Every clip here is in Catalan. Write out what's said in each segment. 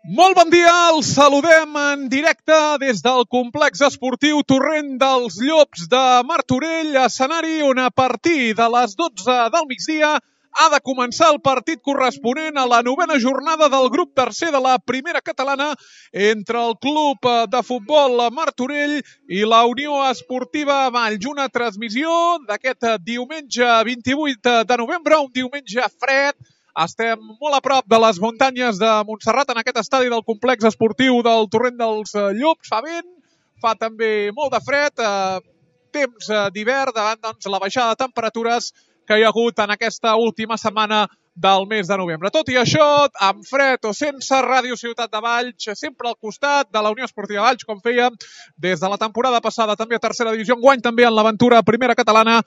Molt bon dia, els saludem en directe des del complex esportiu Torrent dels Llops de Martorell, escenari on a partir de les 12 del migdia ha de començar el partit corresponent a la novena jornada del grup tercer de la primera catalana entre el club de futbol Martorell i la Unió Esportiva Valls. Una transmissió d'aquest diumenge 28 de novembre, un diumenge fred. Estem molt a prop de les muntanyes de Montserrat, en aquest estadi del complex esportiu del Torrent dels Llops. Fa vent, fa també molt de fred, temps d'hivern davant la baixada de temperatures que hi ha hagut en aquesta última setmana del mes de novembre. Tot i això, amb fred o sense, Ràdio Ciutat de Valls, sempre al costat de la Unió Esportiva Valls, com fèiem des de la temporada passada, també a tercera divisió, enguany també en l'aventura primera catalana,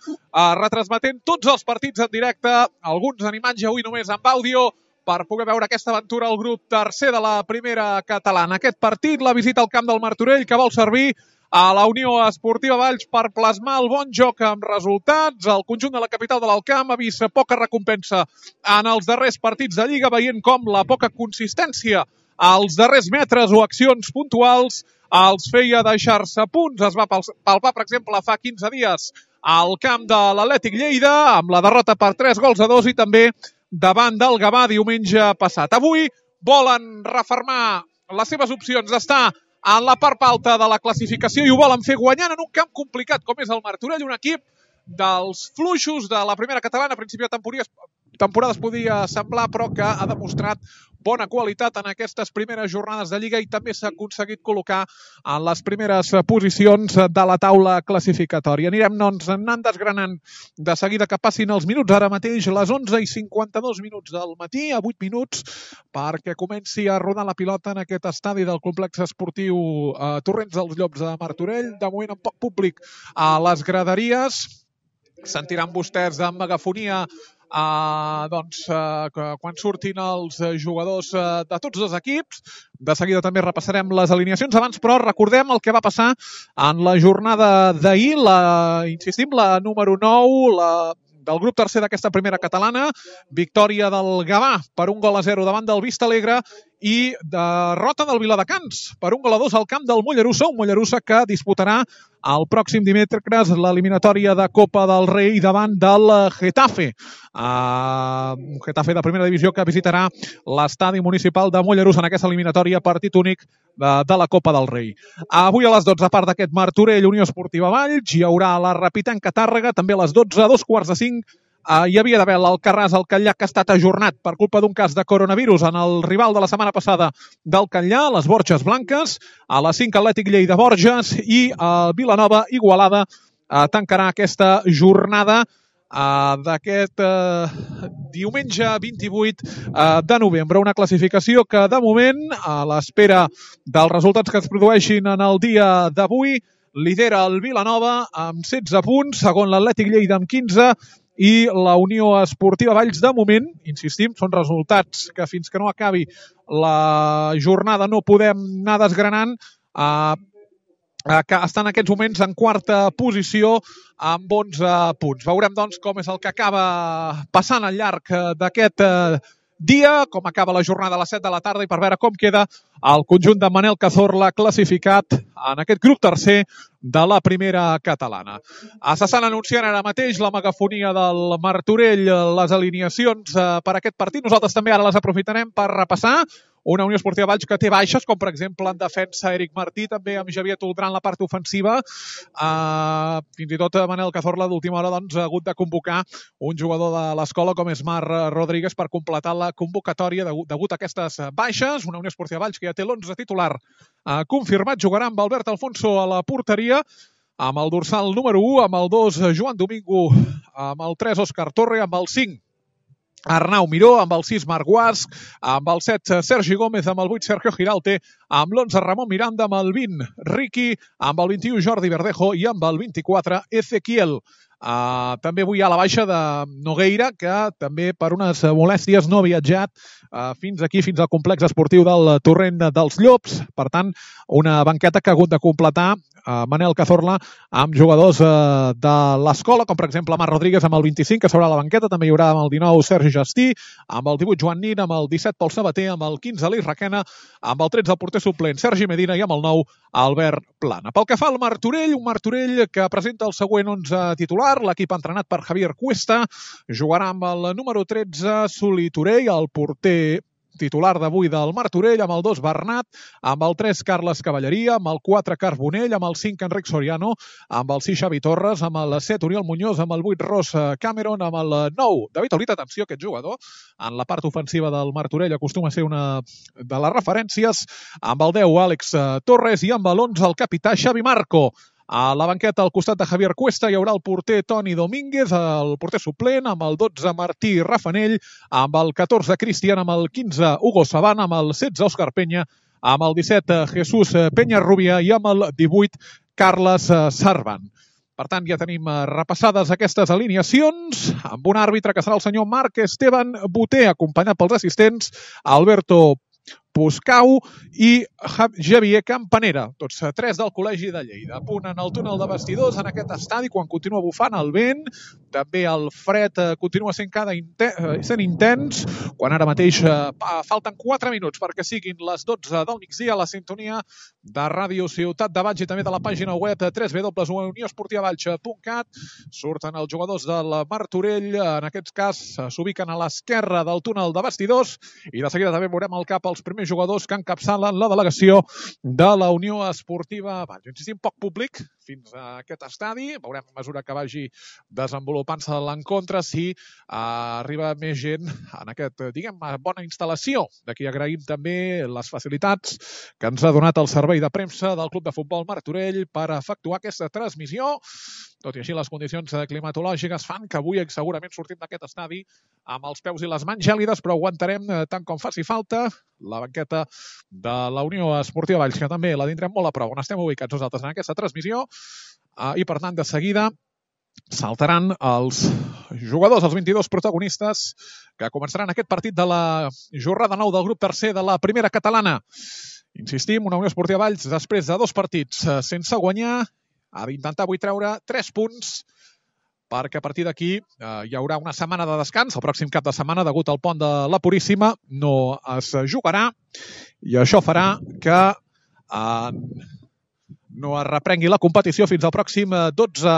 retransmetent tots els partits en directe, alguns en imatge, avui només amb àudio, per poder veure aquesta aventura al grup tercer de la primera catalana. Aquest partit, la visita al camp del Martorell, que vol servir a la Unió Esportiva Valls per plasmar el bon joc amb resultats. El conjunt de la capital de l'Alt Camp ha vist poca recompensa en els darrers partits de Lliga, veient com la poca consistència als darrers metres o accions puntuals els feia deixar-se punts. Es va palpar, per exemple, fa 15 dies al camp de l'Atlètic Lleida, amb la derrota per 3-2 i també davant del Gavà diumenge passat. Avui volen refermar les seves opcions d'estar en la part alta de la classificació i ho volen fer guanyant en un camp complicat com és el Martorell, un equip dels fluixos de la primera catalana. A principi de temporada es podia semblar, però que ha demostrat bona qualitat en aquestes primeres jornades de Lliga i també s'ha aconseguit col·locar en les primeres posicions de la taula classificatòria. Anirem anant desgranant de seguida que passin els minuts. Ara mateix les 11:52 minuts del matí, a 8 minuts, perquè comenci a rodar la pilota en aquest estadi del complex esportiu Torrents dels Llops de Martorell. De moment amb poc públic a les graderies. Sentiran vostès de megafonia quan surtin els jugadors de tots dos equips. De seguida també repassarem les alineacions. Abans, però, recordem el que va passar en la jornada d'ahir, insistim, la número 9, del grup tercer d'aquesta primera catalana. Victòria del Gavà per 1-0 davant del Vistalegre i derrota del Viladecans per 1-2 al camp del Mollerussa, un Mollerussa que disputarà el pròxim dimecres l'eliminatòria de Copa del Rei davant del Getafe. Un Getafe de primera divisió que visitarà l'estadi municipal de Mollerussa en aquesta eliminatòria, partit únic de la Copa del Rei. Avui a les 12, a part d'aquest Martorell, Unió Esportiva Valls, hi haurà la Repitanca Tàrrega, també a les 12, a 2:45, hi havia d'haver l'Alcarràs al Catllà, que ha estat ajornat per culpa d'un cas de coronavirus en el rival de la setmana passada del Catllà, les Borges Blanques. A les 5, Atlètic Lleida Borges i Vilanova Igualada tancarà aquesta jornada d'aquest diumenge 28 de novembre. Una classificació que, de moment, a l'espera dels resultats que es produeixin en el dia d'avui, lidera el Vilanova amb 16 punts, segon l'Atlètic Lleida amb 15 i la Unió Esportiva Valls, de moment, insistim, són resultats que fins que no acabi la jornada no podem anar desgranant, que estan en aquests moments en quarta posició amb 11 punts. Veurem, doncs, com és el que acaba passant al llarg d'aquest dia, com acaba la jornada a les 7 de la tarda i per veure com queda el conjunt de Manel Cazorla classificat en aquest grup tercer de la primera catalana. S'estan anunciant ara mateix la megafonia del Martorell, les alineacions per aquest partit. Nosaltres també ara les aprofitarem per repassar. Una Unió Esportiva Valls que té baixes, com per exemple en defensa Eric Martí, també amb Javier Toldrà en la part ofensiva. Fins i tot Manel Cazorla d'última hora ha hagut de convocar un jugador de l'escola com és Marc Rodríguez per completar la convocatòria degut a aquestes baixes. Una Unió Esportiva Valls que ja té l'11 titular confirmat, jugarà amb Albert Alfonso a la porteria, amb el dorsal número 1, amb el 2 Joan Domingo, amb el 3 Òscar Torre, amb el 5 Arnau Miró, amb el 6 Marc Guasc, amb el 7 Sergi Gómez, amb el 8 Sergio Giralte, amb l'11 Ramon Miranda, amb el 20 Riqui, amb el 21 Jordi Verdejo i amb el 24 Ezequiel També avui hi ha la baixa de Nogueira, que també per unes molèsties no ha viatjat fins aquí, fins al complex esportiu del Torrent dels Llops. Per tant, una banqueta que ha hagut de completar Manel Cazorla amb jugadors de l'escola, com per exemple Marc Rodríguez amb el 25, que s'haurà a la banqueta. També hi haurà amb el 19 Sergi Gestí, amb el 18 Joan Nin, amb el 17 Pol Sabater, amb el 15 Aleix Requena, amb el 13 el porter suplent Sergi Medina i amb el 9 Albert Plana. Pel que fa al Martorell, un Martorell que presenta el següent 11 titular. L'equip entrenat per Javier Cuesta jugarà amb el número 13 Suli Torell, el porter titular d'avui del Martorell, amb el 2 Bernat, amb el 3 Carles Cavalleria, amb el 4 Carbonell, amb el 5 Enric Soriano, amb el 6 Xavi Torres, amb el 7 Oriol Muñoz, amb el 8 Ross Cameron, amb el 9 David Olita. Atenció, aquest jugador en la part ofensiva del Martorell acostuma a ser una de les referències, amb el 10 Àlex Torres i amb l'11 el capità Xavi Marco. A la banqueta, al costat de Javier Cuesta, hi haurà el porter Toni Domínguez, el porter suplent, amb el 12 Martí Rafanell, amb el 14 Cristian, amb el 15 Hugo Sabana, amb el 16 Òscar Penya, amb el 17 Jesús Peñarrubia i amb el 18 Carles Sarban. Per tant, ja tenim repassades aquestes alineacions amb un àrbitre que serà el senyor Marc Esteban Boter, acompanyat pels assistents Alberto Puscau i Javier Campanera, tots tres del Col·legi de Lleida. A punt en el túnel de vestidors en aquest estadi quan continua bufant el vent. També el fred continua sent intens, quan ara mateix falten 4 minuts perquè siguin les 12 del migdia a la sintonia de Ràdio Ciutat de Valls i també de la pàgina web www.unioesportivavalls.cat. Surten els jugadors del Martorell, en aquest cas s'ubiquen a l'esquerra del túnel de vestidors i de seguida també veurem al cap els primers jugadors que encapçalen la delegació de la Unió Esportiva Valls. Insistim, poc públic fins a aquest estadi. Veurem a mesura que vagi desenvolupant-se l'encontre si arriba més gent en aquest, bona instal·lació. D'aquí agraïm també les facilitats que ens ha donat el servei de premsa del Club de Futbol Martorell per efectuar aquesta transmissió. Tot i així, les condicions climatològiques fan que avui segurament sortim d'aquest estadi amb els peus i les mans gèlides, però aguantarem tant com faci falta la banqueta de la Unió Esportiva Valls, que també la tindrem molt a prop, on estem ubicats nosaltres en aquesta transmissió, i per tant de seguida saltaran els jugadors, els 22 protagonistes que començaran aquest partit de la jornada 9 del grup tercer de la primera catalana. Insistim, una Unió Esportiva Valls després de 2 partits sense guanyar ha d'intentar avui treure 3 punts perquè a partir d'aquí hi haurà una setmana de descans. El pròxim cap de setmana, degut al pont de la Puríssima, no es jugarà i això farà que no es reprengui la competició fins al pròxim 12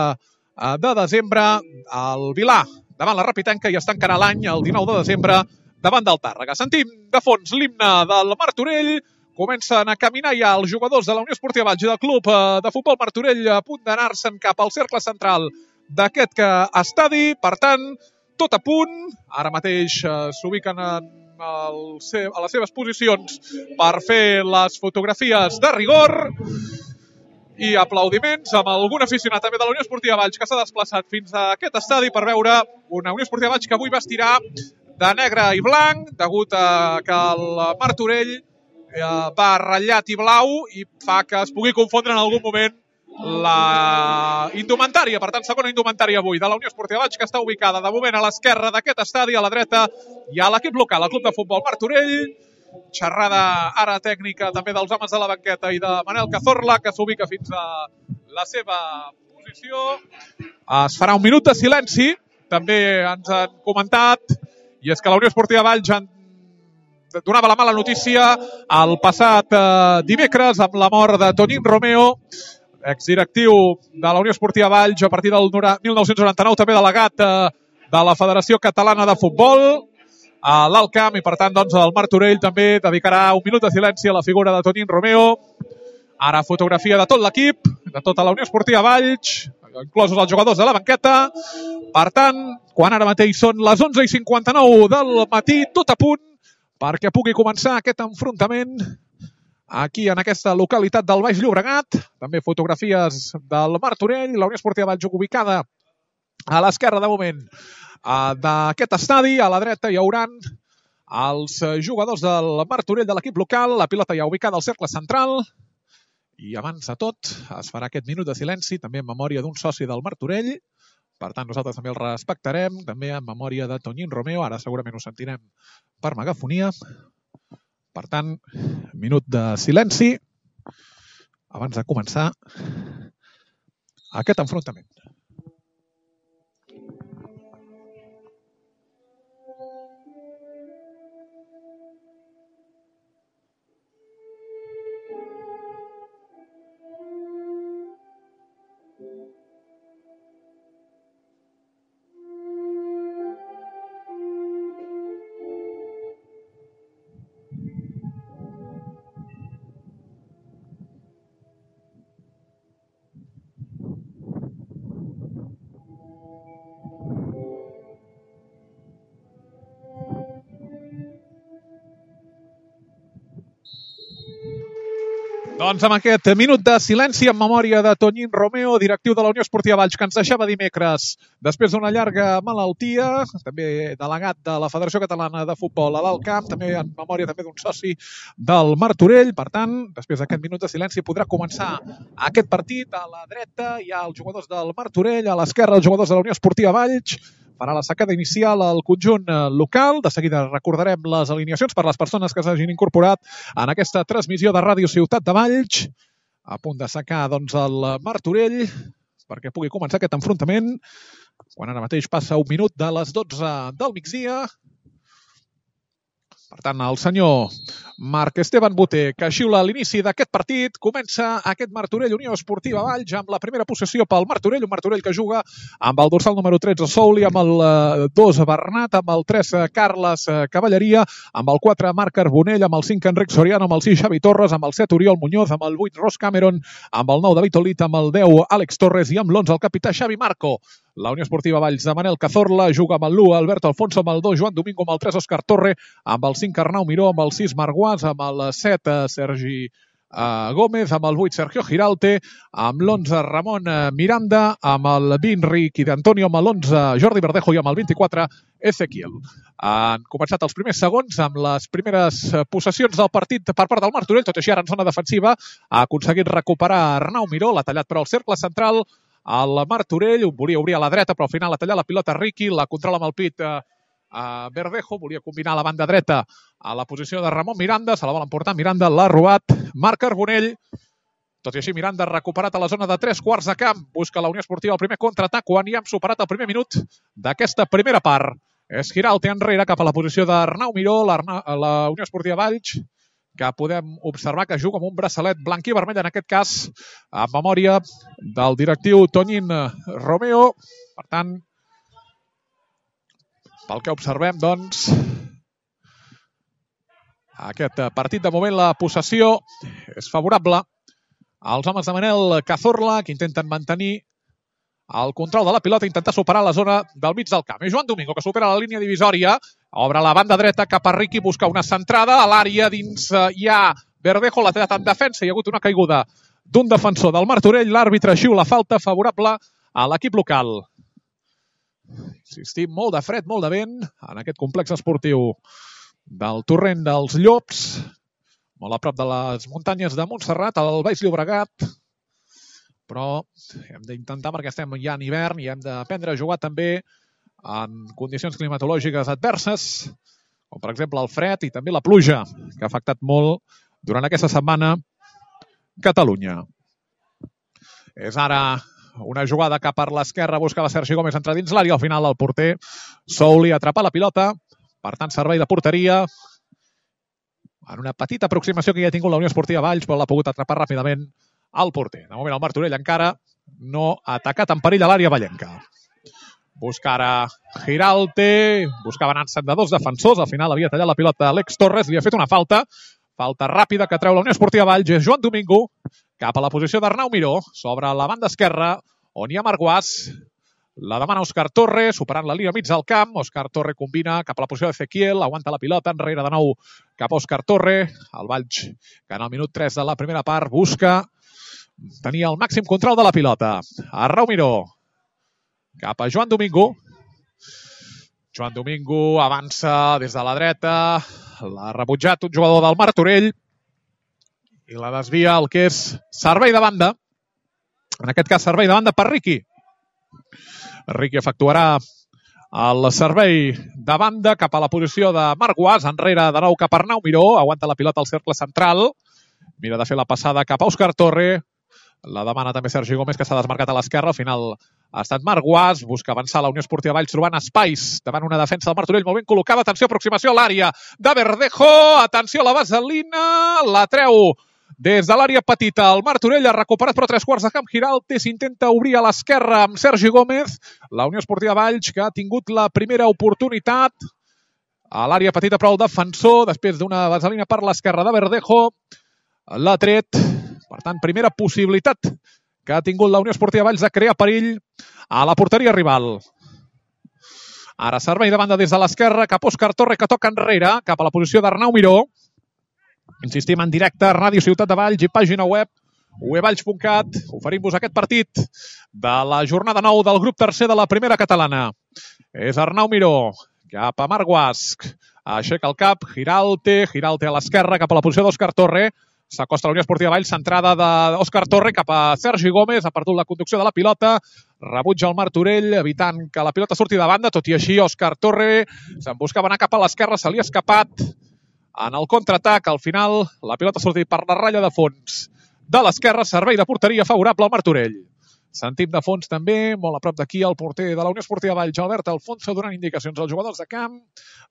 de desembre al Vilà, davant la Rapitenca, i es tancarà l'any el 19 de desembre davant del Tàrrega. Sentim de fons l'himne del Martorell. Comencen a caminar ja els jugadors de la Unió Esportiva Valls i del Club de Futbol Martorell a punt d'anar-se'n cap al cercle central d'aquest estadi. Per tant, tot a punt. Ara mateix s'ubiquen a les seves posicions per fer les fotografies de rigor i aplaudiments amb algun aficionat també de la Unió Esportiva Valls que s'ha desplaçat fins a aquest estadi per veure una Unió Esportiva Valls que avui vestirà de negre i blanc, degut a que el Martorell va ratllat i blau i fa que es pugui confondre en algun moment la indumentària. Per tant, segona indumentària avui de la Unió Esportiva Valls, que està ubicada de moment a l'esquerra d'aquest estadi. A la dreta hi ha l'equip local, el Club de Futbol Martorell. Xerrada ara tècnica també dels homes de la banqueta i de Manel Cazorla, que s'ubica fins a la seva posició. Es farà un minut de silenci, també ens han comentat, i és que la Unió Esportiva Valls donava la mala notícia el passat dimecres amb la mort de Tonín Romeo, exdirectiu de la Unió Esportiva Valls a partir del 1999, també delegat de la Federació Catalana de Futbol a l'Alt Camp, i per tant doncs, el Martorell també dedicarà un minut de silenci a la figura de Tonín Romeo. Ara fotografia de tot l'equip, de tota la Unió Esportiva Valls, inclosos els jugadors de la banqueta. Per tant, quan ara mateix són les 11:59 del matí, tot a punt perquè pugui començar aquest enfrontament aquí en aquesta localitat del Baix Llobregat. També fotografies del Martorell, la Unió Esportiva Valls ubicada a l'esquerra de moment d'aquest estadi. A la dreta hi haurà els jugadors del Martorell de l'equip local, la pilota ja ubicada al cercle central. I abans de tot es farà aquest minut de silenci, també en memòria d'un soci del Martorell, Per tant, nosaltres també el respectarem, també en memòria de Toñín Romeo. Ara segurament ho sentirem per megafonia. Per tant, minut de silenci abans de començar aquest enfrontament. Doncs amb aquest minut de silenci en memòria de Toñín Romeo, directiu de la Unió Esportiva Valls, que ens deixava dimecres després d'una llarga malaltia, també delegat de la Federació Catalana de Futbol a l'Alt Camp, també en memòria també d'un soci del Martorell. Per tant, després d'aquest minut de silenci podrà començar aquest partit. A la dreta hi ha els jugadors del Martorell, a l'esquerra els jugadors de la Unió Esportiva Valls. Farà la sacada inicial al conjunt local. De seguida recordarem les alineacions per les persones que s'hagin incorporat en aquesta transmissió de Ràdio Ciutat de Valls. A punt de sacar doncs, el Martorell perquè pugui començar aquest enfrontament, quan ara mateix passa un minut de les 12 del migdia. Per tant, el senyor Marc Esteban Boter, que xiula l'inici d'aquest partit, comença aquest Martorell Unió Esportiva Valls amb la primera possessió pel Martorell, un Martorell que juga amb el dorsal número 13 Souli, amb el 2 Bernat, amb el 3 Carles Cavalleria, amb el 4 Marc Carbonell, amb el 5 Enric Soriano, amb el 6 Xavi Torres, amb el 7 Oriol Muñoz, amb el 8 Ross Cameron, amb el 9 David Olit, amb el 10 Àlex Torres i amb l'11 el capità Xavi Marco. La Unió Esportiva Valls de Manel Cazorla juga amb el l'1 Alberto Alfonso, amb el 2 Joan Domingo, amb el 3 Òscar Torre, amb el 5 Arnau Miró, amb el 6 Marc Guas, amb el 7 Sergi Gómez, amb el 8 Sergio Giralte, amb l'11 Ramon Miranda, amb el 20 Riqui d'Antonio, amb l'11 Jordi Verdejo i amb el 24 Ezequiel. Han començat els primers segons amb les primeres possessions del partit per part del Martorell, tot i així ara en zona defensiva ha aconseguit recuperar Arnau Miró, l'ha tallat però al cercle central. El Martorell volia obrir a la dreta, però al final ha tallat la pilota Riqui, la controla amb el pit Verdejo, volia combinar la banda dreta a la posició de Ramon Miranda, se la vol emportar Miranda, l'ha robat Marc Carbonell. Tot i així Miranda recuperat a la zona de 3/4 de camp, busca la Unió Esportiva el primer contraatac quan ja hem superat el primer minut d'aquesta primera part. És Giralte enrere cap a la posició d'Arnau Miró, la Unió Esportiva Valls, que podem observar que juga amb un braçalet blanc i vermell, en aquest cas, en memòria del directiu Toñín Romeo. Per tant, pel que observem, doncs, aquest partit de moment, la possessió és favorable als homes de Manel Cazorla, que intenten mantenir el control de la pilota, intentar superar la zona del mig del camp. És Joan Domingo, que supera la línia divisòria, obre la banda dreta cap a Riqui, busca una centrada a l'àrea, dins hi ha Verdejo, l'ha tallat en defensa, hi ha hagut una caiguda d'un defensor del Martorell, l'àrbitre xiula falta favorable a l'equip local. Insistim, molt de fred, molt de vent en aquest complex esportiu del Torrent dels Llops, molt a prop de les muntanyes de Montserrat, al Baix Llobregat, però hem d'intentar, perquè estem ja en hivern i hem d'aprendre a jugar també en condicions climatològiques adverses, com per exemple el fred i també la pluja, que ha afectat molt durant aquesta setmana Catalunya. És ara una jugada cap per l'esquerra, buscava Sergi Gómez entrar dins l'àrea, al final el porter Souli atrapa la pilota, per tant servei de porteria, en una petita aproximació que ja ha tingut la Unió Esportiva Valls, però l'ha pogut atrapar ràpidament al porter. De moment el Martorell encara no ha atacat en perill a l'àrea vallenca. Busca ara Giralte, buscava anar-se'n de dos defensors, al final havia tallat la pilota Àlex Torres, li ha fet una falta ràpida que treu la Unió Esportiva Valls, és Joan Domingo, cap a la posició d'Arnau Miró, sobre la banda esquerra, on hi ha Marc Guas, la demana Òscar Torre, superant la línia mig del camp, Òscar Torre combina cap a la posició d'Ezequiel, aguanta la pilota, enrere de nou cap a Òscar Torre, el Valls, que en el minut 3 de la primera part busca tenir el màxim control de la pilota. Arnau Miró, cap a Joan Domingo. Joan Domingo avança des de la dreta, l'ha rebutjat un jugador del Martorell i la desvia el que és servei de banda. En aquest cas, servei de banda per Riqui. Riqui efectuarà el servei de banda cap a la posició de Marc Guas, enrere de nou cap a Arnau Miró, aguanta la pilota al cercle central, mira de fer la passada cap a Òscar Torre, la demana també Sergi Gómez, que s'ha desmarcat a l'esquerra, al final ha estat Marc Guas, busca avançar la Unió Esportiva Valls trobant espais davant una defensa del Martorell molt ben col·locada, atenció, aproximació a l'àrea de Verdejo, atenció a la vaselina, la treu des de l'àrea petita, el Martorell ha recuperat però 3/4 de camp. Giralt s'intenta obrir a l'esquerra amb Sergi Gómez. La Unió Esportiva Valls, que ha tingut la primera oportunitat a l'àrea petita, però el defensor, després d'una vaselina per l'esquerra de Verdejo, l'ha tret. Per tant, primera possibilitat que ha tingut la Unió Esportiva Valls de crear perill a la porteria rival. Ara servei de banda des de l'esquerra cap a Òscar Torre, que toca enrere, cap a la posició d'Arnau Miró. Insistim en directe, Ràdio Ciutat de Valls i pàgina web uevalls.cat. Oferim-vos aquest partit de la jornada 9 del grup tercer de la primera catalana. És Arnau Miró, cap a Marc Guas. Aixeca el cap, Giralte a l'esquerra, cap a la posició d'Òscar Torre. S'acosta la Unió Esportiva Valls, centrada d'Òscar Torre cap a Sergi Gómez, ha perdut la conducció de la pilota, rebutja el Martorell, evitant que la pilota surti de banda, tot i així Òscar Torre se'n buscava anar cap a l'esquerra, se li ha escapat. En el contraatac, al final, la pilota ha sortit per la ratlla de fons de l'esquerra, servei de porteria favorable al Martorell. Sentim de fons també, molt a prop d'aquí, el porter de la Unió Esportiva Valls, Albert Alfonso, donant indicacions als jugadors de camp.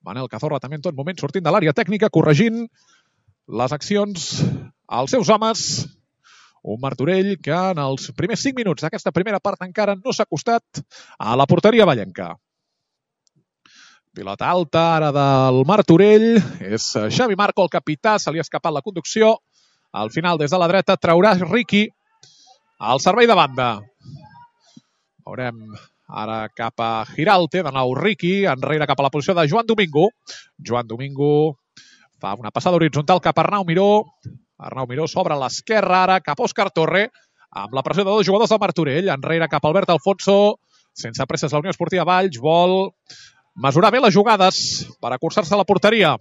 Manel Cazorla també en tot moment sortint de l'àrea tècnica, corregint les accions als seus homes. Un Martorell que en els primers 5 minuts d'aquesta primera part encara no s'ha acostat a la porteria vallenca. Pilota alta ara del Martorell. És Xavi Marco, el capità. Se li ha escapat la conducció. Al final, des de la dreta, traurà Riqui al servei de banda. Veurem ara cap a Giralte. De nou Riqui, enrere cap a la posició de Joan Domingo. Joan Domingo fa una passada horitzontal cap a Arnau Miró. Arnau Miró s'obre a l'esquerra ara cap a Òscar Torre. Amb la pressió de dos jugadors del Martorell. Enrere cap a Albert Alfonso. Sense presses la Unió Esportiva Valls. Vol mesurar bé les jugades per acurçar-se a la porteria.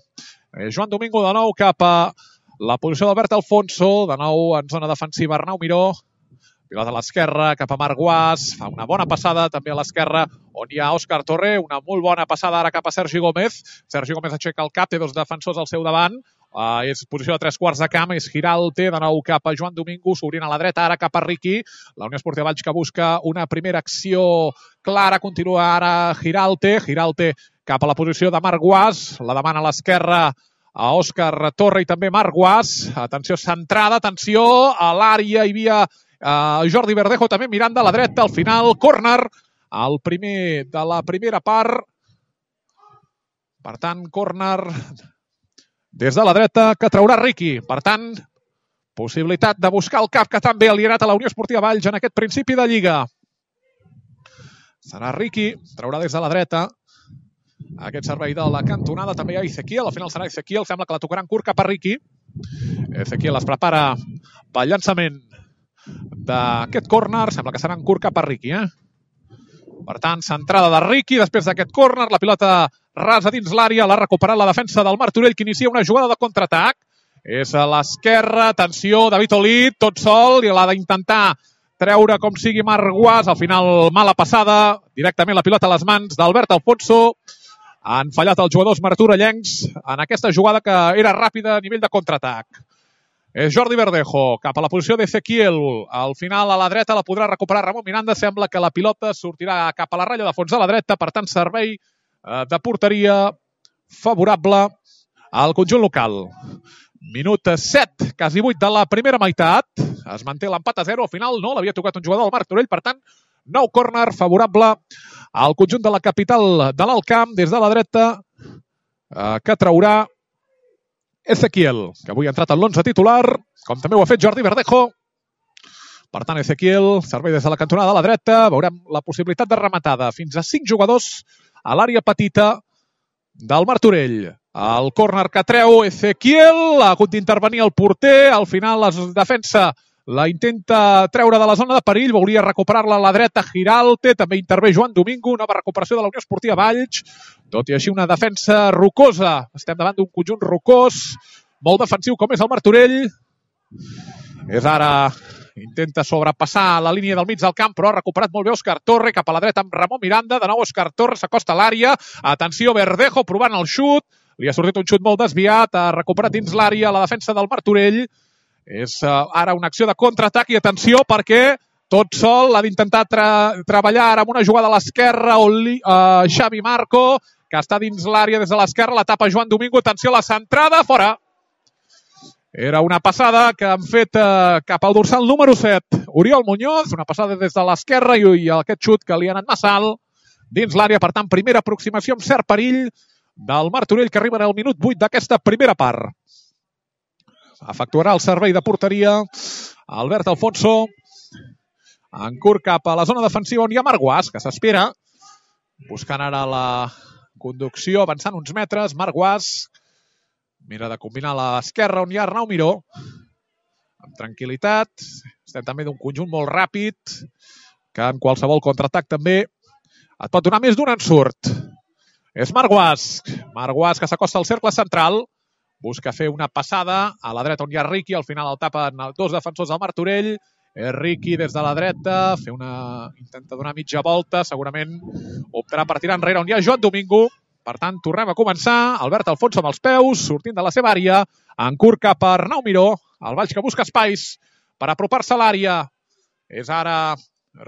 Joan Domingo de nou cap a la posició d'Albert Alfonso, de nou en zona defensiva Arnau Miró, pilota a l'esquerra cap a Marc Guas, fa una bona passada també a l'esquerra on hi ha Òscar Torre, una molt bona passada ara cap a Sergi Gómez. Sergi Gómez aixeca el cap, té dos defensors al seu davant, és posició de 3/4 de camp, és Giralte, de nou cap a Joan Domingo, s'obrint a la dreta ara cap a Riqui, la Unió Esportiva Valls que busca una primera acció clara, continua ara Giralte cap a la posició de Marc Guas, la demana a l'esquerra a Òscar Torre i també Marc Guas, atenció centrada, atenció a l'àrea, hi havia Jordi Verdejo també mirant de la dreta, al final córner, el primer de la primera part, per tant córner des de la dreta que traurà Riqui, per tant possibilitat de buscar el cap que també ha alienat a la Unió Esportiva Valls en aquest principi de Lliga. Serà Riqui, traurà des de la dreta aquest servei de la cantonada, també hi ha Ezequiel, al final serà Ezequiel, sembla que la tocaran curt cap a Riqui. Ezequiel es prepara pel llançament d'aquest córner, sembla que serà en curt cap a Riqui. Per tant, centrada de Riqui, després d'aquest córner, la pilota rasa dins l'àrea, l'ha recuperat la defensa del Martorell, que inicia una jugada de contraatac. És a l'esquerra, atenció, David Olid, tot sol, i l'ha d'intentar treure com sigui Marc Guas, al final mala passada, directament la pilota a les mans d'Albert Alfonso. Han fallat els jugadors martorellencs en aquesta jugada que era ràpida a nivell de contraatac. És Jordi Verdejo cap a la posició d'Ezequiel. Al final a la dreta la podrà recuperar Ramon Miranda. Sembla que la pilota sortirà cap a la ratlla de fons de la dreta. Per tant, servei de porteria favorable al conjunt local. Minut 7, quasi 8 de la primera meitat. Es manté l'empat a 0. Al final no l'havia tocat un jugador del Martorell. Per tant, nou córner favorable al conjunt de la capital de l'Alt Camp des de la dreta que traurà Ezequiel, que avui ha entrat en l'11 titular, com també ho ha fet Jordi Verdejo. Per tant, Ezequiel, servei des de la cantonada de la dreta, veurem la possibilitat de rematada fins a 5 jugadors a l'àrea petita del Martorell. El córner que treu Ezequiel, ha hagut d'intervenir el porter, al final la defensa la intenta treure de la zona de perill, volia recuperar-la a la dreta Giralte, també intervé Joan Domingo, nova recuperació de la Unió Esportiva Valls, tot i així una defensa rocosa. Estem davant d'un conjunt rocós, molt defensiu com és el Martorell. És ara intenta sobrepassar la línia del mig del camp, però ha recuperat molt bé Òscar Torre, cap a la dreta amb Ramon Miranda, de nou Òscar Torre, s'acosta a l'àrea, atenció, Verdejo provant el xut, li ha sortit un xut molt desviat, ha recuperat dins l'àrea la defensa del Martorell, és ara una acció de contraatac i atenció perquè tot sol ha d'intentar treballar ara amb una jugada a l'esquerra, Xavi Marco, que està dins l'àrea des de l'esquerra, la tapa Joan Domingo, atenció a la centrada, fora. Era una passada que han fet cap al dorsal número 7. Oriol Muñoz, una passada des de l'esquerra i aquest xut que li ha anat massa alt dins l'àrea. Per tant, primera aproximació amb cert perill del Martorell que arriba en el minut 8 d'aquesta primera part. Efectuarà el servei de porteria Albert Alfonso. En curt cap a la zona defensiva on hi ha Marc Guas, que s'espera. Buscant ara la conducció, avançant uns metres. Marc Guas mira de combinar a l'esquerra on hi ha Arnau Miró. Amb tranquil·litat. Estem també d'un conjunt molt ràpid, que en qualsevol contraatac també et pot donar més d'un ensurt. És Marc Guas. Marc Guas que s'acosta al cercle central. Busca fer una passada a la dreta on hi ha Riqui. Al final el tapen dos defensors del Martorell. Riqui des de la dreta. Intenta donar mitja volta. Segurament optarà per tirar enrere on hi ha Joan Domingo. Per tant, tornem a començar. Albert Alfonso amb els peus, sortint de la seva àrea. En curt cap a Arnau Miró. El Valls que busca espais per apropar-se a l'àrea. És ara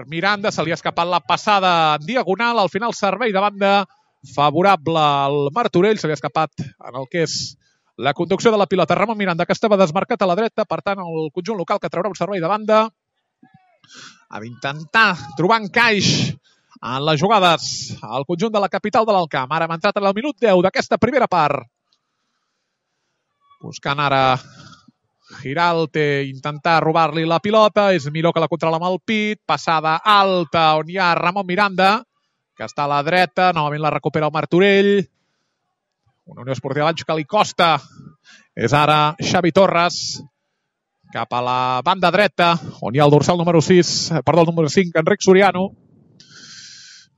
Miranda. Se li ha escapat la passada en diagonal. Al final, servei de banda favorable al Martorell. Se li ha escapat en el que és la conducció de la pilota. Ramon Miranda, que estava desmarcat a la dreta. Per tant, el conjunt local que traurà un servei de banda. Ha d'intentar trobar encaix en les jugades al conjunt de la capital de l'Alcamp. Ara hem entrat en el minut 10 d'aquesta primera part. Buscant ara Giralte, intentar robar-li la pilota. És Miró que la controla amb el pit. Passada alta on hi ha Ramon Miranda, que està a la dreta. Novament la recupera el Martorell. Una Unió Esportiva Valls que li costa. És ara Xavi Torres cap a la banda dreta, on hi ha el dorsal número 5, Enric Soriano.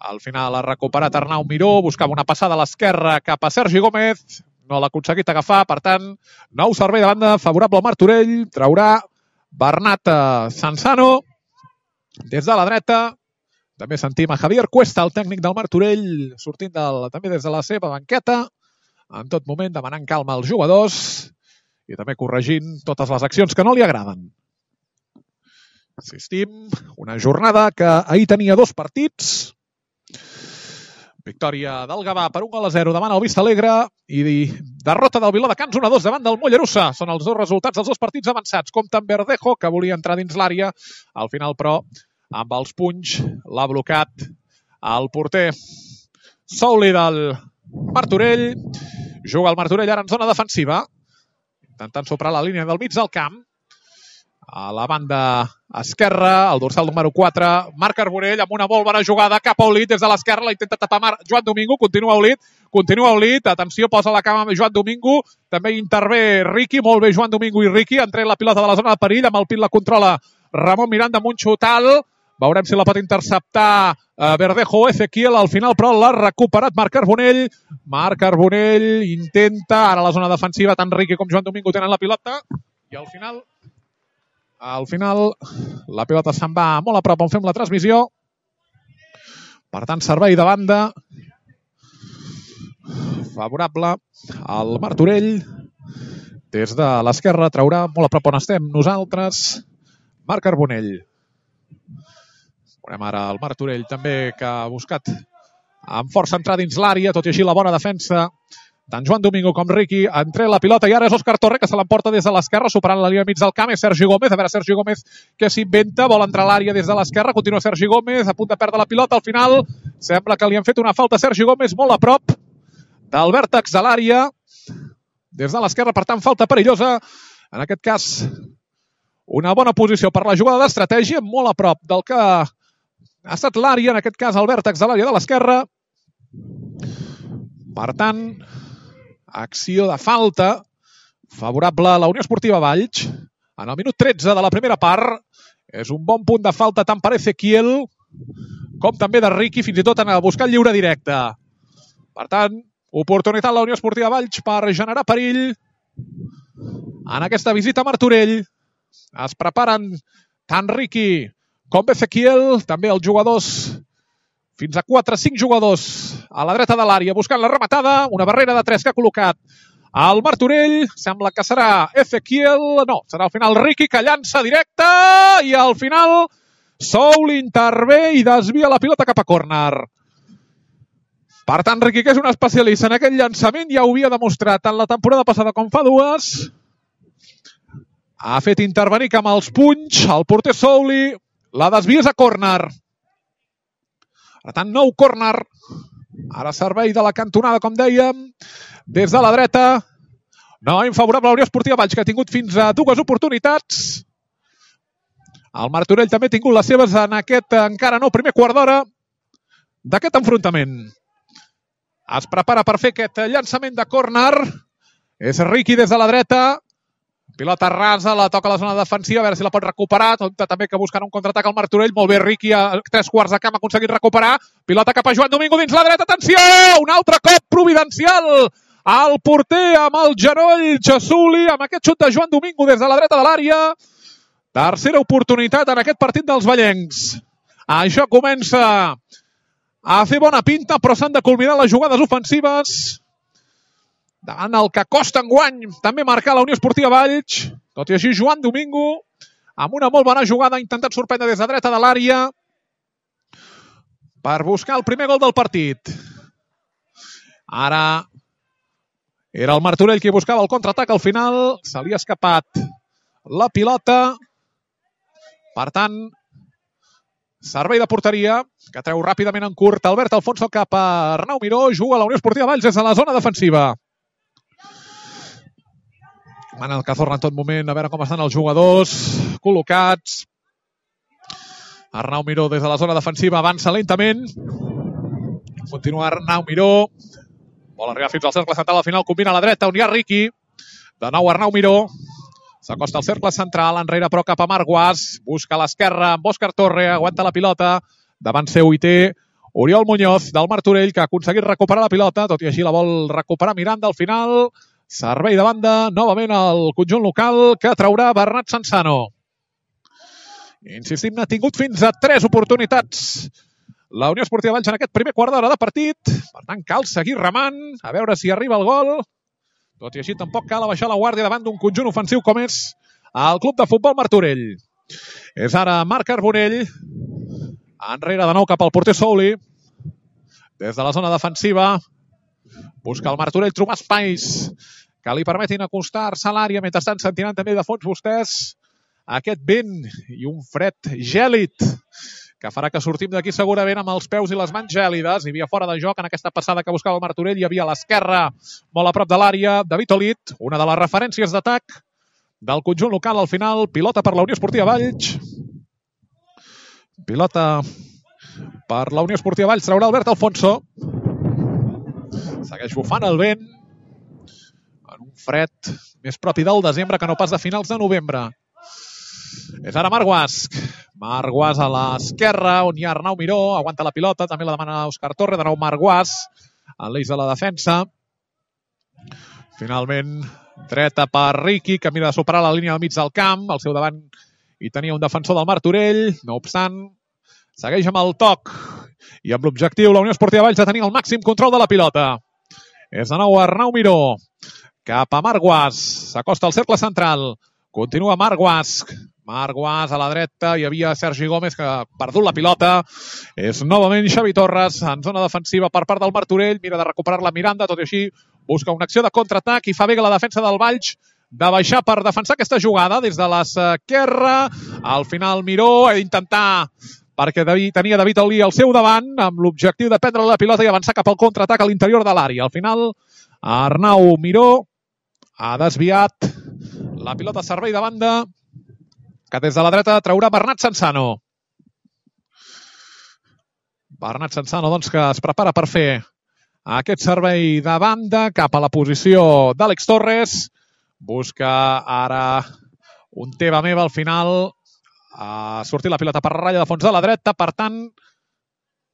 Al final ha recuperat Arnau Miró, buscava una passada a l'esquerra cap a Sergi Gómez, no l'ha aconseguit agafar, per tant, nou servei de banda favorable al Martorell, traurà Bernat Sanzano des de la dreta. També sentim a Javier Cuesta, el tècnic del Martorell, sortint també des de la seva banqueta, en tot moment demanant calma als jugadors i també corregint totes les accions que no li agraden. Insistim, una jornada que ahir tenia dos partits. Victòria del Gavà per 1-0 davant el Vista Alegre i derrota del Viladecans 1-2 davant del Mollerussa. Són els dos resultats dels dos partits avançats. Compte amb Verdejo, que volia entrar dins l'àrea. Al final, però, amb els punys l'ha blocat el porter Souli del Martorell. Juga el Martorell ara en zona defensiva, intentant superar la línia del mig del camp. A la banda esquerra, el dorsal número 4, Marc Carbonell amb una molt bona jugada cap a Olit des de l'esquerra, la intenta tapar Joan Domingo, continua Olit, atenció, posa la cama amb Joan Domingo, també intervé Riqui, molt bé Joan Domingo i Riqui, han tret la pilota de la zona de perill, amb el pit la controla Ramon Miranda amb un xutal, veurem si la pot interceptar Verdejo o Ezequiel, al final però l'ha recuperat Marc Carbonell intenta, ara a la zona defensiva, tant Riqui com Joan Domingo tenen la pilota, i al final la pilota se'n va molt a prop on fem la transmissió. Per tant, servei de banda favorable al Martorell. Des de l'esquerra traurà molt a prop on estem nosaltres Marc Carbonell. Veurem ara el Martorell també, que ha buscat amb força entrar dins l'àrea, tot i així la bona defensa tant Joan Domingo com Riqui. Entre la pilota i ara és Òscar Torre, que se l'emporta des de l'esquerra, superant la línia mig del camp. És Sergi Gómez, a veure Sergi Gómez què s'inventa, vol entrar a l'àrea des de l'esquerra, continua Sergi Gómez, a punt de perdre la pilota. Al final sembla que li han fet una falta a Sergi Gómez, molt a prop del vèrtex de l'àrea des de l'esquerra, per tant falta perillosa. En aquest cas una bona posició per la jugada d'estratègia, molt a prop del que ha estat l'àrea, en aquest cas el vèrtex de l'àrea de l'esquerra. Per tant, acció de falta favorable a la Unió Esportiva Valls. En el minut 13 de la primera part és un bon punt de falta tant per Ezequiel com també de Riqui, fins i tot en buscar el lliure directe. Per tant, oportunitat a la Unió Esportiva Valls per generar perill en aquesta visita a Martorell. Es preparen tant Riqui com Ezequiel, també els jugadors, fins a 4-5 jugadors a la dreta de l'àrea buscant la rematada, una barrera de 3 que ha col·locat el Martorell, sembla que serà Ezequiel, no, serà al final Riqui que llança directe i al final Soul intervé i desvia la pilota cap a córner. Per tant, Riqui, que és un especialista en aquest llançament, ja ho havia demostrat tant la temporada passada com fa 2. Ha fet intervenir amb els punys el porter Souli, la desvies a córner. Per tant, nou córner. Ara servei de la cantonada, com dèiem, des de la dreta. Novament favorable a la Unió Esportiva Valls, que ha tingut fins a 2 oportunitats. El Martorell també ha tingut les seves en aquest encara no primer quart d'hora d'aquest enfrontament. Es prepara per fer aquest llançament de córner. És Riqui des de la dreta. Pilota rasa, la toca a la zona defensiva, a veure si la pot recuperar. També que buscarà un contraatac al Martorell. Molt bé, Riqui a 3/4 de camp ha aconseguit recuperar. Pilota cap a Joan Domingo dins la dreta. Atenció! Un altre cop providencial. El porter amb el genoll Xasuli, amb aquest xut de Joan Domingo des de la dreta de l'àrea. Tercera oportunitat en aquest partit dels vallencs. Això comença a fer bona pinta, però s'han de culminar les jugades ofensives. Davant el que costa enguany també marcar la Unió Esportiva Valls. Tot i així, Joan Domingo, amb una molt bona jugada, ha intentat sorprendre des de dreta de l'àrea per buscar el primer gol del partit. Ara era el Martorell qui buscava el contraatac. Al final se li ha escapat la pilota. Per tant, servei de porteria, que treu ràpidament en curt Albert Alfonso cap a Arnau Miró. Juga a la Unió Esportiva Valls des de la zona defensiva. Mana el Cazorla en tot moment, a veure com estan els jugadors col·locats. Arnau Miró des de la zona defensiva avança lentament. Continua Arnau Miró. Vol arribar fins al cercle central, al final combina a la dreta, on hi ha Riqui. De nou Arnau Miró. S'acosta al cercle central, enrere però cap a Marc Guas. Busca a l'esquerra amb Òscar Torre, aguanta la pilota. Davant seu hi té Oriol Muñoz del Martorell, que ha aconseguit recuperar la pilota, tot i així la vol recuperar Miranda al final. Servei de banda, novament al conjunt local, que traurà Bernat Sansano. Insistim, n'ha tingut fins a 3 oportunitats la Unió Esportiva Valls en aquest primer quart d'hora de partit. Per tant, cal seguir remant, a veure si arriba el gol. Tot i així, tampoc cal abaixar la guàrdia davant d'un conjunt ofensiu com és el Club de Futbol Martorell. És ara Marc Carbonell. Enrere de nou cap al porter Souli. Des de la zona defensiva busca el Martorell trobar espais que li permetin acostar-se a l'àrea. Mentrestant sentiran també de fons vostès aquest vent i un fred gèlid que farà que sortim d'aquí segurament amb els peus i les mans gèlides. Hi havia fora de joc en aquesta passada que buscava el Martorell. Hi havia a l'esquerra, molt a prop de l'àrea, David Olit, una de les referències d'atac del conjunt local. Al final, pilota per la Unió Esportiva Valls. Pilota per la Unió Esportiva Valls. Traurà Albert Alfonso. Segueix bufant el vent en un fred més propi del desembre que no pas de finals de novembre. És ara Marc Guas. Marc Guas a l'esquerra, on hi ha Arnau Miró. Aguanta la pilota, també la demana Òscar Torre. De nou Marc Guas, en l'eix de la defensa. Finalment, dreta per Riqui, que mira de superar la línia del mig del camp. Al seu davant hi tenia un defensor del Martorell. No obstant, segueix amb el toc i amb l'objectiu la Unió Esportiva Valls de tenir el màxim control de la pilota. És de nou Arnau Miró cap a Marc Guas. S'acosta al cercle central. Continua Marc Guas. Marc Guas a la dreta. Hi havia Sergi Gómez que ha perdut la pilota. És novament Xavi Torres en zona defensiva per part del Martorell. Mira de recuperar-la Miranda. Tot i així busca una acció de contraatac i fa bé la defensa del Valls de baixar per defensar aquesta jugada des de l'esquerra. Al final Miró ha d'intentar, perquè tenia David Olí al seu davant, amb l'objectiu de prendre la pilota i avançar cap al contraatac a l'interior de l'àrea. Al final, Arnau Miró ha desviat la pilota a servei de banda, que des de la dreta traurà Bernat Sansano. Bernat Sansano, doncs, que es prepara per fer aquest servei de banda cap a la posició d'Àlex Torres. Busca ara un teva meva al final. Ha sortit la pilota per ratlla de fons de la dreta. Per tant,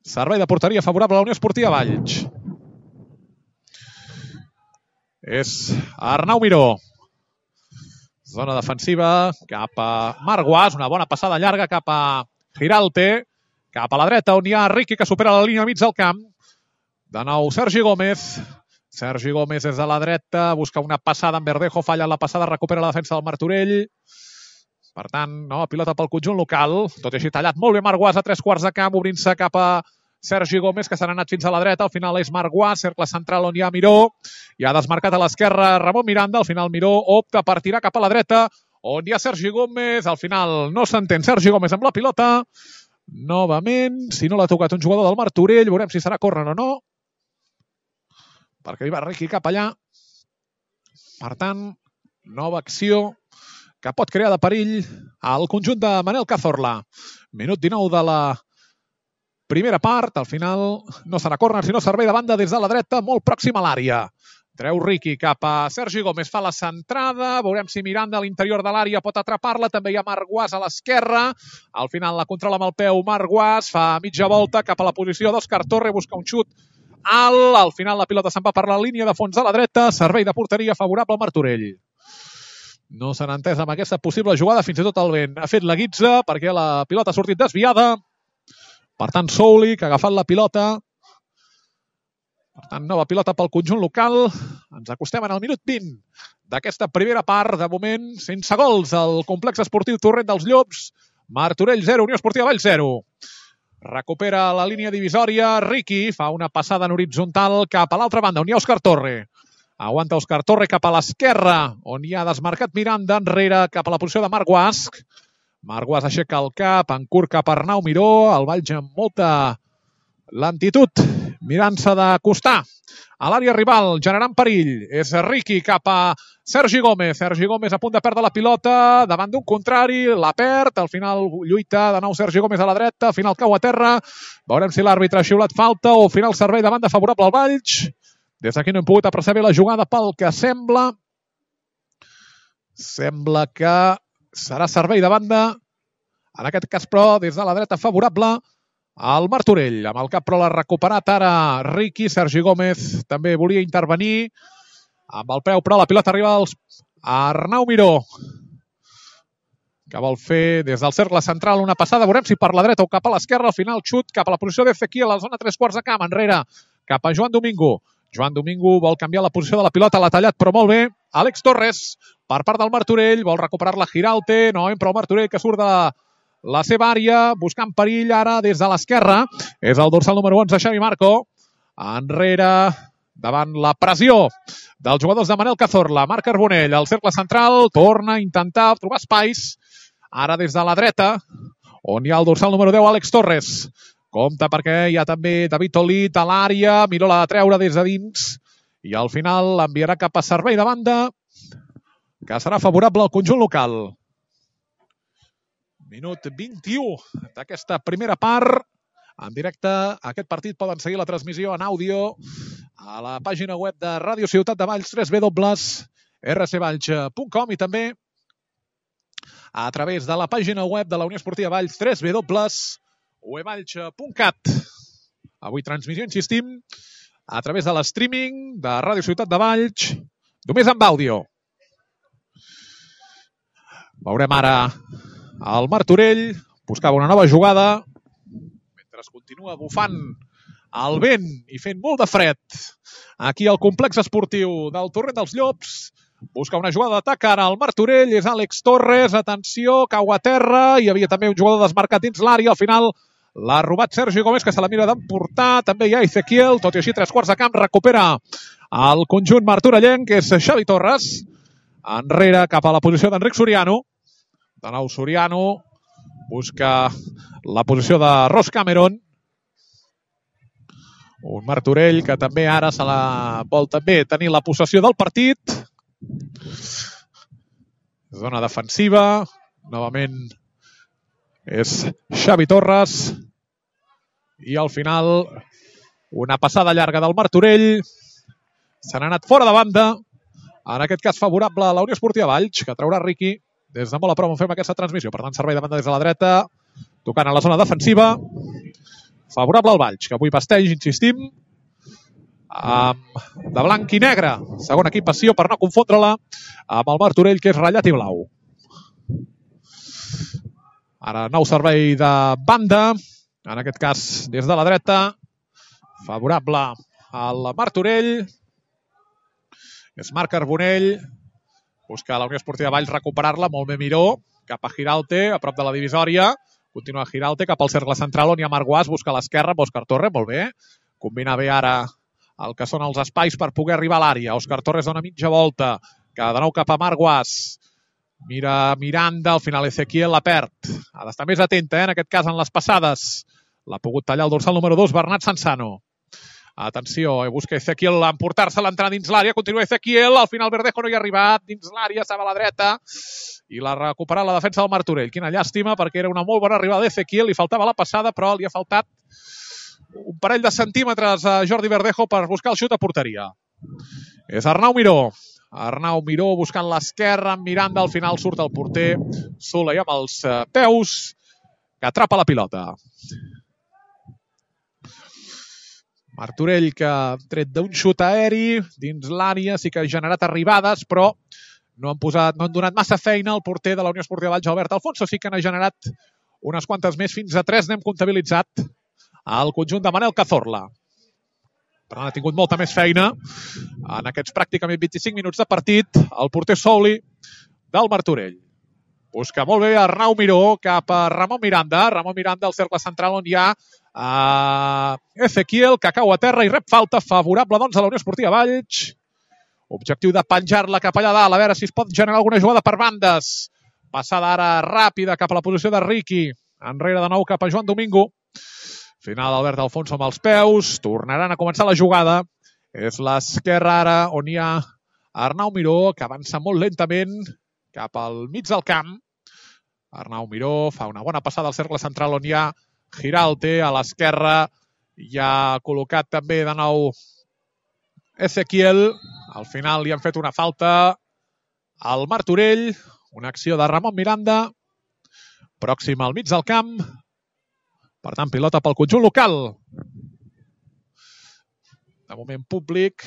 servei de porteria favorable a la Unió Esportiva Valls. És Arnau Miró. Zona defensiva cap a Marc Guas, una bona passada llarga cap a Giralte, cap a la dreta on hi ha Riqui que supera la línia mig del camp. De nou Sergi Gómez. Sergi Gómez des de la dreta, busca una passada en Verdejo, falla la passada, recupera la defensa del Martorell. Per tant, nova pilota pel conjunt local. Tot i així tallat molt bé Marc Guas a 3/4 de camp, obrint-se cap a Sergi Gómez, que s'ha anat fins a la dreta. Al final és Marc Guas, cercle central on hi ha Miró. I ha desmarcat a l'esquerra Ramon Miranda. Al final Miró opta per tirar cap a la dreta, on hi ha Sergi Gómez. Al final no s'entén Sergi Gómez amb la pilota. Novament, si no l'ha tocat un jugador del Martorell, veurem si serà córner o no, perquè hi va Riqui cap allà. Per tant, nova acció que pot crear de perill al conjunt de Manel Cazorla. Minut 19 de la primera part. Al final no serà córner, sinó servei de banda des de la dreta, molt pròxim a l'àrea. Treu Riqui cap a Sergi Gómez, fa la centrada. Veurem si Miranda a l'interior de l'àrea pot atrapar-la. També hi ha Marc Guas a l'esquerra. Al final la controla amb el peu Marc Guas, fa mitja volta cap a la posició d'Òscar Torre, busca un xut alt. Al final la pilota se'n va per la línia de fons de la dreta. Servei de porteria favorable al Martorell. No s'han entès amb aquesta possible jugada, fins i tot el vent ha fet la guitza perquè la pilota ha sortit desviada. Per tant, Souli, que ha agafat la pilota. Per tant, nova pilota pel conjunt local. Ens acostem en el minut 20 d'aquesta primera part. De moment, sense gols al complex esportiu Torrent dels Llops. Martorell 0, Unió Esportiva Valls 0. Recupera la línia divisòria. Riqui fa una passada en horitzontal cap a l'altra banda, on hi ha Òscar Torre. Aguanta Òscar Torre cap a l'esquerra, on hi ha desmarcat Miranda, enrere cap a la posició de Marc Guas. Marc Guas aixeca el cap, en curt cap a Arnau Miró, el Valls amb molta lentitud, mirant-se d'acostar a l'àrea rival, generant perill. És Riqui cap a Sergi Gómez. Sergi Gómez a punt de perdre la pilota, davant d'un contrari, la perd, al final lluita de nou Sergi Gómez a la dreta, al final cau a terra. Veurem si l'àrbitre ha xiulat falta o al final servei de banda favorable al Valls. Des d'aquí no hem pogut apreciar bé la jugada pel que sembla. Sembla que serà servei de banda. En aquest cas, però, des de la dreta favorable al Martorell. Amb el cap, però, l'ha recuperat ara Riqui. Sergi Gómez també volia intervenir. Amb el peu, però, la pilota arriba a Arnau Miró, que vol fer des del cercle central una passada. Veurem si per la dreta o cap a l'esquerra. Al final, xut cap a la posició d'Ezequiel a la zona 3/4 de camp. Enrere, cap a Joan Domingo. Joan Domingo vol canviar la posició de la pilota, l'ha tallat, però molt bé. Àlex Torres, per part del Martorell, vol recuperar-la Giralte. No, però el Martorell que surt de la seva àrea, buscant perill ara des de l'esquerra. És el dorsal número 11, Xavi Marco. Enrere, davant la pressió dels jugadors de Manel Cazorla. Marc Carbonell, al cercle central, torna a intentar trobar espais. Ara des de la dreta, on hi ha el dorsal número 10, Àlex Torres. Compte perquè hi ha també David Olit a l'àrea, Miró l'ha de treure des de dins i al final l'enviarà cap a servei de banda, que serà favorable al conjunt local. Minut 21 d'aquesta primera part. En directe, aquest partit poden seguir la transmissió en àudio a la pàgina web de Ràdio Ciutat de Valls, www.rcvalls.com i també a través de la pàgina web de la Unió Esportiva Valls, www.uevalls.cat. Avui transmissió, insistim, a través de l'streaming de Ràdio Ciutat de Valls, només amb àudio. Veurem ara el Martorell, buscava una nova jugada, mentre es continua bufant el vent i fent molt de fred. Aquí al complex esportiu del Torrent dels Llops, busca una jugada d'atac ara al Martorell, és Àlex Torres, atenció, cau a terra, hi havia també un jugador desmarcat dins l'àrea, al final l'ha robat Sergi Gómez, que se la mira d'emportar, també hi ha Ezequiel, tot i així 3/4 de camp, recupera el conjunt martorellenc, que és Xavi Torres, enrere cap a la posició d'Enric Soriano. De nou Soriano busca la posició de Ross Cameron. Un Martorell que també ara se la vol també tenir la possessió del partit. Zona defensiva. Novament és Xavi Torres. I al final una passada llarga del Martorell. Se n'ha anat fora de banda. En aquest cas favorable a la Unió Esportiva Valls, que traurà Riqui. Des de molt a prop on fem aquesta transmissió. Per tant, servei de banda des de la dreta, tocant a la zona defensiva. Favorable al Valls, que avui vesteix, insistim, de blanc i negre. Segon equipació, per no confondre-la amb el Martorell, que és ratllat i blau. Ara nou servei de banda, en aquest cas des de la dreta, favorable al Martorell. És Marc Carbonell, busca la Unió Esportiva Valls recuperar-la, molt bé Miró, cap a Giralte, a prop de la divisòria. Continua Giralte cap al cercle central, on hi ha Marc Guas, busca a l'esquerra, Òscar Torres, molt bé. Combina bé ara el que són els espais per poder arribar a l'àrea. Òscar Torres dona mitja volta, que de nou cap a Marc Guas. Mira Miranda, al final Ezequiel la perd. Ha d'estar més atenta, en aquest cas, en les passades. L'ha pogut tallar el dorsal número 2, Bernat Sansano. Atenció, busca Ezequiel emportar-se l'entrada dins l'àrea, continua Ezequiel, al final Verdejo no hi ha arribat, dins l'àrea, estava a la dreta, i l'ha recuperat la defensa del Martorell. Quina llàstima, perquè era una molt bona arribada d'Ezequiel, li faltava la passada, però li ha faltat un parell de centímetres a Jordi Verdejo per buscar el xut a porteria. És Arnau Miró. Arnau Miró buscant l'esquerra, amb Miranda, al final surt el porter Soler amb els peus, que atrapa la pilota. Martorell, que ha tret d'un xut aeri dins l'àrea, sí que ha generat arribades, però no han donat massa feina al porter de la Unió Esportiva Valls, Albert Alfonso. Sí que n'ha generat unes quantes més, fins a 3 n'hem comptabilitzat al conjunt de Manel Cazorla. Per tant, ha tingut molta més feina en aquests pràcticament 25 minuts de partit el porter Souli del Martorell. Busca molt bé Arnau Miró cap a Ramon Miranda. Ramon Miranda al cercle central, on hi ha Ezequiel, que cau a terra i rep falta favorable doncs a la Unió Esportiva Valls. Objectiu de penjar-la cap allà dalt, a veure si es pot generar alguna jugada per bandes. Passada ara ràpida cap a la posició de Riqui. Enrere de nou cap a Joan Domingo. Final Albert Alfonso amb els peus. Tornaran a començar la jugada. És l'esquerra ara, on hi ha Arnau Miró, que avança molt lentament cap al mig del camp. Arnau Miró fa una bona passada al cercle central, on hi ha Giralte. A l'esquerra hi ha col·locat també de nou Ezequiel. Al final li han fet una falta al Martorell. Una acció de Ramon Miranda. Pròxim al mig del camp. Per tant, pilota pel conjunt local. De moment públic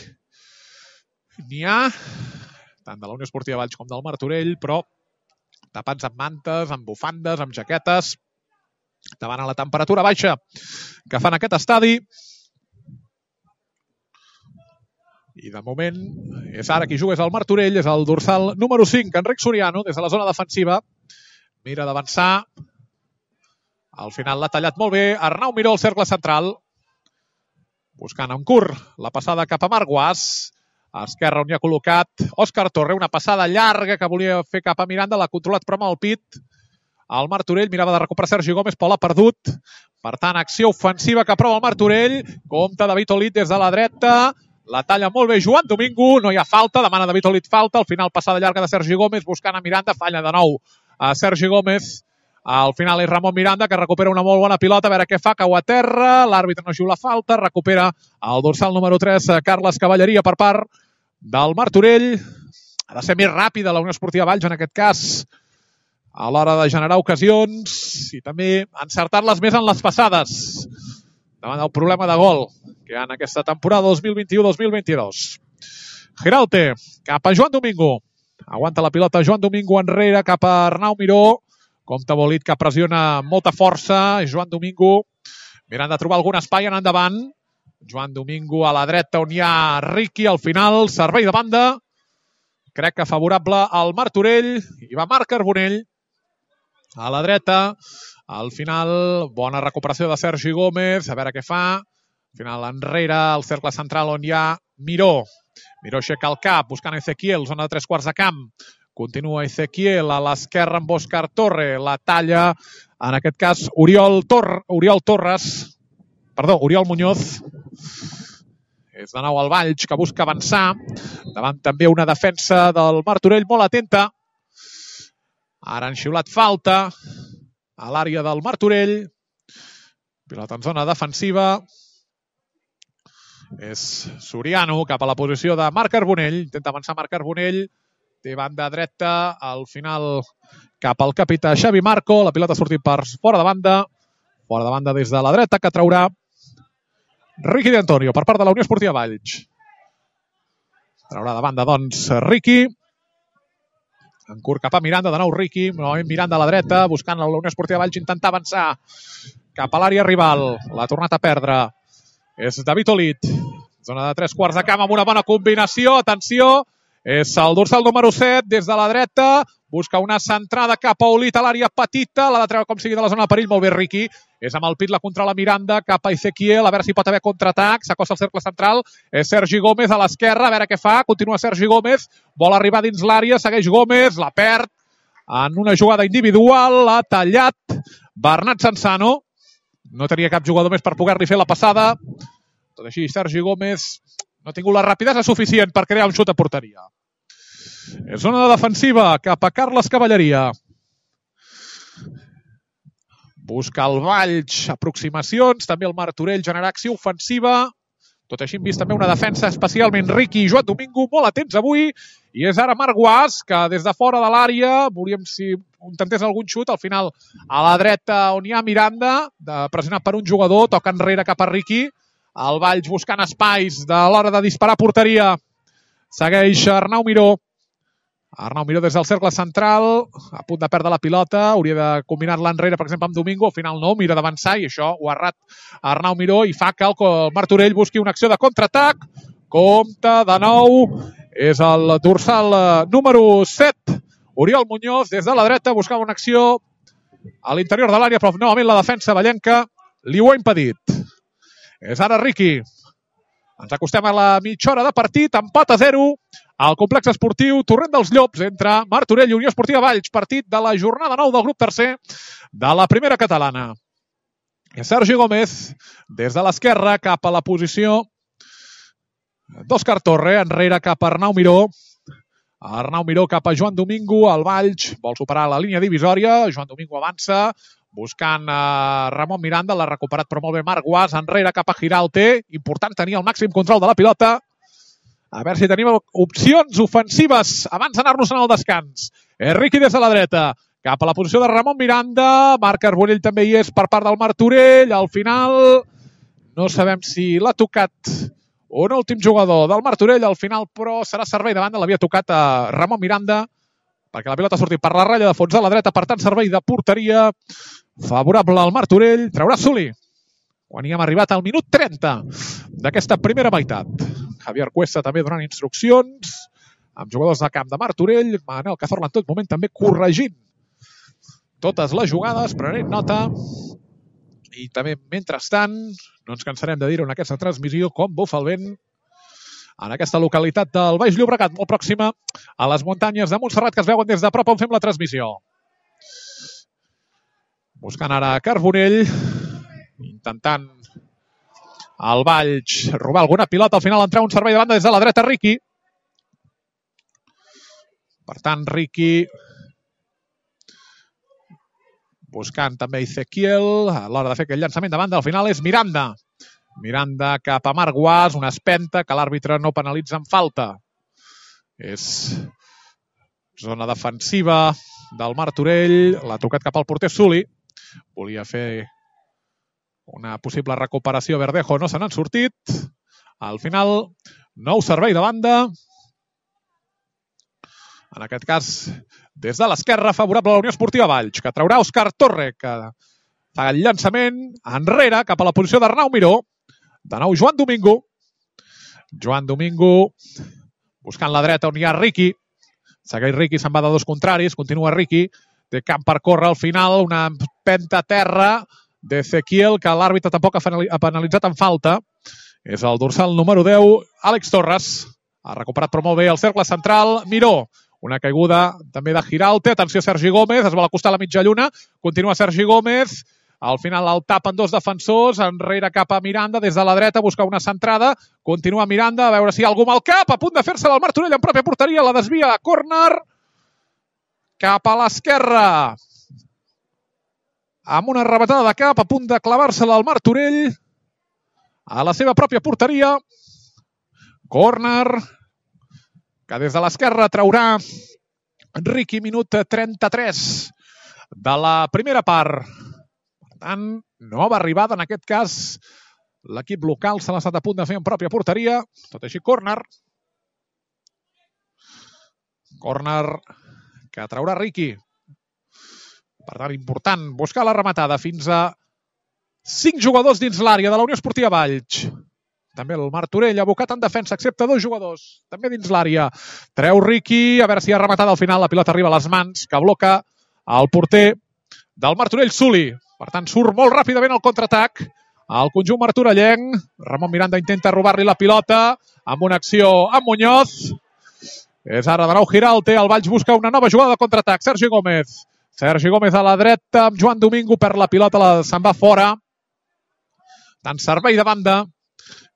n'hi ha, tant de la Unió Esportiva Valls com del Martorell, però tapats amb mantes, amb bufandes, amb jaquetes, davant a la temperatura baixa que fan aquest estadi. I de moment és ara qui juga, és el Martorell, és el dorsal número 5, Enric Soriano, des de la zona defensiva. Mira d'avançar. Al final l'ha tallat molt bé Arnau Miró al cercle central. Buscant en curt la passada cap a Marc Guas. A esquerra, on hi ha col·locat Òscar Torre, una passada llarga que volia fer cap a Miranda, l'ha controlat però amb el pit. El Martorell mirava de recuperar Sergi Gómez, però l'ha perdut. Per tant, acció ofensiva que prova el Martorell. Compte David Olid des de la dreta. La talla molt bé Joan Domingo. No hi ha falta, demana David Olid falta. Al final, passada llarga de Sergi Gómez, buscant a Miranda. Falla de nou a Sergi Gómez. Al final és Ramon Miranda, que recupera una molt bona pilota. A veure què fa, cau a terra. L'àrbitre no xiula falta. Recupera el dorsal número 3, Carles Cavalleria, per part del Martorell. Ha de ser més ràpida la Unió Esportiva Valls, en aquest cas, a l'hora de generar ocasions i també encertar-les més en les passades davant del problema de gol que hi ha en aquesta temporada 2021-2022. Giralte, cap a Joan Domingo. Aguanta la pilota Joan Domingo enrere, cap a Arnau Miró. Compte Bolit, que pressiona amb molta força. Joan Domingo mirant de trobar algun espai en endavant. Joan Domingo a la dreta, on hi ha Riqui. Al final, servei de banda. Crec que favorable al Martorell. I va Marc Carbonell a la dreta. Al final, bona recuperació de Sergi Gómez. A veure què fa. Al final, enrere, al cercle central, on hi ha Miró. Miró aixeca el cap, buscant Ezequiel, zona de 3/4 de camp. Continua Ezequiel a l'esquerra amb Òscar Torre. La talla, en aquest cas, Oriol Muñoz. És de nou el Valls, que busca avançar. Davant també una defensa del Martorell molt atenta. Ara han xiulat falta a l'àrea del Martorell. Pilota en zona defensiva. És Soriano cap a la posició de Marc Carbonell. Intenta avançar Marc Carbonell. Té banda dreta. Al final cap al capità Xavi Marco. La pilota ha sortit per fora de banda. Fora de banda des de la dreta, que traurà Riqui de Antonio per part de la Unió Esportiva Valls. Traurà de banda, doncs, Riqui. En curt cap a Miranda, de nou Riqui. Novament Miranda a la dreta, buscant la Unió Esportiva Valls intentar avançar cap a l'àrea rival. L'ha tornat a perdre. És David Olit. Zona de 3/4 de camp amb una bona combinació. Atenció, és el dorsal número 7 des de la dreta. Busca una centrada cap a Olit a l'àrea petita. L'ha de treure com sigui de la zona de perill. Molt bé, Riqui. És amb el pit, la controla Miranda cap a Ezequiel. A veure si pot haver contraatac. S'acosta al cercle central. És Sergi Gómez a l'esquerra. A veure què fa. Continua Sergi Gómez. Vol arribar dins l'àrea. Segueix Gómez. La perd en una jugada individual. L'ha tallat Bernat Sansano. No tenia cap jugador més per poder-li fer la passada. Tot així, Sergi Gómez no ha tingut la rapidesa suficient per crear un xut a porteria. És zona de defensiva cap a Carles Cavalleria. Busca el Valls aproximacions, també el Martorell generar acció ofensiva. Tot així hem vist també una defensa especialment Riqui i Joan Domingo molt atents avui. I és ara Marc Guas, que des de fora de l'àrea, volíem si intentés algun xut, al final a la dreta on hi ha Miranda, pressionat per un jugador, toca enrere cap a Riqui. El Valls buscant espais de l'hora de disparar a porteria. Segueix Arnau Miró. Arnau Miró des del cercle central, a punt de perdre la pilota, hauria de combinar-la enrere, per exemple, amb Domingo, al final no, mira d'avançar i això ho ha errat Arnau Miró i fa que el Martorell busqui una acció de contraatac. Compte de nou, és el dorsal número 7, Oriol Muñoz, des de la dreta, buscava una acció a l'interior de l'àrea, però novament la defensa vallenca li ho ha impedit. És ara Riqui. Ens acostem a la mitja hora de partit, empat a 0 al complex esportiu Torrent dels Llops entre Martorell i Unió Esportiva Valls, partit de la jornada 9 del grup tercer de la primera catalana. Sergi Gómez, des de l'esquerra cap a la posició d'Òscar Torre, enrere cap a Arnau Miró. Arnau Miró cap a Joan Domingo, el Valls vol superar la línia divisòria, Joan Domingo avança, buscant Ramon Miranda, l'ha recuperat però molt bé Marc Guas, enrere cap a Giralte, important tenir el màxim control de la pilota. A veure si tenim opcions ofensives abans d'anar-nos al descans. Riqui des de la dreta, cap a la posició de Ramon Miranda, Marc Carbonell també hi és per part del Martorell, al final no sabem si l'ha tocat un últim jugador del Martorell, al final però serà servei de banda, l'havia tocat a Ramon Miranda, perquè la pilota ha sortit per la ratlla de fons de la dreta, per tant servei de porteria favorable al Martorell, traurà Suli quan hi hem arribat al minut 30 d'aquesta primera meitat. Javier Cuesta també donant instruccions amb jugadors de camp de Martorell, Manel Cazorla en tot moment també corregint totes les jugades, prenent nota, i també mentrestant no ens cansarem de dir-ho en aquesta transmissió com bufa el vent en aquesta localitat del Baix Llobregat, molt pròxima a les muntanyes de Montserrat que es veuen des de prop on fem la transmissió. Buscant ara Carbonell, intentant el Valls robar alguna pilota, al final entrar un servei de banda des de la dreta Riqui. Per tant, Riqui buscant també Ezequiel a l'hora de fer aquell llançament de banda, al final és Miranda. Miranda cap a Marc Guas, una espenta que l'àrbitre no penalitza amb falta. És zona defensiva del Martorell, l'ha tocat cap al porter Suli. Volia fer una possible recuperació Verdejo, no se n'han sortit. Al final, nou servei de banda. En aquest cas, des de l'esquerra, favorable a la Unió Esportiva Valls, que traurà Òscar Torre, que fa el llançament enrere cap a la posició d'Arnau Miró. De nou Joan Domingo. Joan Domingo buscant la dreta on hi ha Riqui. Segueix Riqui, se'n va de dos contraris, continua Riqui. Té camp per córrer al final, una empenta a terra d'Ezequiel, que l'àrbitre tampoc ha penalitzat en falta. És el dorsal número 10, Àlex Torres. Ha recuperat però molt bé el cercle central, Miró. Una caiguda també de Giralte. Atenció, Sergi Gómez, es vol acostar a la mitja lluna. Continua Sergi Gómez. Al final el tapen dos defensors, enrere cap a Miranda, des de la dreta, busca una centrada. Continua Miranda, a veure si hi ha algú amb el cap, a punt de fer-se del Martorell en pròpia porteria, la desvia a córner. Cap a l'esquerra. Amb una rebatada de cap, a punt de clavar-se-la al Martorell. A la seva pròpia porteria. Córner. Que des de l'esquerra traurà Riqui, minut 33 de la primera part. Per tant, nova arribada, en aquest cas, L'equip local se l'ha estat a punt de fer en pròpia porteria. Tot així, córner. Córner que traurà Riqui. Per tant, important buscar la rematada fins a 5 jugadors dins l'àrea de la Unió Esportiva Valls. També el Martorell abocat en defensa, excepte 2 jugadors, també dins l'àrea. Treu Riqui, a veure si ha rematat al final. La pilota arriba a les mans, que bloca el porter del Martorell, Suli. Per tant, surt molt ràpidament el contraatac. El conjunt martorellenc. Ramon Miranda intenta robar-li la pilota amb una acció amb Muñoz. És ara de nou Giralte. El Valls busca una nova jugada de contraatac. Sergi Gómez. Sergi Gómez a la dreta amb Joan Domingo, per la pilota se'n va fora. Tant servei de banda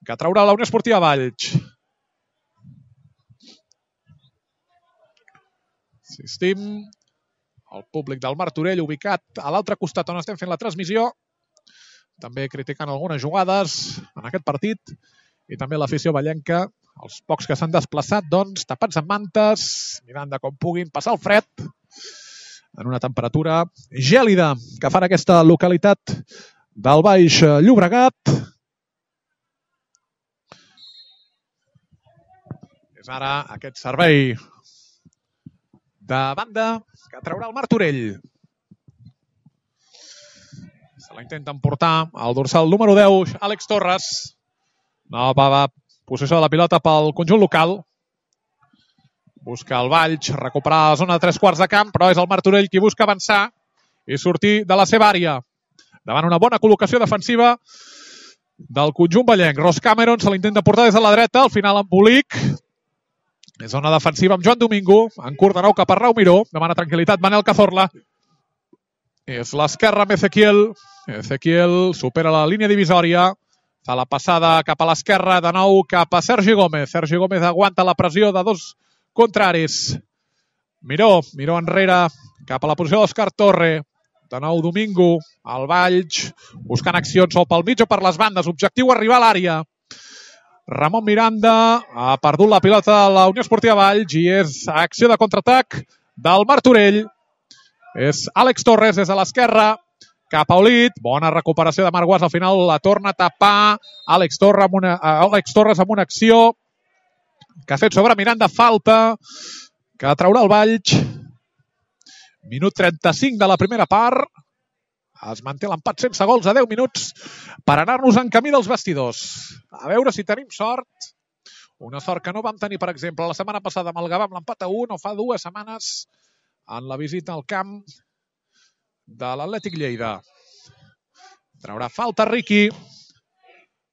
que traurà la Unió Esportiva Valls. Assistim al públic del Martorell ubicat a l'altre costat on estem fent la transmissió. També criticant algunes jugades en aquest partit. I també l'afició vallenca, els pocs que s'han desplaçat, doncs, tapats amb mantes, mirant de com puguin passar el fred en una temperatura gèlida que fa en aquesta localitat del Baix Llobregat. És ara aquest servei de banda que traurà el Martorell. Se la intenten portar al dorsal número 10, Àlex Torres. Nova possessió de la pilota pel conjunt local. Busca el Valls, recuperar la zona de 3/4 de camp, però és el Martorell qui busca avançar i sortir de la seva àrea. Davant una bona col·locació defensiva del conjunt vallenc. Ross Cameron se l'intenta portar des de la dreta, al final embolic. És zona defensiva amb Joan Domingo, en curt de nou cap a Rau Miró. Demana tranquil·litat Manel Cazorla. És l'esquerra amb Ezequiel. Ezequiel supera la línia divisòria. Fa la passada cap a l'esquerra, de nou cap a Sergi Gómez. Sergi Gómez aguanta la pressió de dos contraris. Miró enrere cap a la posició d'Òscar Torre. De nou Domingo, el Valls, buscant accions o pel mig o per les bandes. Objectiu arribar a l'àrea. Ramon Miranda ha perdut la pilota de la Unió Esportiva Valls i és acció de contraatac del Martorell. És Àlex Torres des de l'esquerra cap a Olit. Bona recuperació de Marc Guas. Al final la torna a tapar Àlex Torres amb una acció que ha fet sobre Miranda, falta que traurà el Valls. Minut 35 de la primera part. Es manté l'empat sense gols a 10 minuts per anar-nos en camí dels vestidors. A veure si tenim sort. Una sort que no vam tenir, per exemple, la setmana passada amb el Gavà amb l'empat a 1, o fa 2 setmanes en la visita al camp de l'Atlètic Lleida. Traurà falta Riqui.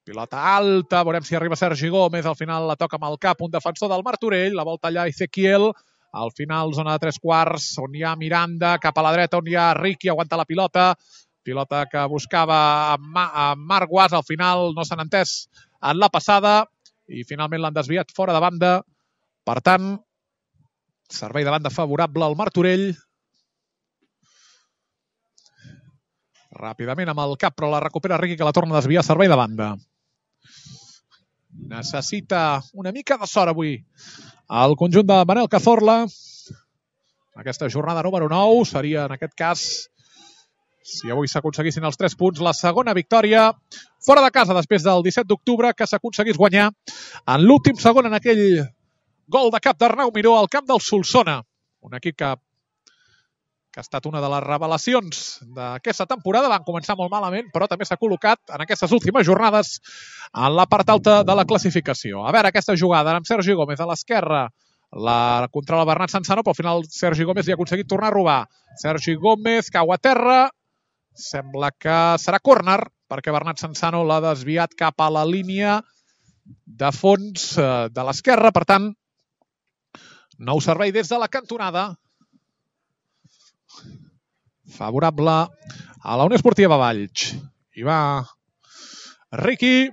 Pilota alta, veurem si arriba Sergi Gómez. Al final la toca amb el cap un defensor del Martorell. La volta allà Ezequiel. Al final, zona de 3/4, on hi ha Miranda. Cap a la dreta, on hi ha Riqui. Aguanta la pilota. Pilota que buscava amb Marc Guas. Al final no s'han entès en la passada. I finalment l'han desviat fora de banda. Per tant, servei de banda favorable al Martorell. Ràpidament amb el cap, però la recupera Riqui, que la torna a desviar. Servei de banda. Necessita una mica de sort avui el conjunt de Manel Cazorla. Aquesta jornada número 9 seria, en aquest cas, si avui s'aconseguissin els 3 punts, la segona victòria fora de casa després del 17 d'octubre, que s'aconseguís guanyar en l'últim segon en aquell gol de cap d'Arnau Miró al camp del Solsona. Un equip que ha estat una de les revelacions d'aquesta temporada. Van començar molt malament, però també s'ha col·locat en aquestes últimes jornades en la part alta de la classificació. A veure, aquesta jugada amb Sergi Gómez a l'esquerra. La controla Bernat Sansano, però al final Sergi Gómez li ha aconseguit tornar a robar. Sergi Gómez cau a terra. Sembla que serà córner, perquè Bernat Sansano l'ha desviat cap a la línia de fons de l'esquerra. Per tant, nou servei des de la cantonada. Favorable a la Unió Esportiva Valls. Hi va Riqui.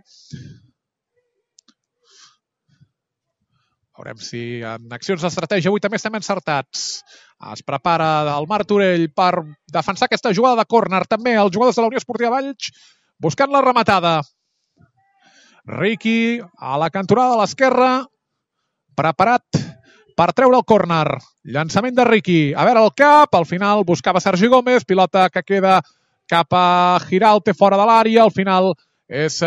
Veurem si en accions d'estratègia avui també estem encertats. Es prepara el Martorell per defensar aquesta jugada de córner. També els jugadors de la Unió Esportiva Valls buscant la rematada. Riqui a la cantonada de l'esquerra, preparat per treure el córner. Llançament de Riqui. A veure el cap. Al final buscava Sergi Gómez. Pilota que queda cap a Giralte fora de l'àrea. Al final És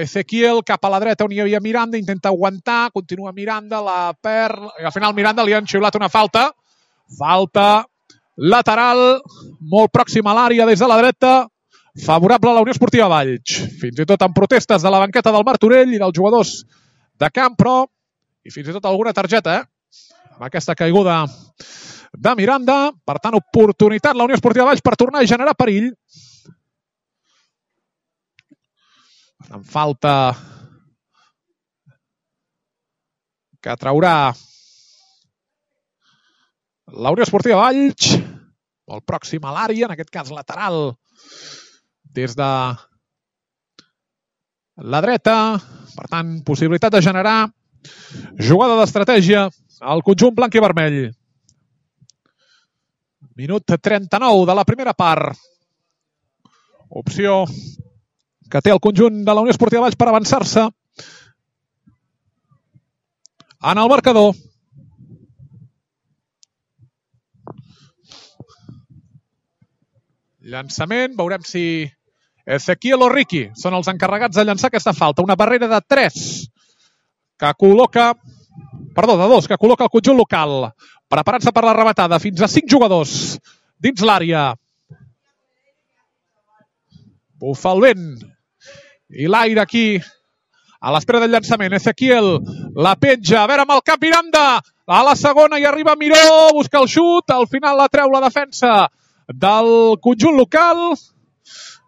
Ezequiel cap a la dreta on hi havia Miranda, intenta aguantar, continua Miranda, la perd, i al final Miranda li han xiulat una falta. Falta lateral, molt pròxima a l'àrea des de la dreta, favorable a la Unió Esportiva Valls. Fins i tot amb protestes de la banqueta del Martorell i dels jugadors de camp, però, i fins i tot alguna targeta, amb aquesta caiguda de Miranda. Per tant, oportunitat la Unió Esportiva Valls per tornar a generar perill. En falta que traurà la Unió Esportiva Valls, molt pròxima a l'àrea, en aquest cas lateral, des de la dreta. Per tant, possibilitat de generar jugada d'estratègia al conjunt blanc i vermell. Minut 39 de la primera part. Opció que té el conjunt de la Unió Esportiva Valls per avançar-se en el marcador. Llançament, veurem si Ezequiel o Riqui són els encarregats de llançar aquesta falta. Una barrera de 3 que col·loca, de 2, que col·loca el conjunt local, preparant-se per la rematada. Fins a 5 jugadors dins l'àrea. Bufa el vent i l'aire aquí a l'espera del llançament. Ezequiel la penja, a veure amb el cap Miranda, a la segona hi arriba Miró, busca el xut, al final la treu la defensa del conjunt local.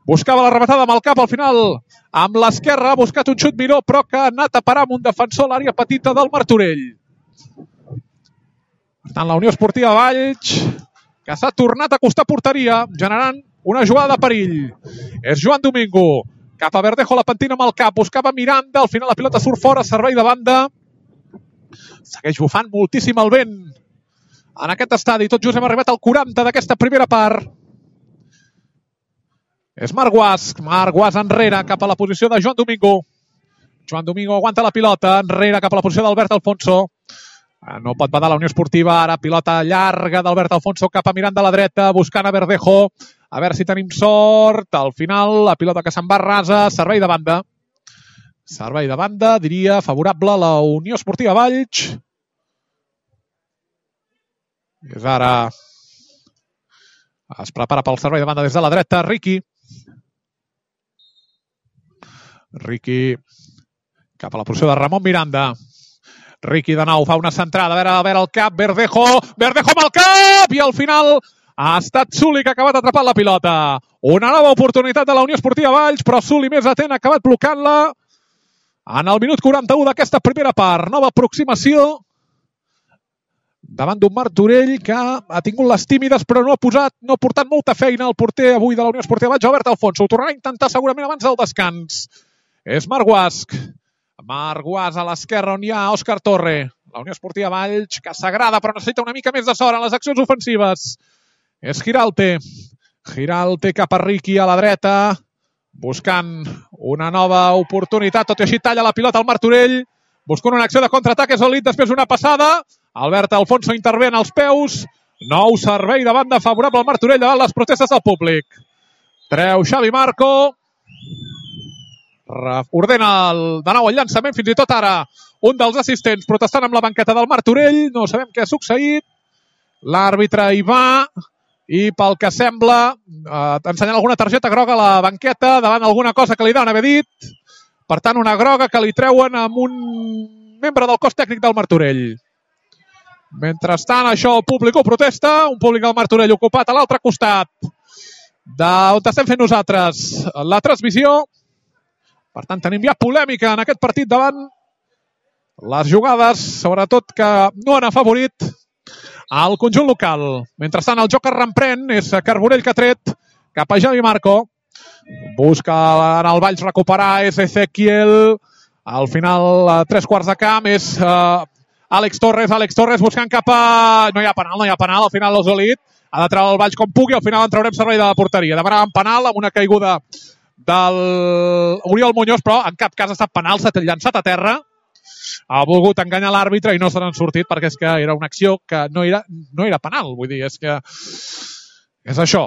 Buscava la rematada amb el cap, al final amb l'esquerra ha buscat un xut Miró, però que ha anat a parar amb un defensor a l'àrea petita del Martorell. Per tant, la Unió Esportiva Valls, que s'ha tornat a acostar porteria, generant una jugada de perill. És Joan Domingo, cap a Verdejo, la pentina amb el cap, buscava Miranda, al final la pilota surt fora, servei de banda. Segueix bufant moltíssim el vent en aquest estadi. Tot just hem arribat al 40 d'aquesta primera part. És Marc Guas enrere cap a la posició de Joan Domingo. Joan Domingo aguanta la pilota, enrere cap a la posició d'Albert Alfonso. No pot badar la Unió Esportiva, ara pilota llarga d'Albert Alfonso cap a Miranda a la dreta, buscant a Verdejo. A veure si tenim sort. Al final, la pilota que se'n va rasa, servei de banda. Servei de banda, diria, favorable a la Unió Esportiva Valls. És ara... Es prepara pel servei de banda des de la dreta, Riqui. Riqui cap a la posició de Ramon Miranda. Riqui de nou fa una centrada, a veure el cap, Verdejo amb el cap, i al final ha estat Suli que ha acabat atrapant la pilota. Una nova oportunitat de la Unió Esportiva Valls, però Suli més atent ha acabat blocant-la en el minut 41 d'aquesta primera part. Nova aproximació davant d'un Martorell que ha tingut les tímides, però no ha portat molta feina al porter avui de la Unió Esportiva Valls, Albert Alfonso. Ho tornarà a intentar segurament abans del descans. És Marc Guas a l'esquerra on hi ha Òscar Torre. La Unió Esportiva Valls que s'agrada però necessita una mica més de sort en les accions ofensives. És Giralte cap a Riqui a la dreta, buscant una nova oportunitat, tot i així talla la pilota al Martorell, buscant una acció de contraatac, és Olit, després una passada, Albert Alfonso intervé en els peus, nou servei de banda favorable al Martorell davant les protestes del públic. Treu Xavi Marco, ordena de nou el llançament, fins i tot ara un dels assistents protestant amb la banqueta del Martorell, no sabem què ha succeït, l'àrbitre hi va i pel que sembla ensenyant alguna targeta groga a la banqueta davant alguna cosa que li deuen haver dit, per tant una groga que li treuen amb un membre del cos tècnic del Martorell. Mentrestant això el públic ho protesta, un públic del Martorell ocupat a l'altre costat d'on estem fent nosaltres la transmissió. Per tant, tenim ja polèmica en aquest partit davant les jugades, sobretot que no han afavorit al conjunt local. Mentrestant, el joc es reprèn, és Carbonell que ha tret cap a Xavi Marco. Busca en el Valls recuperar, és Ezequiel. Al final, a 3/4 de camp, és Àlex Torres buscant cap a... No hi ha penal, al final l'Osolit ha de treure el Valls com pugui, al final en traurem servei de la porteria. Demanàvem penal amb una caiguda del Oriol Muñoz, però en cap cas ha estat penal, s'ha llançat a terra, ha volgut enganyar l'àrbitre i no se n'han sortit perquè és que era una acció que no era penal, vull dir, és que és això.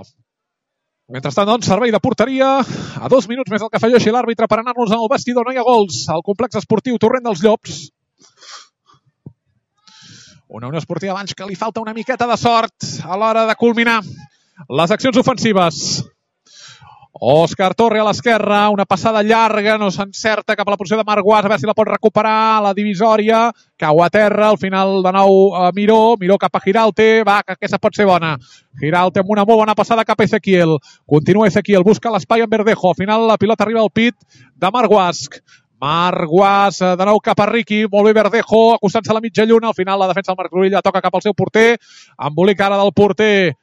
Mentrestant, doncs, servei de porteria. A 2 minuts més el que afegeixi l'àrbitre per anar-nos al vestidor. No hi ha gols al complex esportiu Torrent dels Llops. Una Unió Esportiva Valls que li falta una miqueta de sort a l'hora de culminar les accions ofensives. Òscar Torre a l'esquerra, una passada llarga, no s'encerta cap a la posició de Marc Guas, a veure si la pot recuperar, la divisòria, cau a terra, al final de nou Miró cap a Giralte, va, que aquesta pot ser bona. Giralte amb una molt bona passada cap a Ezequiel, continua Ezequiel, busca l'espai en Verdejo, al final la pilota arriba al pit de Marc Guas. Marc Guas, de nou cap a Riqui, molt bé Verdejo, acostant-se a la mitja lluna, al final la defensa del Martorell la toca cap al seu porter, embolic ara del porter,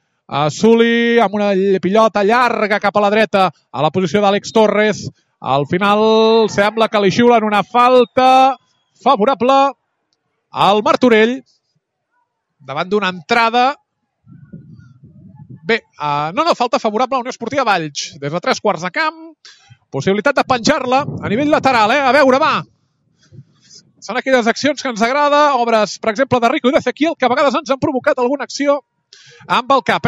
Suli amb una pilota llarga cap a la dreta a la posició d'Àlex Torres. Al final sembla que li xiulen una falta favorable al Martorell davant d'una entrada. Bé, no, falta favorable a la Unió Esportiva Valls. Des de 3/4 de camp, possibilitat de penjar-la a nivell lateral, A veure, va. Són aquelles accions que ens agrada, obres, per exemple, de Rico i d'Ezequiel, que a vegades ens han provocat alguna acció amb el cap,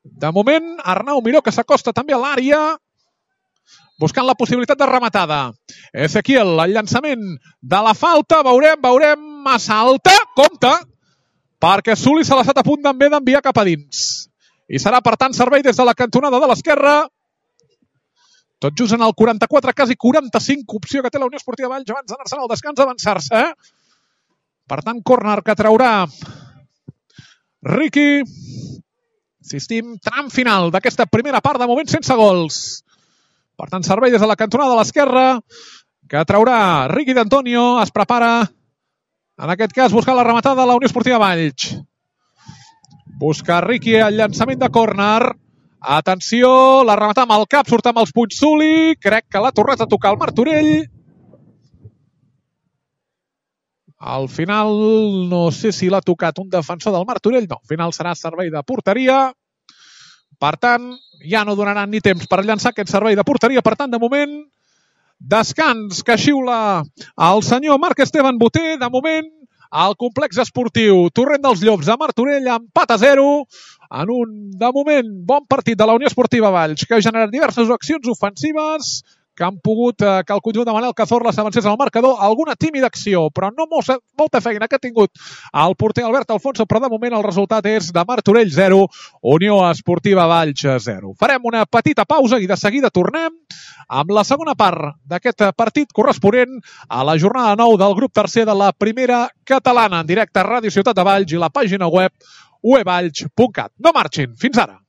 De moment, Arnau Miró, que s'acosta també a l'àrea, buscant la possibilitat de rematada. Ezequiel, el llançament de la falta, veurem, massa alta, compte, perquè Suli se l'ha estat a punt d'enviar cap a dins. I serà, per tant, servei des de la cantonada de l'esquerra. Tot just en el 44, quasi 45, opció que té la Unió Esportiva Valls abans d'anar-se al descans, avançar-se. Per tant, córner que traurà Riqui. Insistim, tram final d'aquesta primera part, de moment sense gols. Per tant, servei des de la cantonada de l'esquerra, que traurà Riqui d'Antonio. Es prepara, en aquest cas, buscar la rematada de la Unió Esportiva Valls. Busca Riqui el llançament de córner. Atenció, la rematada amb el cap, surt amb els punys Suli. Crec que l'ha tornat a tocar el Martorell. Al final, no sé si l'ha tocat un defensor del Martorell. No, al final serà servei de porteria. Per tant, ja no donaran ni temps per llançar aquest servei de porteria. Per tant, de moment, descans que xiula el senyor Marc Esteban Boter. De moment, al complex esportiu Torrent dels Llops de Martorell, empat a 0. En un, de moment, bon partit de la Unió Esportiva Valls, que ha generat diverses accions ofensives que han pogut que el conjunt de Manel Cazorla s'avancés al marcador. Alguna tímida acció, però no molta feina que ha tingut el porter Albert Alfonso, però de moment el resultat és de Martorell 0, Unió Esportiva Valls 0. Farem una petita pausa i de seguida tornem amb la segona part d'aquest partit corresponent a la jornada 9 del grup tercer de la primera catalana, en directe a Ràdio Ciutat de Valls i la pàgina web uevalls.cat. No marxin, fins ara.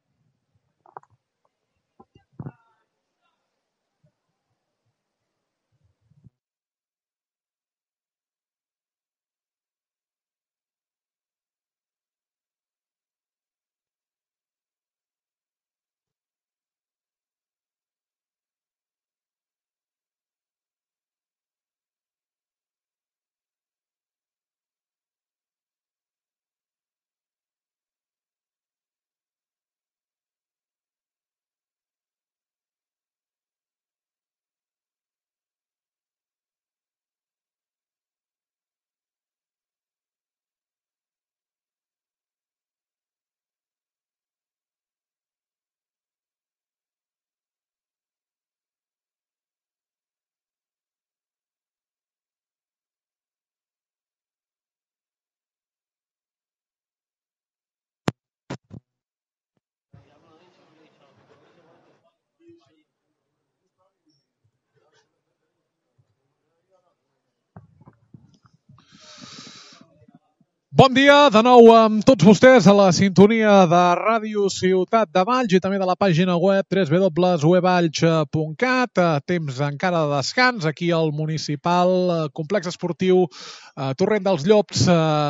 Bon dia de nou amb tots vostès a la sintonia de Ràdio Ciutat de Valls i també de la pàgina web www.uevalls.cat. Temps encara de descans aquí al municipal complex esportiu Torrent dels Llops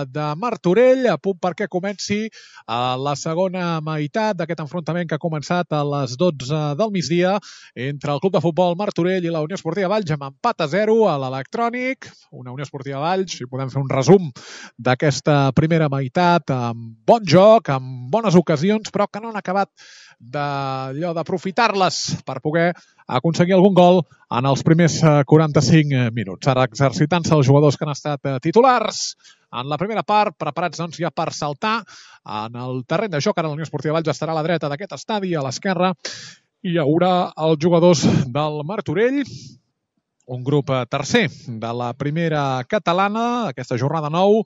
de Martorell, a punt perquè comenci la segona meitat d'aquest enfrontament que ha començat a les 12 del migdia entre el Club de Futbol Martorell i la Unió Esportiva Valls, amb empat a 0 a l'Electrònic. Una Unió Esportiva Valls, si podem fer un resum d'aquesta primera meitat, amb bon joc, amb bones ocasions, però que no han acabat d'aprofitar-les per poder aconseguir algun gol en els primers 45 minuts. Ara exercitant-se els jugadors que han estat titulars en la primera part, preparats doncs, ja per saltar en el terreny de joc. Ara la Unió Esportiva Valls estarà a la dreta d'aquest estadi, a l'esquerra hi haurà els jugadors del Martorell, un grup tercer de la primera catalana, aquesta jornada 9,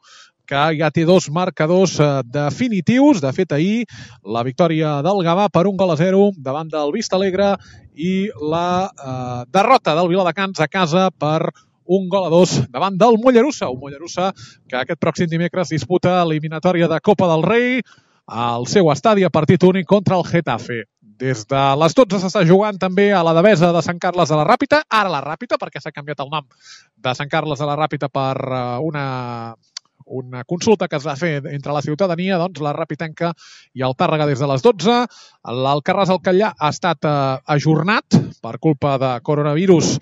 que ja té dos marcadors definitius. De fet, ahir la victòria del Gavà per 1-0 davant del Vistalegre i la derrota del Viladecans a casa per 1-2 davant del Mollerussa. Un Mollerussa que aquest pròxim dimecres disputa l'eliminatòria de Copa del Rei al seu estadi a partit únic contra el Getafe. Des de les 12 s'està jugant també a la Devesa de Sant Carles de la Ràpita, ara la Ràpita, perquè s'ha canviat el nom de Sant Carles de la Ràpita per una consulta que es va fer entre la ciutadania, doncs la Ràpitenca i el Tàrrega des de les 12. L'Alcarràs al Catllà ha estat ajornat per culpa de coronavirus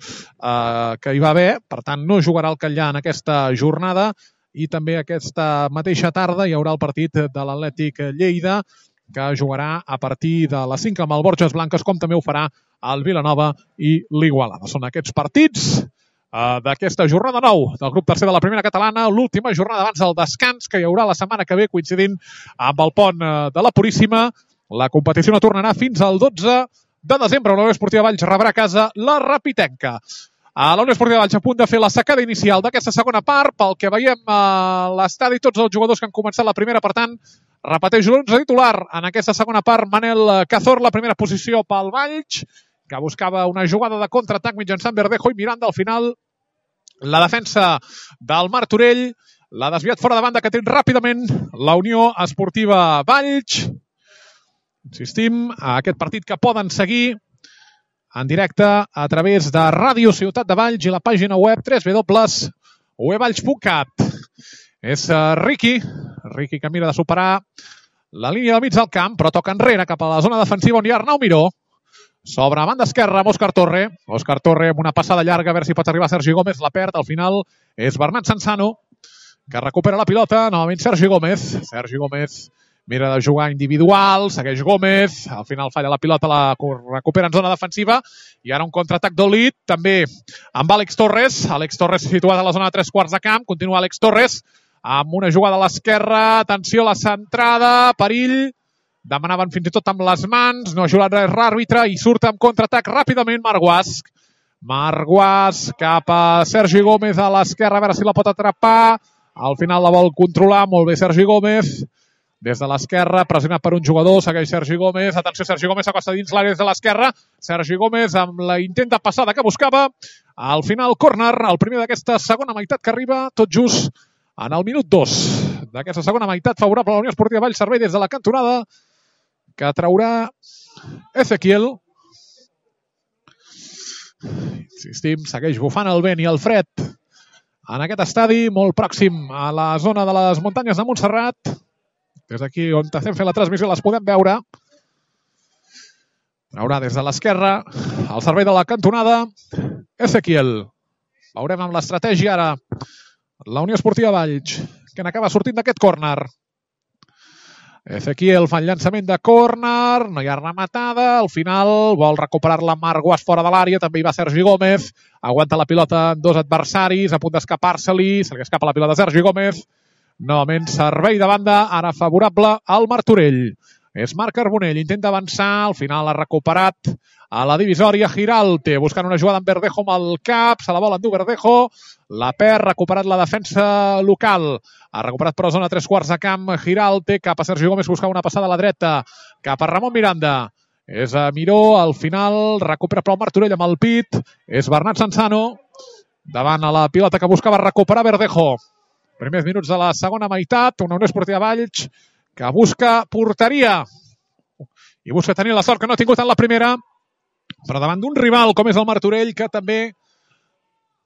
que hi va haver, per tant no jugarà el Catllà en aquesta jornada, i també aquesta mateixa tarda hi haurà el partit de l'Atlètic Lleida, que jugarà a partir de les 5 amb el Borges Blanques, com també ho farà el Vilanova i l'Igualada. Són aquests partits d'aquesta jornada 9 del grup tercer de la primera catalana, l'última jornada abans del descans que hi haurà la setmana que ve, coincidint amb el pont de la Puríssima. La competició no tornarà fins al 12 de desembre. La Unió Esportiva Valls rebrà a casa la Rapitenca. La Unió Esportiva Valls a punt de fer la secada inicial d'aquesta segona part. Pel que veiem a l'estadi, tots els jugadors que han començat la primera, per tant, repeteix l'11 titular en aquesta segona part. Manel Cazor, la primera posició pel Valls, que buscava una jugada de contraatac mitjançant Verdejo i Miranda. Al final, la defensa del Martorell l'ha desviat fora de banda, que té ràpidament la Unió Esportiva Valls. Insistim, a aquest partit que poden seguir en directe a través de Ràdio Ciutat de Valls i la pàgina web www.uevalls.cat. És Riqui que mira de superar la línia del mig del camp, però toca enrere cap a la zona defensiva on hi ha Arnau Miró. Sobre a banda esquerra amb Òscar Torre. Òscar Torre amb una passada llarga, a veure si pot arribar Sergi Gómez, la perd. Al final és Bernat Sansano, que recupera la pilota. Novament Sergi Gómez. Sergi Gómez mira de jugar individual, segueix Gómez. Al final falla la pilota, la recupera en zona defensiva. I ara un contraatac d'Olit, també amb Àlex Torres. Àlex Torres situat a la zona de 3/4 de camp. Continua Àlex Torres amb una jugada a l'esquerra. Atenció a la centrada, perill. Demanaven fins i tot amb les mans, no ha ajudat res l'àrbitre i surt amb contraatac ràpidament Marc Guasch. Marc Guasch cap a Sergi Gómez a l'esquerra, a veure si la pot atrapar. Al final la vol controlar, molt bé Sergi Gómez. Des de l'esquerra, pressionat per un jugador, segueix Sergi Gómez. Atenció, Sergi Gómez s'acosta dins l'àrea des de l'esquerra. Sergi Gómez amb la intenta passada que buscava. Al final, córner, el primer d'aquesta segona meitat que arriba tot just en el minut 2 d'aquesta segona meitat, favorable a la Unió Esportiva Valls. Servei des de la cantonada, que traurà Ezequiel. Insistim, segueix bufant el vent i el fred en aquest estadi, molt pròxim a la zona de les muntanyes de Montserrat. Des d'aquí on estem fent la transmissió les podem veure. Traurà des de l'esquerra al servei de la cantonada Ezequiel. Veurem amb l'estratègia ara la Unió Esportiva Valls, que n'acaba sortint d'aquest córner. Ezequiel fa el llançament de córner, no hi ha rematada, al final vol recuperar-la Marc Guasch fora de l'àrea, també hi va Sergi Gómez, aguanta la pilota en dos adversaris, a punt d'escapar-se-li, se li escapa la pilota a Sergi Gómez, novament servei de banda, ara favorable al Martorell. És Marc Carbonell, intenta avançar, al final ha recuperat a la divisòria Giralte, buscant una jugada amb Verdejo amb el cap, se la vol endur Verdejo, la perd, recuperat la defensa local, ha recuperat per la zona 3/4 de camp Giralte, cap a Sergi Gómez, buscava una passada a la dreta, cap a Ramon Miranda, és a Miró, al final recupera però el Martorell amb el pit, és Bernat Sansano, davant a la pilota que buscava recuperar Verdejo. Primers minuts de la segona meitat, una Unió Esportiva Valls que busca porteria i busca tenir la sort que no ha tingut en la primera, però davant d'un rival com és el Martorell, que també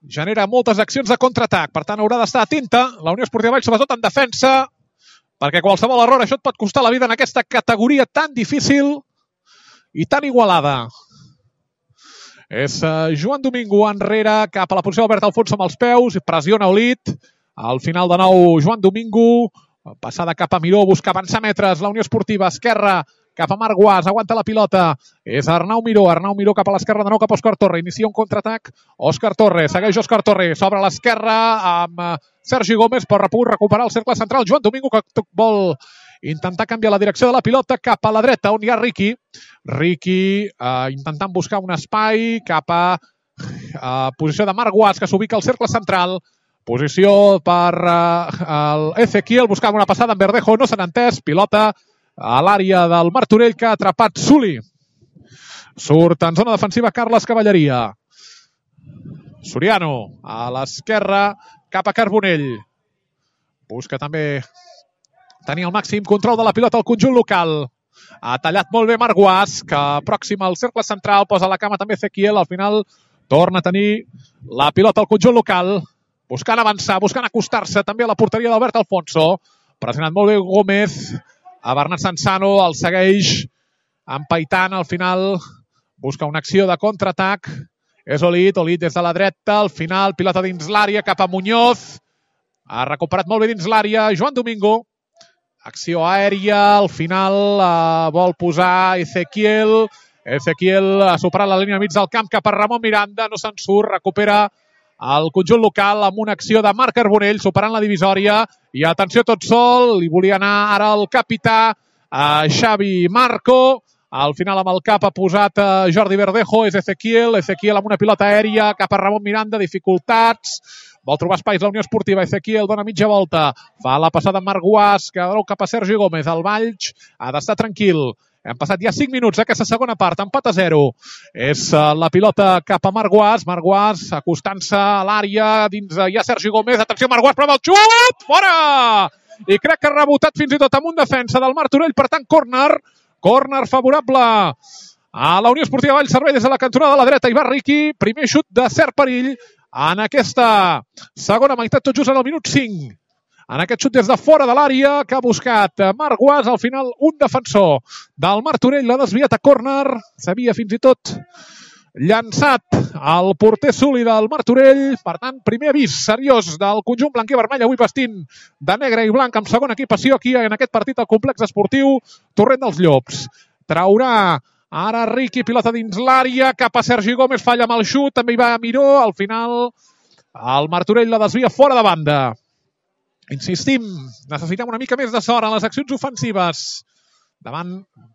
genera moltes accions de contraatac. Per tant, haurà d'estar atenta la Unió Esportiva Valls, sobretot en defensa, perquè qualsevol error això et pot costar la vida en aquesta categoria tan difícil i tan igualada. És Joan Domingo enrere, cap a la posició d'Albert Alfonso amb els peus, pressiona Olit. Al final de nou, Joan Domingo, Passada cap a Miró, busca avançar metres. La Unió Esportiva, esquerra, cap a Marc Guas, aguanta la pilota. És Arnau Miró cap a l'esquerra, de nou cap a Òscar Torre. Inicia un contraatac. Òscar Torre, segueix Òscar Torre. S'obre a l'esquerra amb Sergi Gómez, però ha pogut recuperar el cercle central. Joan Domingo, que vol intentar canviar la direcció de la pilota cap a la dreta, on hi ha Riqui. Riqui intentant buscar un espai cap a posició de Marc Guas, que s'ubica al cercle central. Posició per Ezequiel, buscant una passada en Verdejo, no s'han entès. Pilota a l'àrea del Martorell, que ha atrapat Suli. Surt en zona defensiva Carles Cavalleria. Soriano a l'esquerra, cap a Carbonell. Busca també tenir el màxim control de la pilota al conjunt local. Ha tallat molt bé Marc Guas, que pròxim al cercle central, posa la cama també Ezequiel. Al final torna a tenir la pilota al conjunt local, buscant avançar, buscant acostar-se també a la porteria d'Albert Alfonso. Pressionat molt bé Gómez, a Bernat Sansano, el segueix empaitant. Al final busca una acció de contraatac. És Olid des de la dreta, al final pilota dins l'àrea cap a Muñoz. Ha recuperat molt bé dins l'àrea Joan Domingo. Acció aèria, al final vol posar Ezequiel. Ezequiel ha superat la línia mig del camp cap a Ramon Miranda, no se'n surt, recupera el conjunt local amb una acció de Marc Carbonell, superant la divisòria. I atenció, tot sol, li volia anar ara el capità Xavi Marco. Al final amb el cap ha posat Jordi Verdejo, és Ezequiel amb una pilota aèria cap a Ramon Miranda, dificultats. Vol trobar espais la Unió Esportiva. Ezequiel dona mitja volta. Fa la passada amb Marc Guas, que dona cap a Sergi Gómez. El Valls ha d'estar tranquil. Hem passat ja 5 minuts d'aquesta segona part. Empat a 0. És la pilota cap a Marc Guas. Marc Guas acostant-se a l'àrea. Dins hi ha Sergi Gómez. Atenció, Marc Guas, prova el xut! Fora! I crec que ha rebotat fins i tot amb un defensa del Martorell. Per tant, córner. Córner favorable a la Unió Esportiva Valls Servei des de la cantonada de la dreta. Hi va Riqui. Primer xut de cert perill en aquesta segona meitat, tot just en el minut 5. En aquest xut des de fora de l'àrea que ha buscat Marc Guas. Al final, un defensor del Martorell l'ha desviat a córner. S'havia fins i tot llançat el porter Suli del Martorell. Per tant, primer avís seriós del conjunt blanc i vermell, avui vestint de negre i blanc amb segona equipació aquí en aquest partit al complex esportiu Torrent dels Llops. Traurà ara Riqui, pilota dins l'àrea, cap a Sergi Gómez, falla amb el xut, també hi va Miró. Al final, el Martorell la desvia fora de banda. Insistim, necessitem una mica més de sort en les accions ofensives. Davant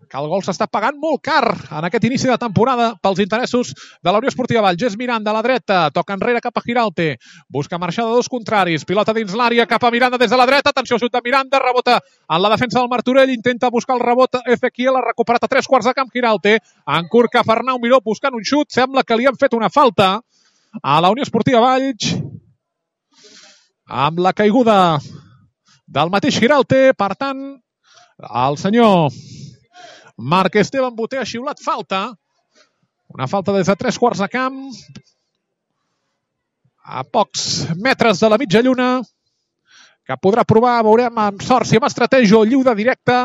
que el gol s'està pagant molt car en aquest inici de temporada pels interessos de la Unió Esportiva Valls. És Miranda a la dreta, toca enrere cap a Giralte, busca marxar de dos contraris, pilota dins l'àrea cap a Miranda des de la dreta, atenció, xut de Miranda, rebota en la defensa del Martorell, intenta buscar el rebot Ezequiel, ha recuperat a 3/4 de camp Giralte, en curt cap a Arnau Miró buscant un xut, sembla que li han fet una falta a la Unió Esportiva Valls amb la caiguda del mateix Giralte. Per tant, el senyor Marc Esteban Boter ha xiulat falta. Una falta des de 3/4 de camp. A pocs metres de la mitja lluna. Que podrà provar, veurem amb sort si amb estratègia o lliure directe,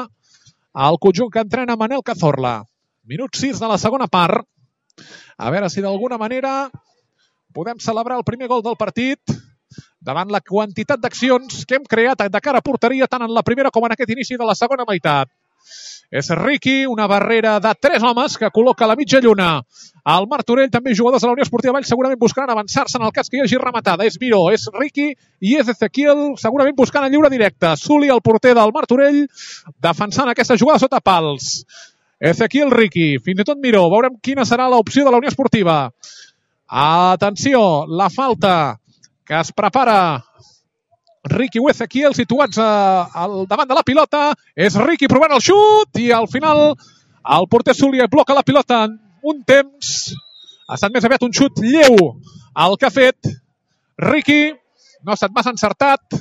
el conjunt que entrena Manel Cazorla. Minut 6 de la segona part. A veure si d'alguna manera podem celebrar el primer gol del partit davant la quantitat d'accions que hem creat de cara a porteria tant en la primera com en aquest inici de la segona meitat. És Riqui, una barrera de 3 homes que col·loca a la mitja lluna. El Martorell, també jugadors de la Unió Esportiva Valls, segurament buscaran avançar-se en el cas que hi hagi rematada. És Miró, és Riqui i és Ezequiel, segurament buscant el lliure directe. Suli, el porter del Martorell, defensant aquesta jugada sota pals. Ezequiel, Riqui, fins i tot Miró. Veurem quina serà l'opció de la Unió Esportiva. Atenció, la falta que es prepara Riqui o Ezequiel, situats al davant de la pilota. És Riqui provant el xut i al final el porter Suli bloca la pilota en un temps. Ha estat més aviat un xut lleu el que ha fet Riqui. No ha estat massa encertat.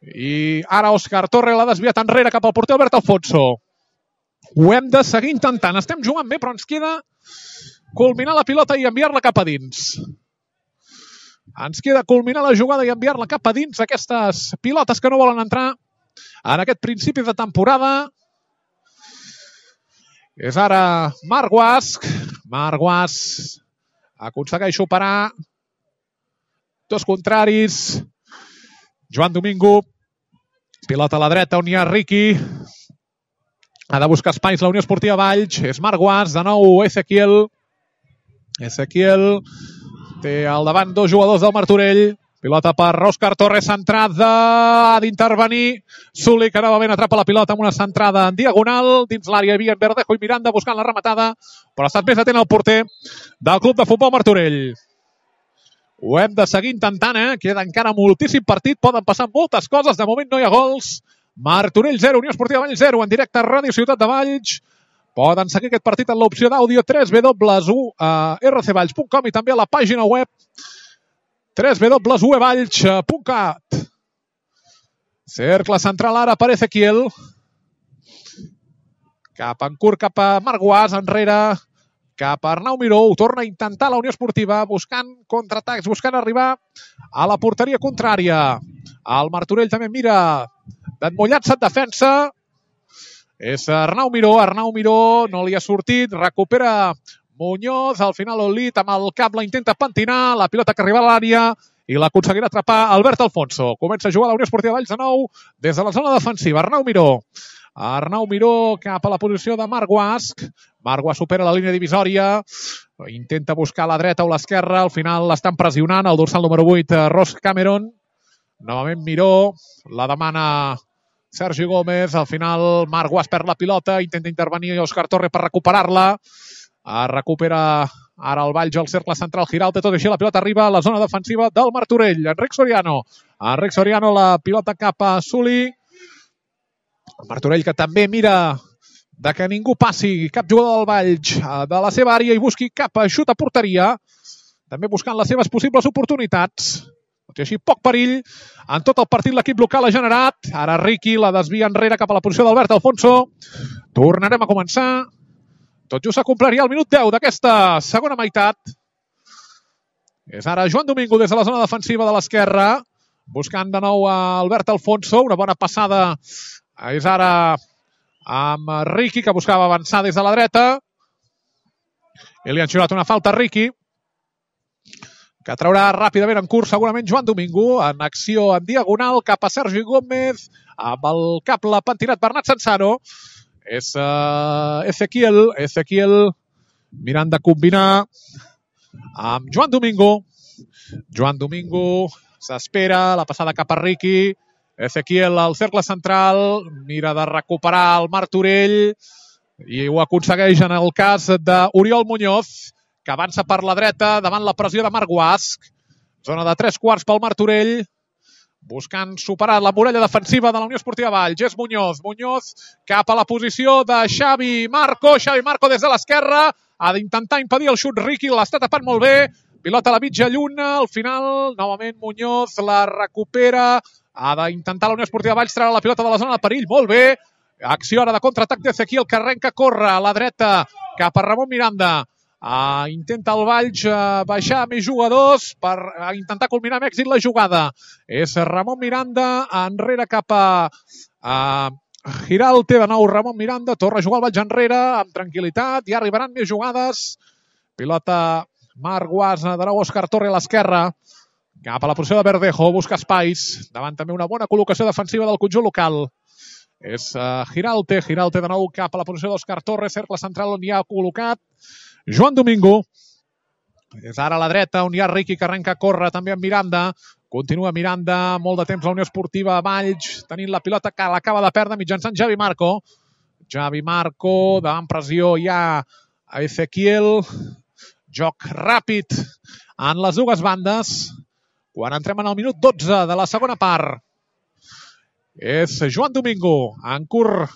I ara Òscar Torre l'ha desviat enrere cap al porter Albert Alfonso. Ho hem de seguir intentant. Estem jugant bé, però ens queda culminar la pilota i enviar-la cap a dins. Ens queda culminar la jugada i enviar-la cap a dins, aquestes pilotes que no volen entrar en aquest principi de temporada. És ara Marc Guas. Marc Guas aconsegueix superar dos contraris. Joan Domingo Pilota a la dreta, on hi ha Riqui. Ha de buscar espais la Unió Esportiva Valls. És Marc Guas, de nou Ezequiel. Ezequiel té al davant dos jugadors del Martorell. Pilota per Òscar Torres, centrada, ha d'intervenir Suli, que novament atrapa la pilota amb una centrada en diagonal. Dins l'àrea hi havia Verdejo i Miranda buscant la rematada, però ha estat més atent el porter del Club de Futbol Martorell. Ho hem de seguir intentant, queda encara moltíssim partit, poden passar moltes coses, de moment no hi ha gols. Martorell 0, Unió Esportiva Valls 0, en directe a Ràdio Ciutat de Valls. Poden seguir aquest partit en l'opció d'àudio www.rcvalls.com i també a la pàgina web www.uevalls.cat. Cercle central ara per Ezequiel. Cap en curt, cap a Marc Guas, enrere, cap a Arnau Miró. Ho torna a intentar la Unió Esportiva, buscant contraatacs, buscant arribar a la porteria contrària. El Martorell també mira d'emmollar-se en defensa. És Arnau Miró no li ha sortit, recupera Muñoz, al final Olit amb el cap la intenta pentinar, la pilota que arriba a l'àrea i l'aconseguirà atrapar Albert Alfonso. Comença a jugar la Unió Esportiva Valls de nou des de la zona defensiva. Arnau Miró cap a la posició de Marc Guas. Marc Guas supera la línia divisòria, intenta buscar a la dreta o l'esquerra, al final l'estan pressionant el dorsal número 8, Ross Cameron. Novament Miró, la demana Sergi Gómez, al final Marc Guas perd la pilota, intenta intervenir Òscar Torres per recuperar-la. Recupera ara el Valls al cercle central, Giralt, tot així la pilota arriba a la zona defensiva del Martorell. Enric Soriano, la pilota cap a Suli. El Martorell que també mira de que ningú passi, cap jugador del Valls de la seva àrea i busqui cap a xut a porteria, també buscant les seves possibles oportunitats. Tot i així, poc perill. En tot el partit l'equip local ha generat. Ara Riqui la desvia enrere cap a la posició d'Albert Alfonso. Tornarem a començar. Tot just s'acompliria el minut 10 d'aquesta segona meitat. És ara Joan Domingo des de la zona defensiva de l'esquerra, buscant de nou a Albert Alfonso. Una bona passada és ara amb Riqui, que buscava avançar des de la dreta. I li han xiulat una falta a Riqui, que traurà ràpidament en curs segurament Joan Domingo, en acció en diagonal cap a Sergi Gómez, amb el cap l'ha pentinat Bernat Sansano. És Ezequiel mirant de combinar amb Joan Domingo. Joan Domingo s'espera, la passada cap a Riqui. Ezequiel al cercle central, mira de recuperar el Martorell i ho aconsegueix en el cas d'Oriol Muñoz, que avança per la dreta davant la pressió de Marc Guas. Zona de 3/4 pel Martorell, buscant superar la muralla defensiva de la Unió Esportiva Valls. És Muñoz cap a la posició de Xavi Marco des de l'esquerra, ha d'intentar impedir el xut Riqui, l'està tapant molt bé, pilota a la mitja lluna, al final novament Muñoz la recupera, ha d'intentar la Unió Esportiva Valls treure la pilota de la zona de perill, molt bé, acció ara de contraatac d'Ezequiel, que arrenca a córrer a la dreta cap a Ramon Miranda. Intenta el Valls baixar més jugadors per intentar culminar amb èxit la jugada. És Ramon Miranda, enrere cap a Giralte, de nou Ramon Miranda, torna a jugar el Valls enrere amb tranquil·litat, ja arribaran més jugades. Pilota Marc Guas, de nou Òscar Torres a l'esquerra, cap a la posició de Verdejo, busca espais, davant també una bona col·locació defensiva del conjunt local. És Giralte de nou cap a la posició d'Òscar Torres, cercle central on hi ha col·locat Joan Domingo. És ara a la dreta on hi ha Riqui, que arrenca a córrer també amb Miranda. Continua Miranda, molt de temps la Unió Esportiva Valls, tenint la pilota que l'acaba de perdre mitjançant Xavi Marco. Davant pressió hi ha Ezequiel. Joc ràpid en les dues bandes. Quan entrem en el minut 12 de la segona part. És Joan Domingo, en curt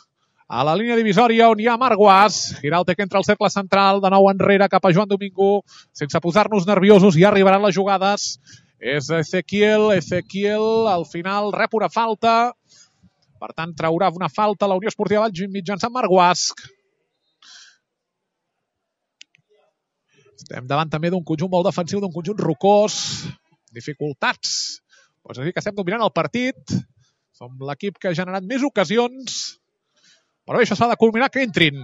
a la línia divisòria on hi ha Marc Guas. Giralte que entra al cercle central, de nou enrere cap a Joan Domingo, sense posar-nos nerviosos, ja arribaran les jugades. És Ezequiel, al final rep una falta, per tant traurà una falta a la Unió Esportiva Valls mitjançant Marc Guas. Estem davant també d'un conjunt molt defensiu, d'un conjunt rocós, dificultats. Pots dir que estem dominant el partit, som l'equip que ha generat més ocasions, però bé, això s'ha de culminar que entrin.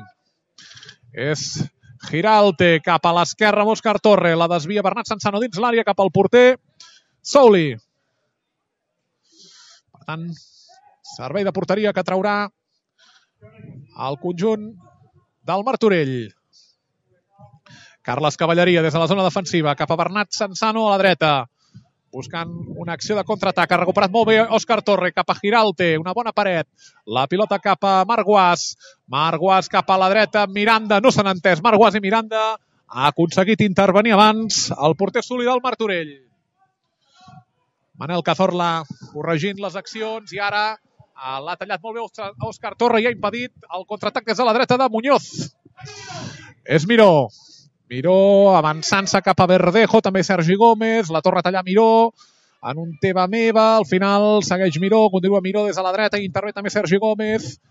És Giralte cap a l'esquerra amb Òscar Torres, la desvia Bernat Sansano dins l'àrea cap al porter Souli. Per tant, Servei de porteria que traurà el conjunt del Martorell. Carles Cavalleria des de la zona defensiva cap a Bernat Sansano a la dreta. Buscant una acció de contraatac. Ha recuperat molt bé Òscar Torre cap a Giralte. Una bona paret. La pilota cap a Marc Guas. Marc Guas cap a la dreta. Miranda, no s'han entès. Marc Guas i Miranda ha aconseguit intervenir abans el porter Suli del Martorell. Manel Cazorla corregint les accions i ara l'ha tallat molt bé Òscar Torre i ha impedit el contraatac des de la dreta de Muñoz. És Miró. Miró avançant-se cap a Verdejo, també Sergi Gómez, la torna a tallar Miró, en un teva meva, al final segueix Miró, continua Miró des de la dreta, i intervé també Sergi Gómez,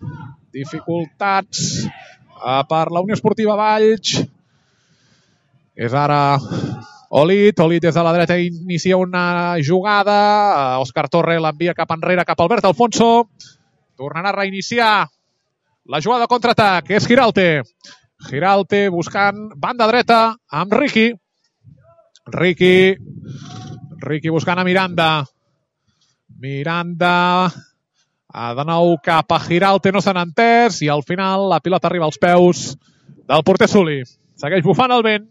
dificultats per la Unió Esportiva Valls, és ara Olit des de la dreta inicia una jugada, Òscar Torre l'envia cap enrere, cap a Albert Alfonso, tornarà a reiniciar la jugada de contraatac, és Giralte buscant banda dreta amb Riqui. Riqui buscant a Miranda. Miranda de nou cap a Giralte, no s'han entès i al final la pilota arriba als peus del porter Suli. Segueix bufant el vent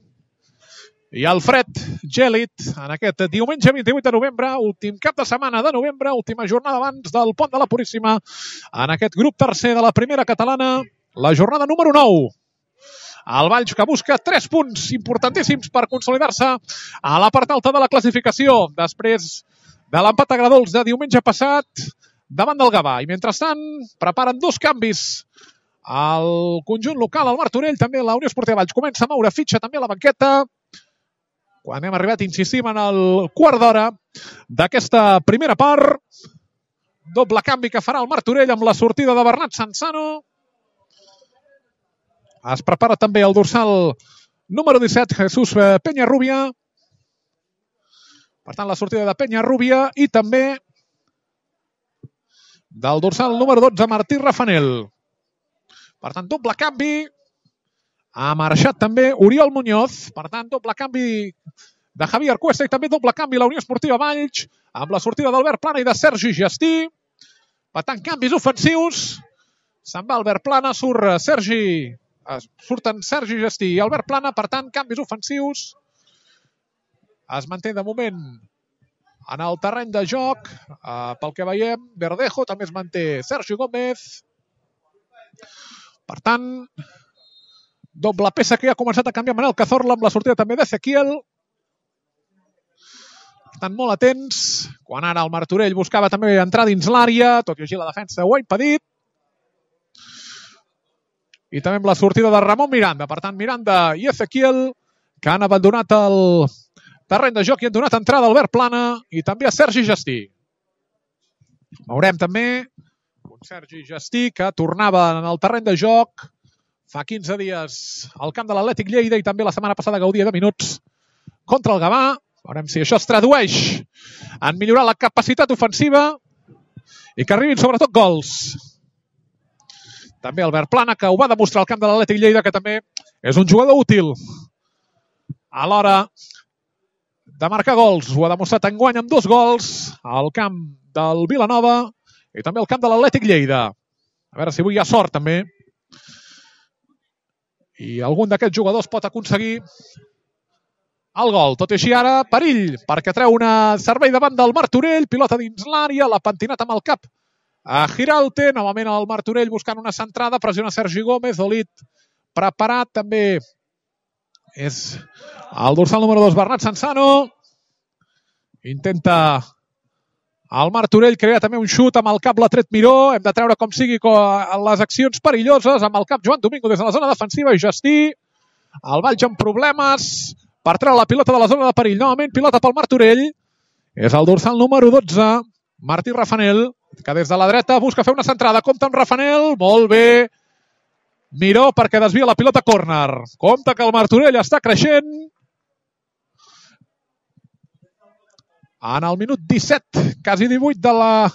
i el fred gèlid en aquest diumenge 28 de novembre, últim cap de setmana de novembre, última jornada abans del Pont de la Puríssima en aquest grup tercer de la primera catalana, la jornada número 9. El Valls que busca 3 punts importantíssims per consolidar-se a la part alta de la classificació després de l'empat a Gradols de diumenge passat davant del Gavà. I mentrestant preparen 2 canvis al conjunt local, al Martorell, també la Unió Esportiva Valls comença a moure fitxa també a la banqueta quan hem arribat, insistim, en el quart d'hora d'aquesta primera part. Doble canvi que farà el Martorell amb la sortida de Bernat Sansano. Es prepara també el dorsal número 17, Jesús Peñarrubia. Per tant, la sortida de Peñarrubia i també del dorsal número 12, Martí Rafanel. Per tant, doble canvi. Ha marxat també Oriol Muñoz. Per tant, doble canvi de Javier Cuesta i també doble canvi la Unió Esportiva Valls amb la sortida d'Albert Plana i de Sergi Gestí. Per tant, canvis ofensius. Se'n va Albert Plana, surten Sergi Gestí i Albert Plana, per tant, canvis ofensius. Es manté de moment en el terreny de joc. Pel que veiem, Verdejo, també es manté Sergi Gómez. Per tant, doble peça que ja ha començat a canviar Manel Cazorla amb la sortida també d'Ezequiel. Per tant, molt atents. Quan ara el Martorell buscava també entrar dins l'àrea, tot i així la defensa ho ha impedit. I també amb la sortida de Ramon Miranda. Per tant, Miranda i Ezequiel, que han abandonat el terreny de joc i han donat entrada a Albert Plana i també a Sergi Gestí. Veurem també un Sergi Gestí que tornava en el terreny de joc fa 15 dies al camp de l'Atlètic Lleida i també la setmana passada gaudia de minuts contra el Gavà. Veurem si això es tradueix en millorar la capacitat ofensiva i que arribin sobretot gols. També Albert Plana, que ho va demostrar al camp de l'Atlètic Lleida, que també és un jugador útil a l'hora de marcar gols. Ho ha demostrat enguany amb 2 gols al camp del Vilanova i també al camp de l'Atlètic Lleida. A veure si avui hi ha sort, també. I algun d'aquests jugadors pot aconseguir el gol. Tot i així ara, perill, perquè treu una servei davant del Martorell, pilota dins l'àrea, l'ha pentinat amb el cap a Giralte, novament el Martorell buscant una centrada, pressiona Sergi Gómez, Olit preparat, també és el dorsal número 2, Bernat Sansano. Intenta el Martorell crear també un xut amb el cap, l'ha tret Miró, hem de treure com sigui les accions perilloses, amb el cap Joan Domingo des de la zona defensiva i Gestí, el Valls amb problemes per treure la pilota de la zona de perill, novament pilota pel Martorell, és el dorsal número 12, Martí Rafanel, que des de la dreta busca fer una centrada, compta amb Rafanel, molt bé, Miró perquè desvia la pilota córner, compta que el Martorell està creixent, en el minut 17, quasi 18 de la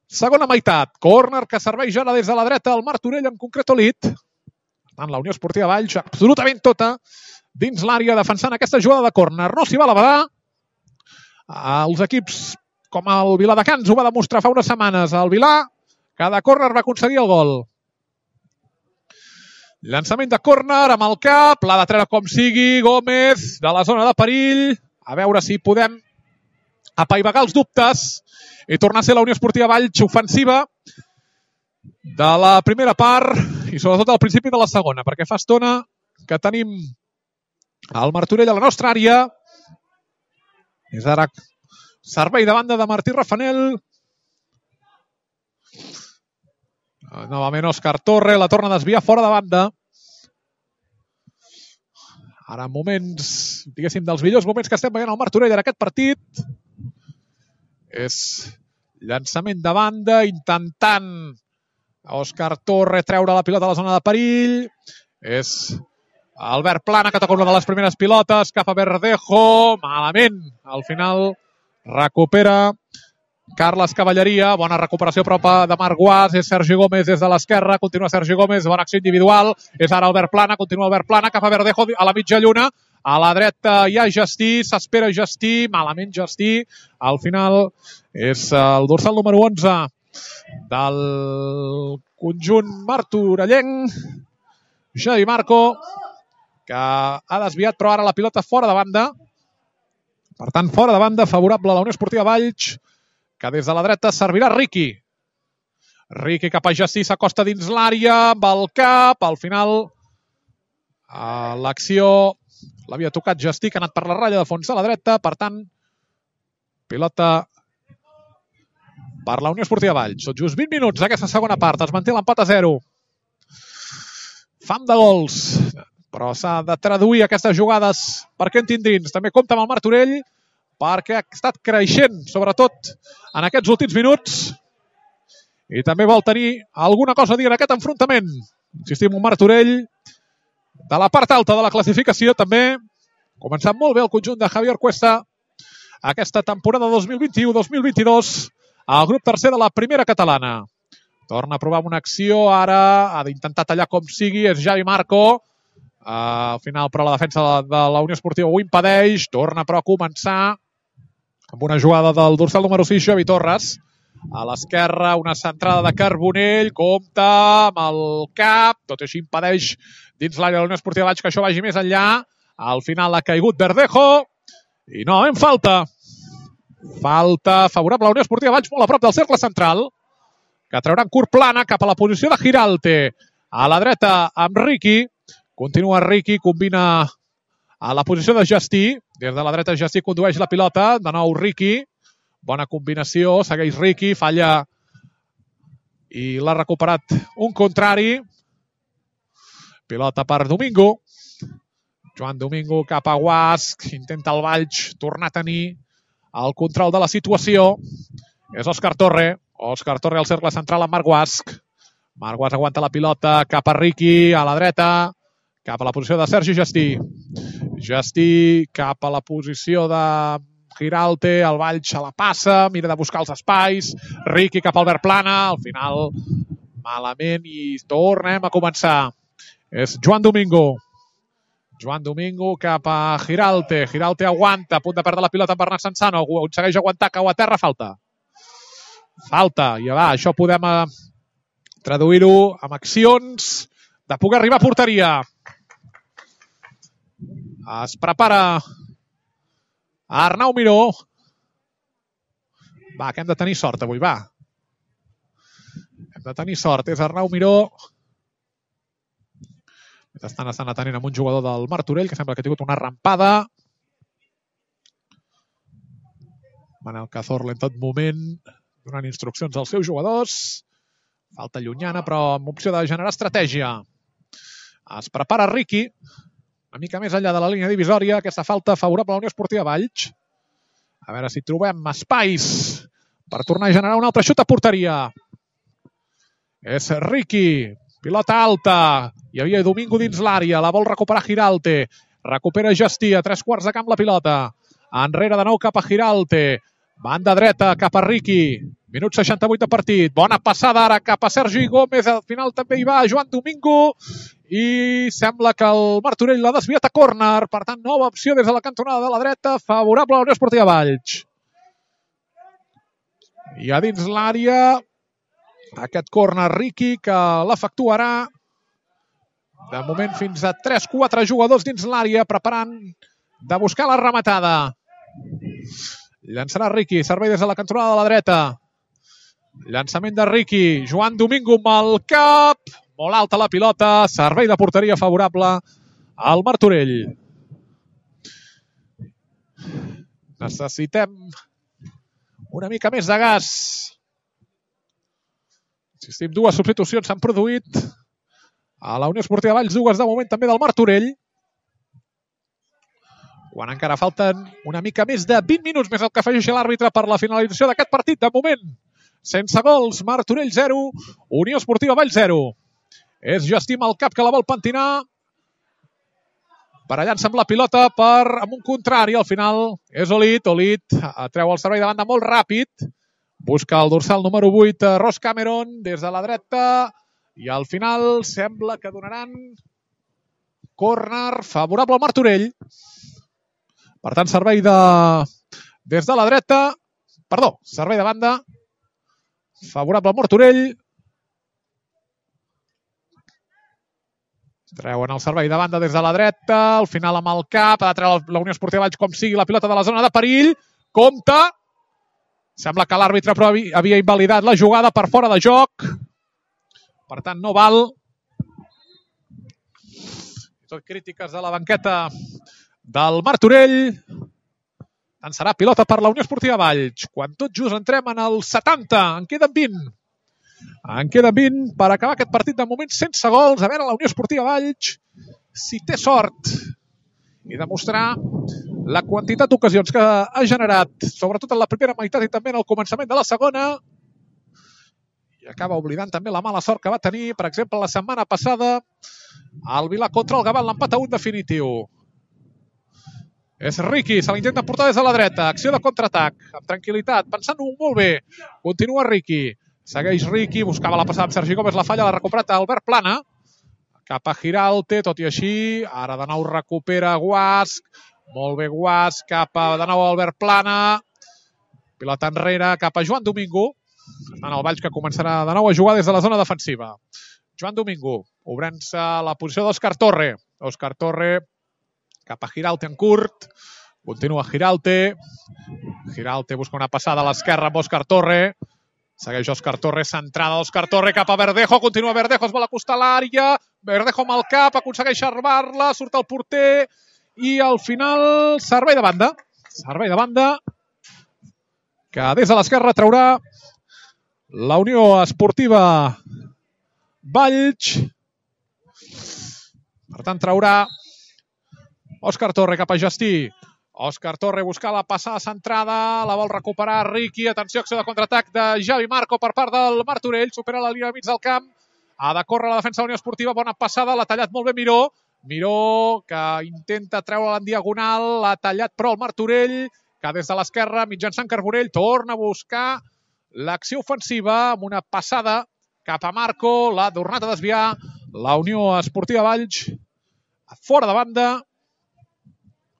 segona meitat, córner que serveix ara des de la dreta el Martorell, en concret Olit, per tant la Unió Esportiva Valls absolutament tota dins l'àrea defensant aquesta jugada de córner, no s'hi va a la badar, els equips com el Viladecans ho va demostrar fa unes setmanes. El Vilà, cada córner va aconseguir el gol. Llançament de córner amb el cap, l'ha de treure com sigui, Gómez, de la zona de perill. A veure si podem apaivagar els dubtes i tornar a ser la Unió Esportiva Valls ofensiva de la primera part i sobretot al principi de la segona, perquè fa estona que tenim el Martorell a la nostra àrea. És ara servei de banda de Martí Rafanel. Novament Òscar Torre, la torna a desviar fora de banda. Ara moments, diguéssim, dels millors moments que estem veient al Martorell en aquest partit. És llançament de banda, intentant Òscar Torre treure la pilota a la zona de perill. És Albert Plana, que toca una de les primeres pilotes, cap a Verdejo, malament. Al final recupera Carles Cavalleria, bona recuperació propa de Marc Guas, és Sergi Gómez des de l'esquerra, continua Sergi Gómez, bona acció individual, és ara Albert Plana, continua Albert Plana, cap a Verdejo a la mitja lluna, a la dreta hi ha Gestí, s'espera Gestí, malament Gestí, al final és el dorsal número 11 del conjunt martorellenc, Xavi Marco, que ha desviat però ara la pilota fora de banda, per tant fora de banda, favorable a la Unió Esportiva Valls, que des de la dreta servirà Riqui. Riqui cap a Gestí, s'acosta dins l'àrea, amb el cap, al final l'acció l'havia tocat Gestí, que ha anat per la ratlla de fons de la dreta, per tant, pilota per la Unió Esportiva Valls. Són just 20 minuts d'aquesta segona part, es manté l'empat a 0. Fam de gols, però s'ha de traduir aquestes jugades perquè en tindrins. També compta amb el Martorell, perquè ha estat creixent, sobretot en aquests últims minuts, i també vol tenir alguna cosa a dir en aquest enfrontament. Insistim, un Martorell de la part alta de la classificació, també començant molt bé el conjunt de Javier Cuesta aquesta temporada 2021-2022 al grup tercer de la primera catalana. Torna a provar una acció, ara ha d'intentar tallar com sigui, és Xavi Marco. Al final, però, la defensa de la Unió Esportiva ho impedeix. Torna, però, a començar amb una jugada del dorsal número 6, Xavi Torres. A l'esquerra, una centrada de Carbonell. Compta amb el cap. Tot i així impedeix dins l'àrea de la Unió Esportiva Valls que això vagi més enllà. Al final ha caigut Verdejo. I no, en falta. Falta favorable a la Unió Esportiva Valls, molt a prop del cercle central, que trauran curt Plana cap a la posició de Giralte. A la dreta amb Riqui. Continua Riqui, combina a la posició de Gestí. Des de la dreta Gestí condueix la pilota. De nou Riqui. Bona combinació. Segueix Riqui. Falla i l'ha recuperat un contrari. Pilota per Domingo. Joan Domingo cap a Guasc. Intenta el Valls tornar a tenir el control de la situació. És Òscar Torre. Òscar Torre al cercle central amb Marc Guasc. Marc Guasc aguanta la pilota cap a Riqui, a la dreta, cap a la posició de Sergi Gestí. Gestí cap a la posició de Giralte, el Valls se la passa, mira de buscar els espais. Riqui cap a Albert Plana, al final malament i tornem a començar. És Joan Domingo. Joan Domingo cap a Giralte. Giralte aguanta, a punt de perdre la pilota amb Bernat Sansano. Aconsegueix aguantar, cau a terra, falta. Falta, i va, això podem traduir-ho amb accions de poder arribar a porteria. Es prepara Arnau Miró. Va, que hem de tenir sort avui, va. Hem de tenir sort, és Arnau Miró. Estan atenent amb un jugador del Martorell que sembla que ha tingut una rampada. Manel Cazorla en tot moment donant instruccions als seus jugadors. Falta llunyana, però amb opció de generar estratègia. Es prepara Riqui. Una mica més enllà de la línia divisòria. Aquesta falta favorable a la Unió Esportiva Valls. A veure si trobem espais per tornar a generar un altre xut a porteria. És Riqui. Pilota alta. Hi havia Domingo dins l'àrea. La vol recuperar Giralte. Recupera Gestí a 3/4 de camp la pilota. Enrere de nou cap a Giralte. Banda dreta cap a Riqui. Minut 68 de partit. Bona passada ara cap a Sergi Gómez. Al final també hi va Joan Domingo. I sembla que el Martorell l'ha desviat a córner. Per tant, nova opció des de la cantonada de la dreta. Favorable a la Unió Esportiva Valls. I a dins l'àrea, aquest córner Riqui que l'efectuarà. De moment fins a 3-4 jugadors dins l'àrea preparant de buscar la rematada. Llançarà Riqui, servei des de la cantonada de la dreta. Llançament de Riqui, Joan Domingo amb el cap. Molt alta la pilota, servei de porteria favorable al Martorell. Necessitem una mica més de gas. Insistim, dues substitucions s'han produït a la Unió Esportiva Valls, dues de moment també del Martorell. Quan encara falten una mica més de 20 minuts més el que afegeixi l'àrbitre per la finalització d'aquest partit. De moment, sense gols, Martorell 0, Unió Esportiva Valls 0. És Justí amb el cap que la vol pentinar. Per allà amb la pilota amb un contrari. Al final és Olit. Olit treu el servei de banda molt ràpid. Busca el dorsal número 8, Ross Cameron, des de la dreta. I al final sembla que donaran córner favorable al Martorell. Per tant, servei des de la dreta. Perdó, servei de banda favorable al Martorell. Treuen el servei de banda des de la dreta. Al final amb el cap. Ha de treure la Unió Esportiva Valls com sigui la pilota de la zona de perill. Compte. Sembla que l'àrbitre havia invalidat la jugada per fora de joc. Per tant, no val. Tot crítiques de la banqueta del Martorell. Tant serà pilota per la Unió Esportiva Valls. Quan tot just entrem en el 70. En queden 20. En queden 20 per acabar aquest partit de moment sense gols. A veure la Unió Esportiva Valls si té sort i demostrar la quantitat d'ocasions que ha generat, sobretot en la primera meitat i també en el començament de la segona. I acaba oblidant també la mala sort que va tenir, per exemple, la setmana passada al Vilà contra el Gavà en l'empat a 1 definitiu. És Riqui, se l'intenta portar des de la dreta. Acció de contraatac, amb tranquil·litat, pensant-ho molt bé. Continua Riqui. Segueix Riqui, buscava la passada amb Sergi Gómez, la falla, l'ha recuperat Albert Plana. Cap a Giralte, tot i així. Ara de nou recupera Guasc. Molt bé Guasc, cap a de nou Albert Plana. Pilota enrere, cap a Joan Domingo. En el Valls que començarà de nou a jugar des de la zona defensiva. Joan Domingo, obrint-se la posició d'Òscar Torre. Òscar Torre cap a Giralte en curt. Continua Giralte. Giralte busca una passada a l'esquerra amb Òscar Torre. Segueix Òscar Torre, centrada Òscar Torre cap a Verdejo, continua Verdejo, es vol acostar a l'àrea, Verdejo amb el cap, aconsegueix armar-la, surt el porter i al final servei de banda. Servei de banda que des de l'esquerra traurà la Unió Esportiva Valls. Per tant, traurà Òscar Torre cap a Justí. Òscar Torre busca la passada centrada, la vol recuperar Riqui. Atenció, acció de contraatac de Javi Marco per part del Martorell. Supera la línia de mig del camp. Ha de córrer la defensa de la Unió Esportiva. Bona passada, l'ha tallat molt bé Miró. Miró que intenta treure-la en diagonal. L'ha tallat però el Martorell, que des de l'esquerra, mitjançant Carbonell, torna a buscar l'acció ofensiva amb una passada cap a Marco. L'ha tornat a desviar la Unió Esportiva Valls. Fora de banda.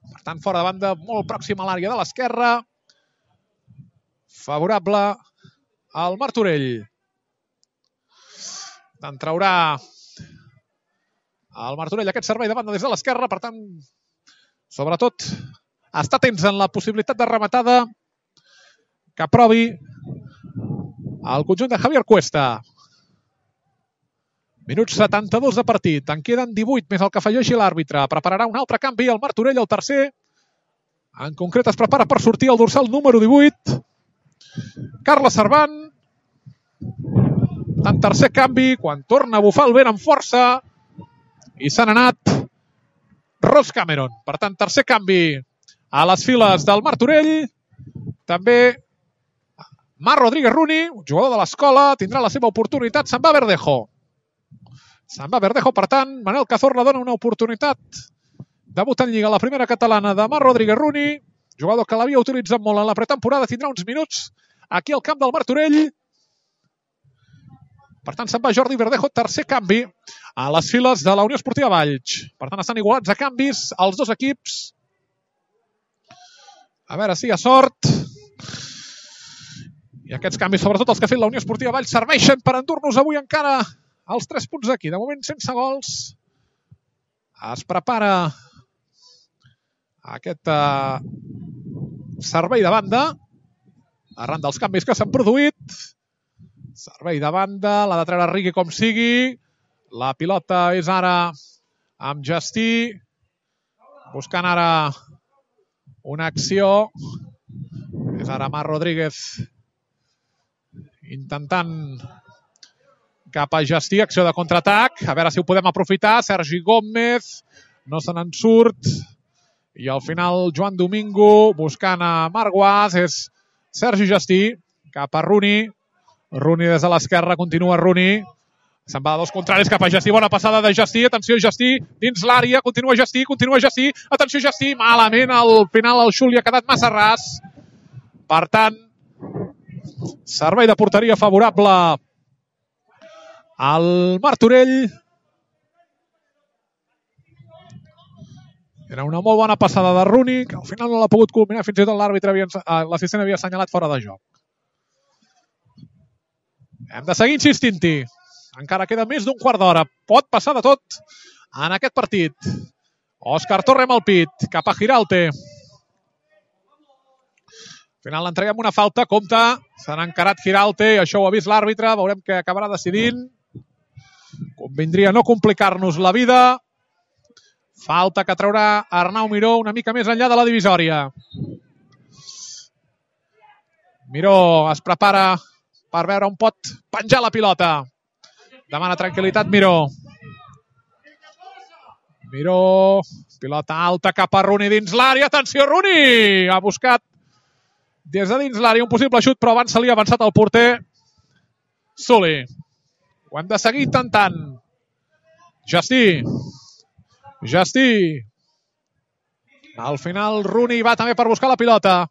Per tant, fora de banda, molt pròxim a l'àrea de l'esquerra. Favorable al Martorell. En traurà el Martorell aquest servei de banda des de l'esquerra. Per tant, sobretot, està atents en la possibilitat de rematada que aprovi el conjunt de Javier Cuesta. Minuts 72 de partit. En queden 18 més el que afegeixi l'àrbitre. Prepararà un altre canvi al Martorell, el tercer. En concret es prepara per sortir el dorsal número 18. Carles Servant. En tercer canvi, quan torna a bufar el vent amb força. I s'han anat Ross Cameron. Per tant, tercer canvi a les files del Martorell. També Marc Rodríguez Runi, jugador de l'escola, tindrà la seva oportunitat. Se'n va Verdejo. Se'n va Verdejo, per tant, Manel Cazorla dona una oportunitat. Debut en Lliga, la primera catalana de Marc Rodríguez Runi, jugador que l'havia utilitzat molt en la pretemporada, tindrà uns minuts aquí al camp del Martorell. Per tant, se'n va Jordi Verdejo, tercer canvi a les files de la Unió Esportiva Valls. Per tant, estan igualats a canvis els dos equips. A veure si hi ha sort. I aquests canvis, sobretot els que ha fet la Unió Esportiva Valls, serveixen per endur-nos avui encara els 3 punts d'aquí. De moment, sense gols. Es prepara aquest servei de banda arran dels canvis que s'han produït. Servei de banda, l'ha de treure Riqui com sigui. La pilota és ara amb Justí, buscant ara una acció. És ara Marc Rodríguez intentant cap a Justí, acció de contraatac. A veure si ho podem aprofitar. Sergi Gómez no se n'en surt. I al final Joan Domingo buscant a Marc Guas. És Sergi Justí cap a Runi. Runi des de l'esquerra, continua Runi. Se'n va de dos contraris cap a Justí. Bona passada de Justí. Atenció, Justí dins l'àrea. Continua Justí. Atenció, Justí. Malament. Al final el xut li ha quedat massa ras. Per tant, servei de porteria favorable al Martorell. Era una molt bona passada de Runi, que al final no l'ha pogut culminar. Fins i tot l'assistent havia assenyalat fora de joc. Hem de seguir insistint-hi. Encara queda més d'un quart d'hora. Pot passar de tot en aquest partit. Òscar Torre amb el pit, cap a Giralte. Al final l'entreguem una falta, compte. S'han encarat Giralte i això ho ha vist l'àrbitre. Veurem què acabarà decidint. Convindria no complicar-nos la vida. Falta que traurà Arnau Miró una mica més enllà de la divisòria. Miró es prepara per veure on pot penjar la pilota. Demana tranquil·litat Miró. Miró, pilota alta cap a Runi dins l'àrea. Atenció, Runi! Ha buscat des de dins l'àrea un possible xut, però abans se li ha avançat el porter Soli. Ho hem de seguir intentant. Justí. Al final Runi va també per buscar la pilota.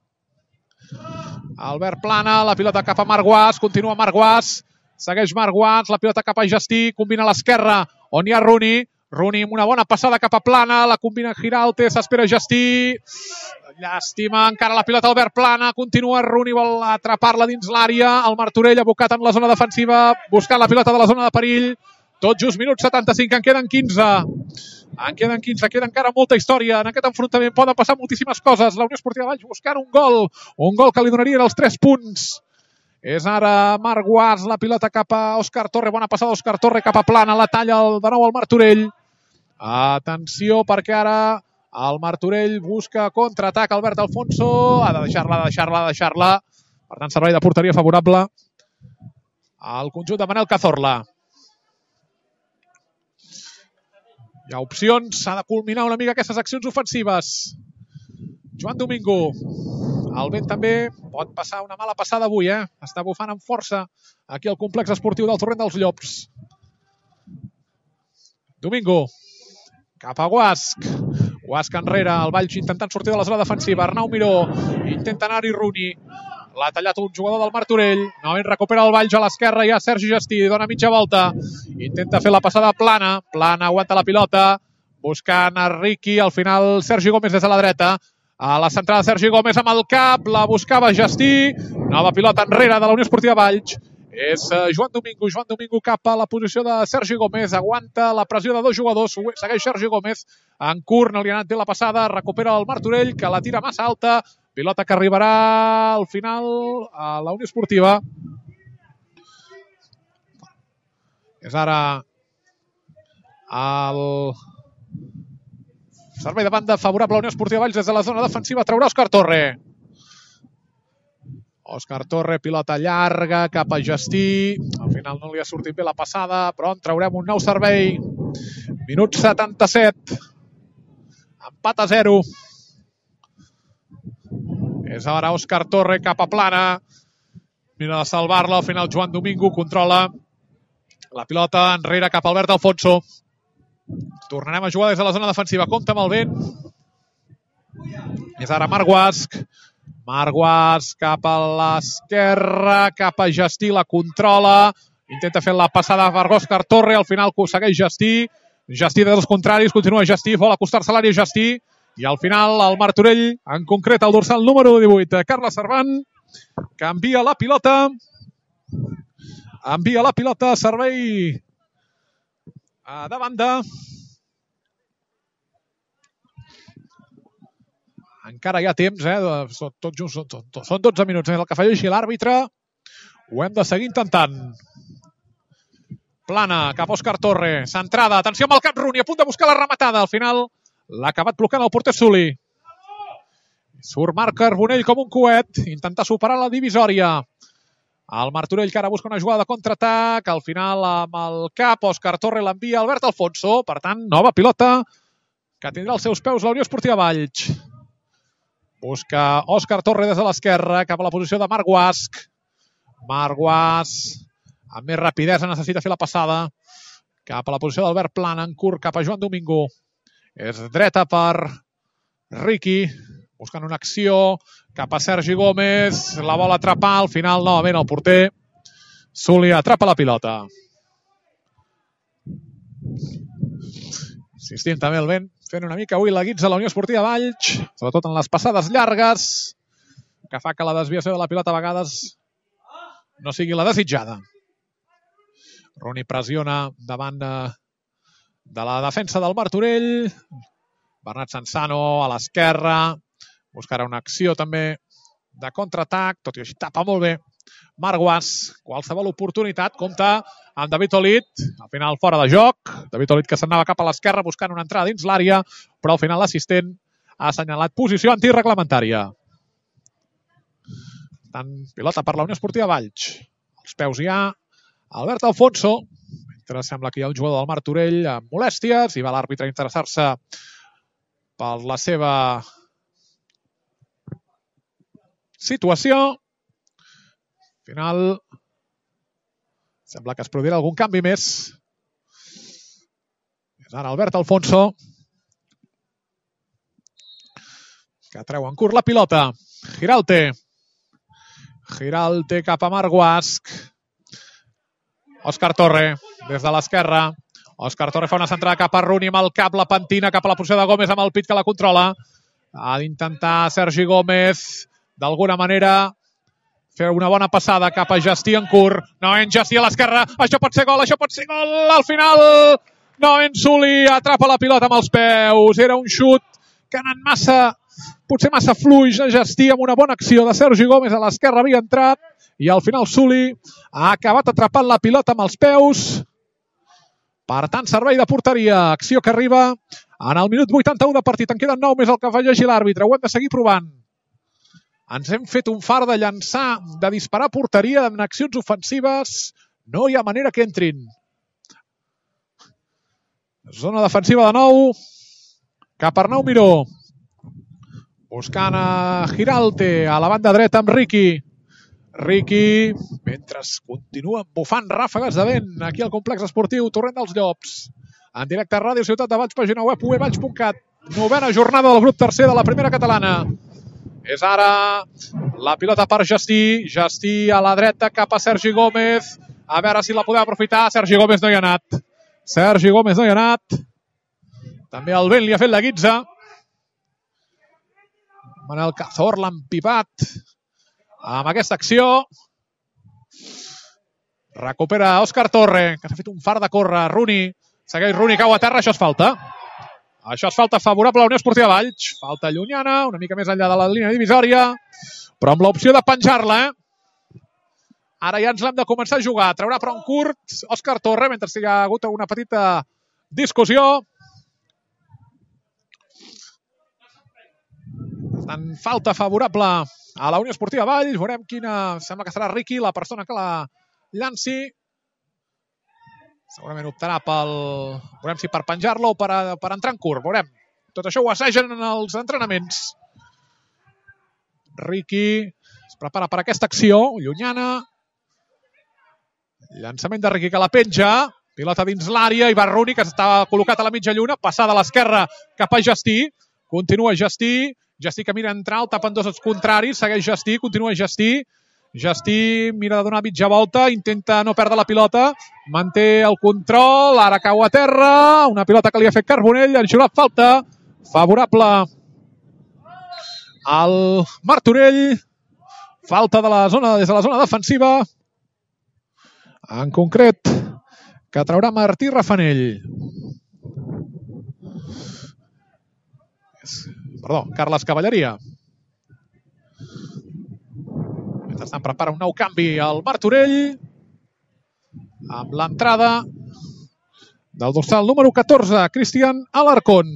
Albert Plana, la pilota cap a Marc Guas. Continua Marc Guas. Segueix Marc Guas, la pilota cap a Justí. Combina a l'esquerra, on hi ha Runi. Runi amb una bona passada cap a Plana. La combina Giralte, s'espera Justí. Llàstima, encara la pilota Albert Plana. Continua Runi, vol atrapar-la dins l'àrea. El Martorell abocat en la zona defensiva, buscant la pilota de la zona de perill. Tot just minut 75, en queden 15. Queda encara molta història. En aquest enfrontament poden passar moltíssimes coses. La Unió Esportiva Valls buscant un gol que li donarien els 3 punts. És ara Marc Guas, la pilota cap a Òscar Torre. Bona passada d'Òscar Torre cap a Plana. La talla de nou el Martorell. Atenció, perquè ara el Martorell busca contraatac. Albert Alfonso ha de deixar-la. Per tant, servei de porteria favorable al conjunt de Manel Cazorla. Hi ha opcions, s'ha de culminar una mica aquestes accions ofensives. Joan Domingo. El vent també pot passar una mala passada avui, Està bufant amb força aquí al complex esportiu del Torrent dels Llops. Domingo. Cap a Guasc. Guasc enrere, el Valls intentant sortir de la zona defensiva. Arnau Miró. Intenta anar-hi Runi. L'ha tallat un jugador del Martorell. Novament recupera el Valls a l'esquerra. Hi ha Sergi Justí. Dona mitja volta. Intenta fer la passada Plana. Plana aguanta la pilota. Buscant a Riqui. Al final Sergi Gómez des de la dreta. A la centrada Sergi Gómez amb el cap. La buscava Justí. Nova pilota enrere de la Unió Esportiva Valls. És Joan Domingo. Joan Domingo cap a la posició de Sergi Gómez. Aguanta la pressió de 2 jugadors. Segueix Sergi Gómez. En curt no li ha anat bé la passada. Recupera el Martorell, que la tira massa alta. Pilota que arribarà al final a la Unió Esportiva. És ara el servei de banda favorable a la Unió Esportiva Valls des de la zona defensiva. Traurà Òscar Torre. Òscar Torre, pilota llarga cap a Justí. Al final no li ha sortit bé la passada, però en traurem un nou servei. Minut 77. Empat a 0. És ara Òscar Torre cap a Plana. Mira de salvar-la. Al final Joan Domingo controla la pilota enrere cap a Albert Alfonso. Tornarem a jugar des de la zona defensiva. Compte amb el vent. És ara Marc Guasc. Marc Guasc cap a l'esquerra, cap a Justí, la controla. Intenta fer la passada per Òscar Torre. Al final segueix Justí. Justí dels contraris. Continua Justí. Vol acostar-se a l'àrea Justí. I al final el Martorell, en concret el dorsal número 18, Carles Servant, que envia la pilota. Envia la pilota, servei de banda. Encara hi ha temps, tot just, són 12 minuts el que afegeixi l'àrbitre. Ho hem de seguir intentant. Plana, cap a Òscar Torre, centrada, atenció amb el cap Rooney, a punt de buscar la rematada. Al final l'ha acabat blocant el porter Suli. Surt Marc Carbonell com un coet, intenta superar la divisòria. El Martorell que ara busca una jugada de contraatac, al final amb el cap Òscar Torre l'envia Albert Alfonso, per tant, nova pilota que tindrà als seus peus la Unió Esportiva Valls. Busca Òscar Torre des de l'esquerra, cap a la posició de Marc Guasch. Marc Guasch, amb més rapidesa, necessita fer la passada. Cap a la posició d'Albert Plana, en curt cap a Joan Domingo. És dreta per Riqui, buscant una acció cap a Sergi Gómez. La vol atrapar, al final novament el porter Suli atrapa la pilota. Insistim també el vent, fent una mica avui la guitza a la Unió Esportiva Valls, sobretot en les passades llargues, que fa que la desviació de la pilota a vegades no sigui la desitjada. Rooney pressiona davant de la defensa del Martorell. Bernat Sansano a l'esquerra. Buscarà una acció també de contraatac, tot i així tapa molt bé Marc Guasch. Qualsevol oportunitat, compta amb David Olit, al final fora de joc. David Olit que s'anava cap a l'esquerra buscant una entrada dins l'àrea, però al final l'assistent ha assenyalat posició antireglamentària. Tant pilota per la Unió Esportiva Valls. Als peus hi ha Albert Alfonso, mentre sembla que hi ha el jugador del Martorell amb molèsties i va l'àrbitre a interessar-se per la seva situació. Al final sembla que es produirà algun canvi més. És ara Albert Alfonso que treu en curt la pilota. Giralte cap a Marc Guasch. Òscar Torre, des de l'esquerra. Òscar Torre fa una centrada cap a Rooney amb el cap, la pentina cap a la posició de Gómez amb el pit que la controla. Ha d'intentar Sergi Gómez, d'alguna manera, fer una bona passada cap a Justí en curt. Novament Justí a l'esquerra. Això pot ser gol, això pot ser gol. Al final, novament Suli atrapa la pilota amb els peus. Era un xut que ha anat potser massa fluix de Justí, amb una bona acció de Sergi Gómez a l'esquerra havia entrat. I al final Suli ha acabat atrapant la pilota amb els peus. Per tant, servei de porteria. Acció que arriba en el minut 81 de partit. En queden 9 més el que afegeixi l'àrbitre. Ho hem de seguir provant. Ens hem fet un far de llançar, de disparar a porteria en accions ofensives. No hi ha manera que entrin. Zona defensiva de nou. Cap a Arnau Miró. Buscant a Giralte a la banda dreta amb Riqui. Riqui, mentre continuen bufant ràfegues de vent aquí al complex esportiu Torrent dels Llops. En directe a Ràdio Ciutat de Valls, pàgina web uevalls.cat. 9a jornada del grup tercer de la primera catalana. És ara la pilota per Justí. Justí a la dreta cap a Sergi Gómez. A veure si la podem aprofitar. Sergi Gómez no hi ha anat. Sergi Gómez no hi ha anat. També el vent li ha fet la guitza. Manel Cazor l'ha empipat amb aquesta acció. Recupera Òscar Torre, que s'ha fet un far de córrer. Rooney, segueix Rooney, cau a terra, això és falta. Això és falta favorable a la Unió Esportiva Valls. Falta llunyana, una mica més enllà de la línia divisòria, però amb l'opció de penjar-la. Ara ja ens l'hem de començar a jugar. Traurà però en curt Òscar Torre, mentre hi ha hagut una petita discussió. Tant falta favorable a la Unió Esportiva Valls. Veurem quina... Sembla que serà Riqui la persona que la llanci. Segurament optarà veurem si per penjar-la o per entrar en curt. Veurem. Tot això ho assegen en els entrenaments. Riqui es prepara per aquesta acció. Llunyana. Llançament de Riqui que la penja. Pilota dins l'àrea i va Rooney, que està col·locat a la mitja lluna. Passada a l'esquerra cap a Justí. Continua Justí. Justí que mira a entrar, el tapen dos contraris. Segueix Justí, continua Justí. Justí mira de donar mitja volta, intenta no perdre la pilota, manté el control, ara cau a terra, una pilota que li ha fet Carbonell, han xiulat falta, favorable al Martorell, Falta des de la zona defensiva. En concret, que traurà Martí Rafanell. Perdó, Carles Cavalleria. Mentrestant prepara un nou canvi al Martorell amb l'entrada del dorsal número 14, Cristian Alarcón.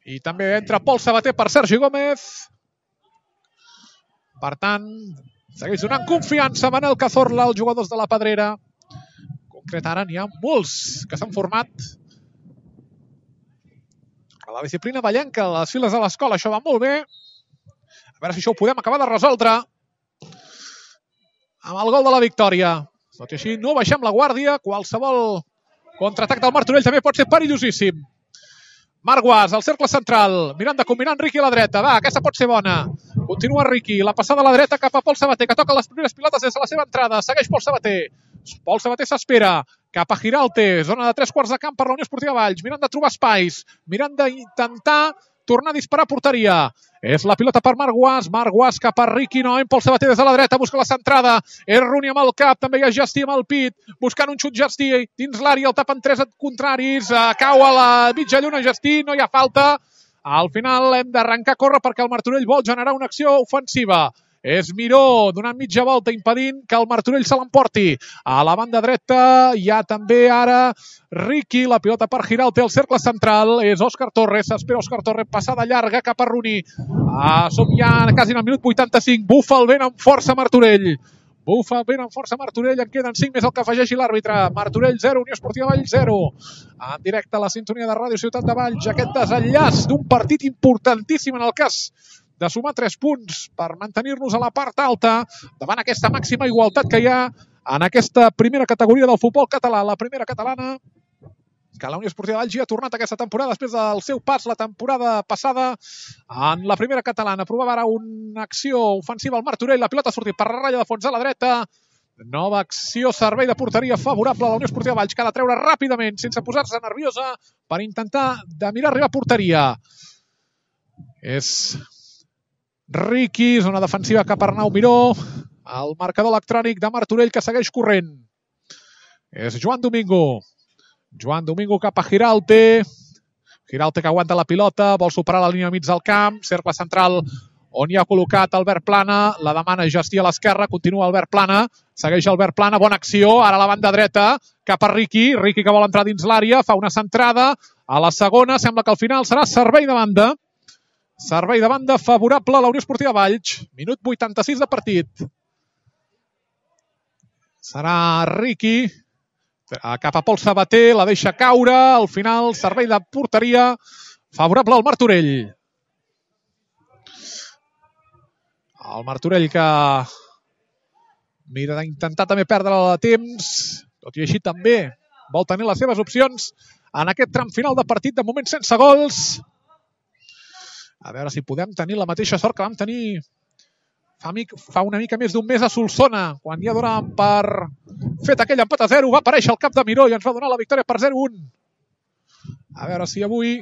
I també entra Pol Sabater per Sergi Gómez. Per tant, segueix donant confiança a Manel Cazorla, els jugadors de la Pedrera. En concret, ara n'hi ha molts que s'han format a la disciplina ballenca, a les files de l'escola. Això va molt bé. A veure si això ho podem acabar de resoldre amb el gol de la victòria. Tot i així, no baixem la guàrdia. Qualsevol contraatac del Martorell també pot ser perillosíssim. Marc Guas, al cercle central, mirant de combinar en Riqui a la dreta. Va, aquesta pot ser bona. Continua Riqui, la passada a la dreta cap a Pol Sabater, que toca les primeres pilotes des de la seva entrada. Segueix Pol Sabater. Pol Sabater s'espera cap a Giralte, zona de 3 quarts de camp per la Unió Esportiva Valls, mirant de trobar espais, mirant d'intentar tornar a disparar a porteria. És la pilota per Marc Guas cap a Riqui, no, en Pol Sabater des de la dreta, busca la centrada, és Runi amb el cap, també hi ha Gestí amb el pit, buscant un xut Gestí dins l'àrea, el tapen 3 contraris, cau a la mitja lluna Gestí, no hi ha falta. Al final hem d'arrencar a córrer perquè el Martorell vol generar una acció ofensiva. És Miró donant mitja volta, impedint que el Martorell se l'emporti. A la banda dreta hi ha també ara Riqui, la pilota per Giralte al cercle central. És Òscar Torres, s'espera Òscar Torres, passada llarga cap a Runi. Som ja quasi en el minut 85. Bufa el vent amb força Martorell. Bufa el vent amb força Martorell. En queden 5 més el que afegeixi l'àrbitre. Martorell 0, Unió Esportiva Valls 0. En directe a la sintonia de Ràdio Ciutat de Valls. Aquest desenllaç d'un partit importantíssim en el cas de sumar 3 punts per mantenir-nos a la part alta davant aquesta màxima igualtat que hi ha en aquesta primera categoria del futbol català, la primera catalana, que la Unió Esportiva Valls ja ha tornat aquesta temporada després del seu pas la temporada passada en la primera catalana. Provava ara una acció ofensiva al Martorell, la pilota ha sortit per la ratlla de fons a la dreta. Nova acció, servei de porteria favorable a la Unió Esportiva Valls, que ha de treure ràpidament, sense posar-se nerviosa, per intentar de mirar arribar a porteria. És Riqui, zona defensiva cap a Arnau Miró, el marcador electrònic de Martorell que segueix corrent. És Joan Domingo. Joan Domingo cap a Giralte. Giralte que aguanta la pilota, vol superar la línia mig del camp, cercle central on hi ha col·locat Albert Plana, la demana Gestí a l'esquerra, continua Albert Plana, segueix Albert Plana, bona acció, ara a la banda dreta, cap a Riqui, Riqui que vol entrar dins l'àrea, fa una centrada, a la segona, sembla que al final serà servei de banda. Servei de banda favorable a la Unió Esportiva Valls. Minut 86 de partit. Serà Riqui. Cap a Pol Sabater, la deixa caure. Al final, servei de porteria favorable al Martorell. El Martorell que mira d'intentar també perdre de temps. Tot i així també vol tenir les seves opcions en aquest tram final de partit. De moment sense gols. A veure si podem tenir la mateixa sort que vam tenir fa una mica més d'un mes a Solsona, quan ja donàvem per fet aquell empat a 0, va aparèixer el cap de Miró i ens va donar la victòria per 0-1. A veure si avui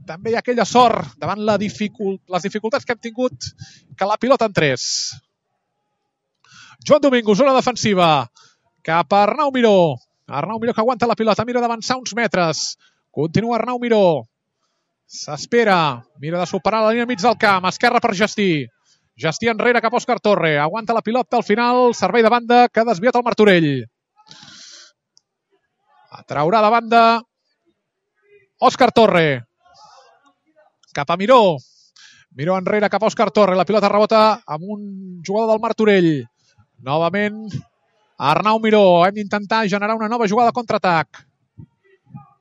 també hi ha aquella sort davant les dificultats que hem tingut, que la pilota entrés. Joan Domingo, zona defensiva, cap a Arnau Miró. Arnau Miró que aguanta la pilota, mira d'avançar uns metres. Continua Arnau Miró. S'espera, mira de superar la línia mig del camp, esquerra per Gestí. Gestí enrere cap a Òscar Torre. Aguanta la pilota al final, servei de banda que ha desviat el Martorell. Traurà de banda Òscar Torre. Cap a Miró. Miró enrere cap a Òscar Torre. La pilota rebota amb un jugador del Martorell. Novament Arnau Miró. Hem d'intentar generar una nova jugada de contraatac.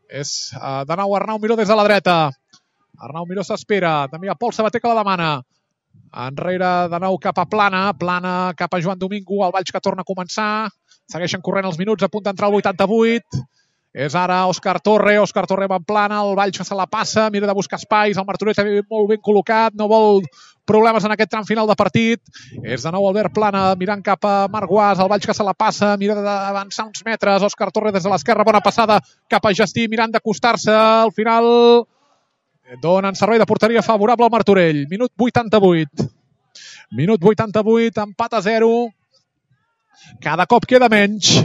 És de nou Arnau Miró des de la dreta. Arnau Miró s'espera. També hi ha Pol Sabater que la demana. Enrere de nou cap a Plana. Plana cap a Joan Domingo. El Valls que torna a començar. Segueixen corrent els minuts. A punt d'entrar al 88. És ara Òscar Torre. Òscar Torre va en Plana. El Valls se la passa. Mira de buscar espais. El Martorell està molt ben col·locat. No vol problemes en aquest tram final de partit. És de nou Albert Plana mirant cap a Marc Guas. El Valls que se la passa. Mira d'avançar uns metres. Òscar Torre des de l'esquerra. Bona passada cap a Gestí mirant d'acostar-se. Al final donen servei de porteria favorable al Martorell. Minut 88. Minut 88, empat a 0. Cada cop queda menys.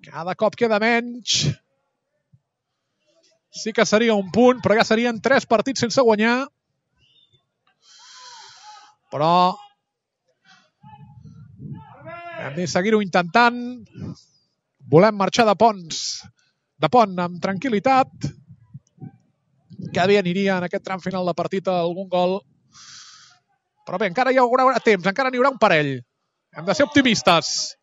Cada cop queda menys. Sí que seria un punt, però ja serien 3 partits sense guanyar. Però hem de seguir-ho intentant. Volem marxar de pont amb tranquil·litat. Que bé aniria en aquest tram final de partit algun gol. Però bé, encara hi haurà temps, encara n'hi haurà un parell. Hem de ser optimistes.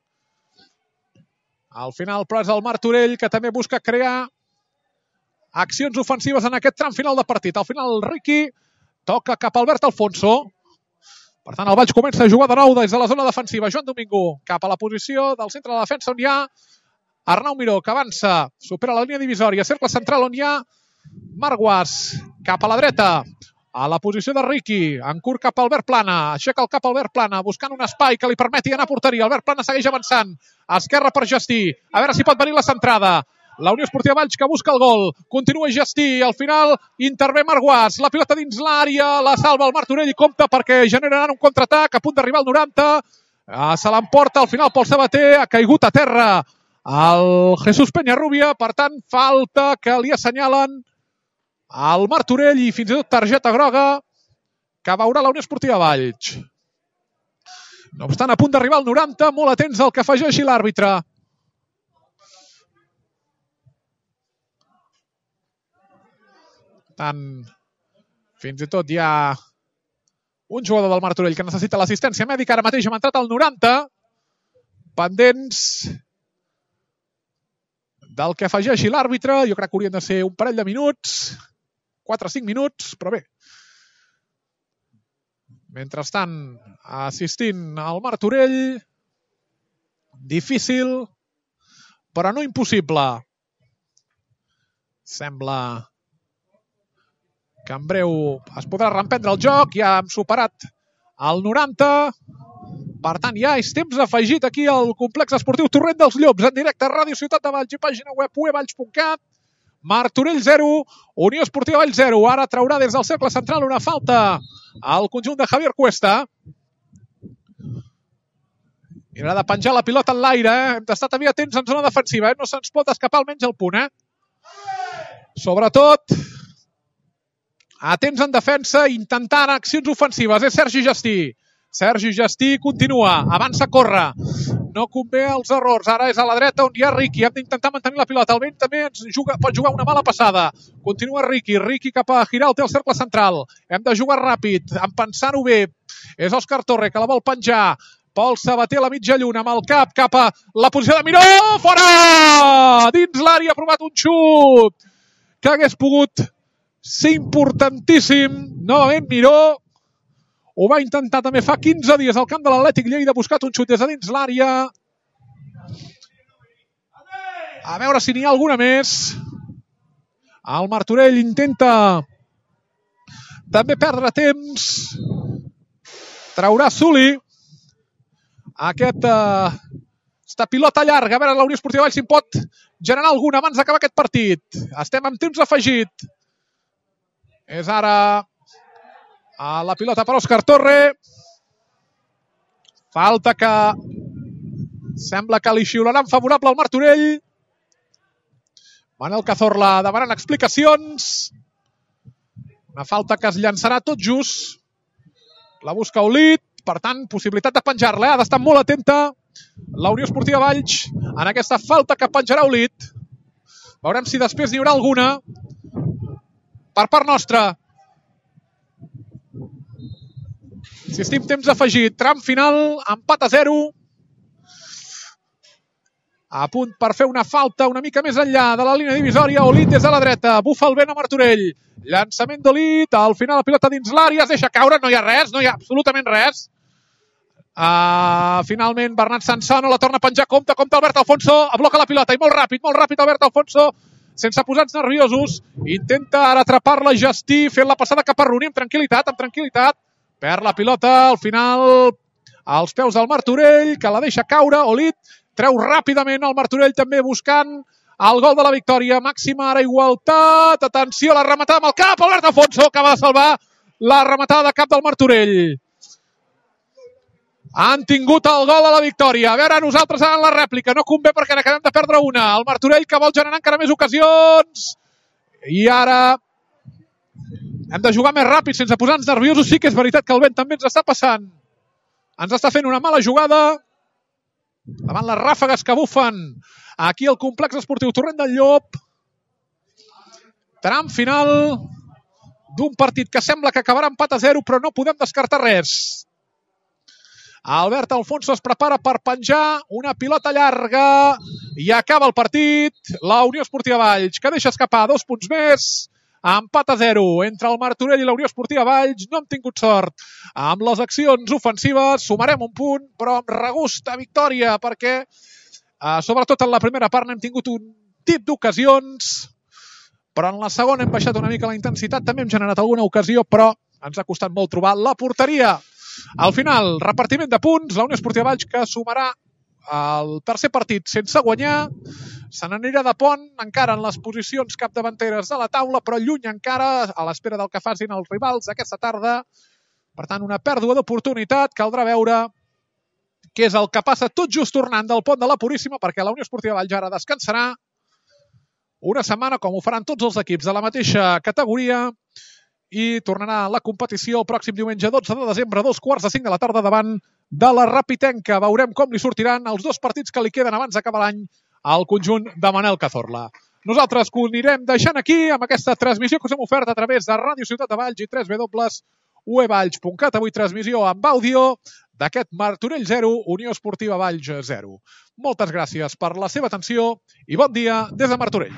Al final, però, és el Martorell que també busca crear accions ofensives en aquest tram final de partit. Al final, el Riqui toca cap a Albert Alfonso. Per tant, el Valls comença a jugar de nou des de la zona defensiva. Joan Domingo cap a la posició del centre de la defensa on hi ha Arnau Miró, que avança, supera la línia divisòria, cercle central on hi ha Marc Guas, cap a la dreta, a la posició de Riqui, en curt cap a Albert Plana, aixeca el cap Albert Plana, buscant un espai que li permeti anar a porteria. Albert Plana segueix avançant, esquerra per Gestí, a veure si pot venir la centrada. La Unió Esportiva Valls que busca el gol, continua Gestí, al final intervé Marc Guas, la pilota dins l'àrea, la salva el Martorell i compta perquè generaran un contraatac a punt d'arribar al 90, se l'emporta al final Pol Sabater, ha caigut a terra el Jesús Peñarrubia, per tant falta que li assenyalen al Martorell i fins i tot targeta groga que veurà la Unió Esportiva Valls. No obstant, a punt d'arribar al 90, molt atents al que afegeixi l'àrbitre. Tant, fins i tot hi ha un jugador del Martorell que necessita l'assistència mèdica. Ara mateix hem entrat al 90, pendents del que afegeixi l'àrbitre. Jo crec que haurien de ser un parell de minuts, 4 o 5 minuts, però bé. Mentrestant, assistint al Martorell, difícil, però no impossible. Sembla que en breu es podrà reemprendre el joc. Ja hem superat el 90. Per tant, ja és temps afegit aquí al complex esportiu Torrent dels Llops, en directe a Ràdio Ciutat de Valls i pàgina web uevalls.cat. Martorell 0, Unió Esportiva Valls 0. Ara traurà des del cercle central una falta al conjunt de Javier Cuesta. I haurà de penjar la pilota en l'aire. Hem d'estar també atents en zona defensiva. No se'ns pot escapar almenys el punt. Sobretot, atents en defensa, intentant accions ofensives. És Sergi Gestí. Sergi Gestí continua, avança, corre. No convé els errors. Ara és a la dreta on hi ha Riqui. Hem d'intentar mantenir la pilota. El vent també pot jugar una mala passada. Continua Riqui. Riqui cap a Giralt, té el cercle central. Hem de jugar ràpid, pensant-ho bé. És Òscar Torre que la vol penjar. Pol Sabater a la mitja lluna amb el cap cap a la posició de Miró. Fora! Dins l'àrea ha provat un xut que hagués pogut ser importantíssim. Novament Miró. Ho va intentar també fa 15 dies al camp de l'Atlètic Lleida, ha buscat un xut des de dins l'àrea. A veure si n'hi ha alguna més. El Martorell intenta també perdre temps. Traurà Suli. Aquesta pilota llarga. A veure, la Unió Esportiva Valls si en pot generar alguna abans d'acabar aquest partit. Estem amb temps afegit. És ara la pilota per Òscar Torre. Falta que sembla que li xiularan favorable al Martorell. Manel Cazorla demanant explicacions. Una falta que es llançarà tot just. La busca Olit. Per tant, possibilitat de penjar-la. Ha d'estar molt atenta la Unió Esportiva Valls en aquesta falta que penjarà Olit. Veurem si després n'hi haurà alguna per part nostra. Insistim, temps afegit. Tram final, empat a 0. A punt per fer una falta una mica més enllà de la línia divisòria. Olit des de la dreta. Bufa el vent a Martorell. Llançament d'Olit. Al final la pilota dins l'àrea. Es deixa caure. No hi ha res. No hi ha absolutament res. Finalment Bernat Sansano la torna a penjar. Compte Albert Alfonso. Bloca la pilota i molt ràpid Albert Alfonso. Sense posar-nos nerviosos. Intenta ara atrapar-la Gestí. Fent la passada cap a Rooney amb tranquil·litat. Perd la pilota, al final, als peus del Martorell, que la deixa caure. Olit treu ràpidament el Martorell també buscant el gol de la victòria. Màxima ara igualtat. Atenció, la rematada amb el cap. Albert Afonso acaba de salvar la rematada de cap del Martorell. Han tingut el gol de la victòria. A veure, nosaltres en la rèplica. No convé perquè n'acabem de perdre una. El Martorell que vol generar encara més ocasions. I ara hem de jugar més ràpid sense posar-nos nerviosos. Sí que és veritat que el vent també ens està passant. Ens està fent una mala jugada davant les ràfegues que bufen aquí al complex esportiu Torrent del Llop. Tram final d'un partit que sembla que acabarà empat a 0, però no podem descartar res. Albert Alfonso es prepara per penjar una pilota llarga i acaba el partit. La Unió Esportiva Valls, que deixa escapar 2 punts més. Empat a 0 entre el Martorell i la Unió Esportiva Valls. No hem tingut sort amb les accions ofensives. Sumarem un punt, però amb regust a victòria, perquè sobretot en la primera part n'hem tingut un tip d'ocasions, però en la segona hem baixat una mica la intensitat. També hem generat alguna ocasió, però ens ha costat molt trobar la porteria. Al final, repartiment de punts. La Unió Esportiva Valls, que sumarà el tercer partit sense guanyar, se n'anirà de pont encara en les posicions capdavanteres de la taula, però lluny encara, a l'espera del que facin els rivals aquesta tarda. Per tant, una pèrdua d'oportunitat. Caldrà veure què és el que passa tot just tornant del pont de la Puríssima, perquè la Unió Esportiva Valls ara descansarà una setmana, com ho faran tots els equips de la mateixa categoria, i tornarà a la competició el pròxim diumenge 12 de desembre a 2:45 de la tarda davant de la Rapitenca. Veurem com li sortiran els 2 partits que li queden abans d'acabar l'any al conjunt de Manel Cazorla. Nosaltres ho anirem deixant aquí amb aquesta transmissió que us hem ofert a través de Ràdio Ciutat de Valls i www.uevalls.cat. Avui transmissió amb àudio d'aquest Martorell 0, Unió Esportiva Valls 0. Moltes gràcies per la seva atenció i bon dia des de Martorell.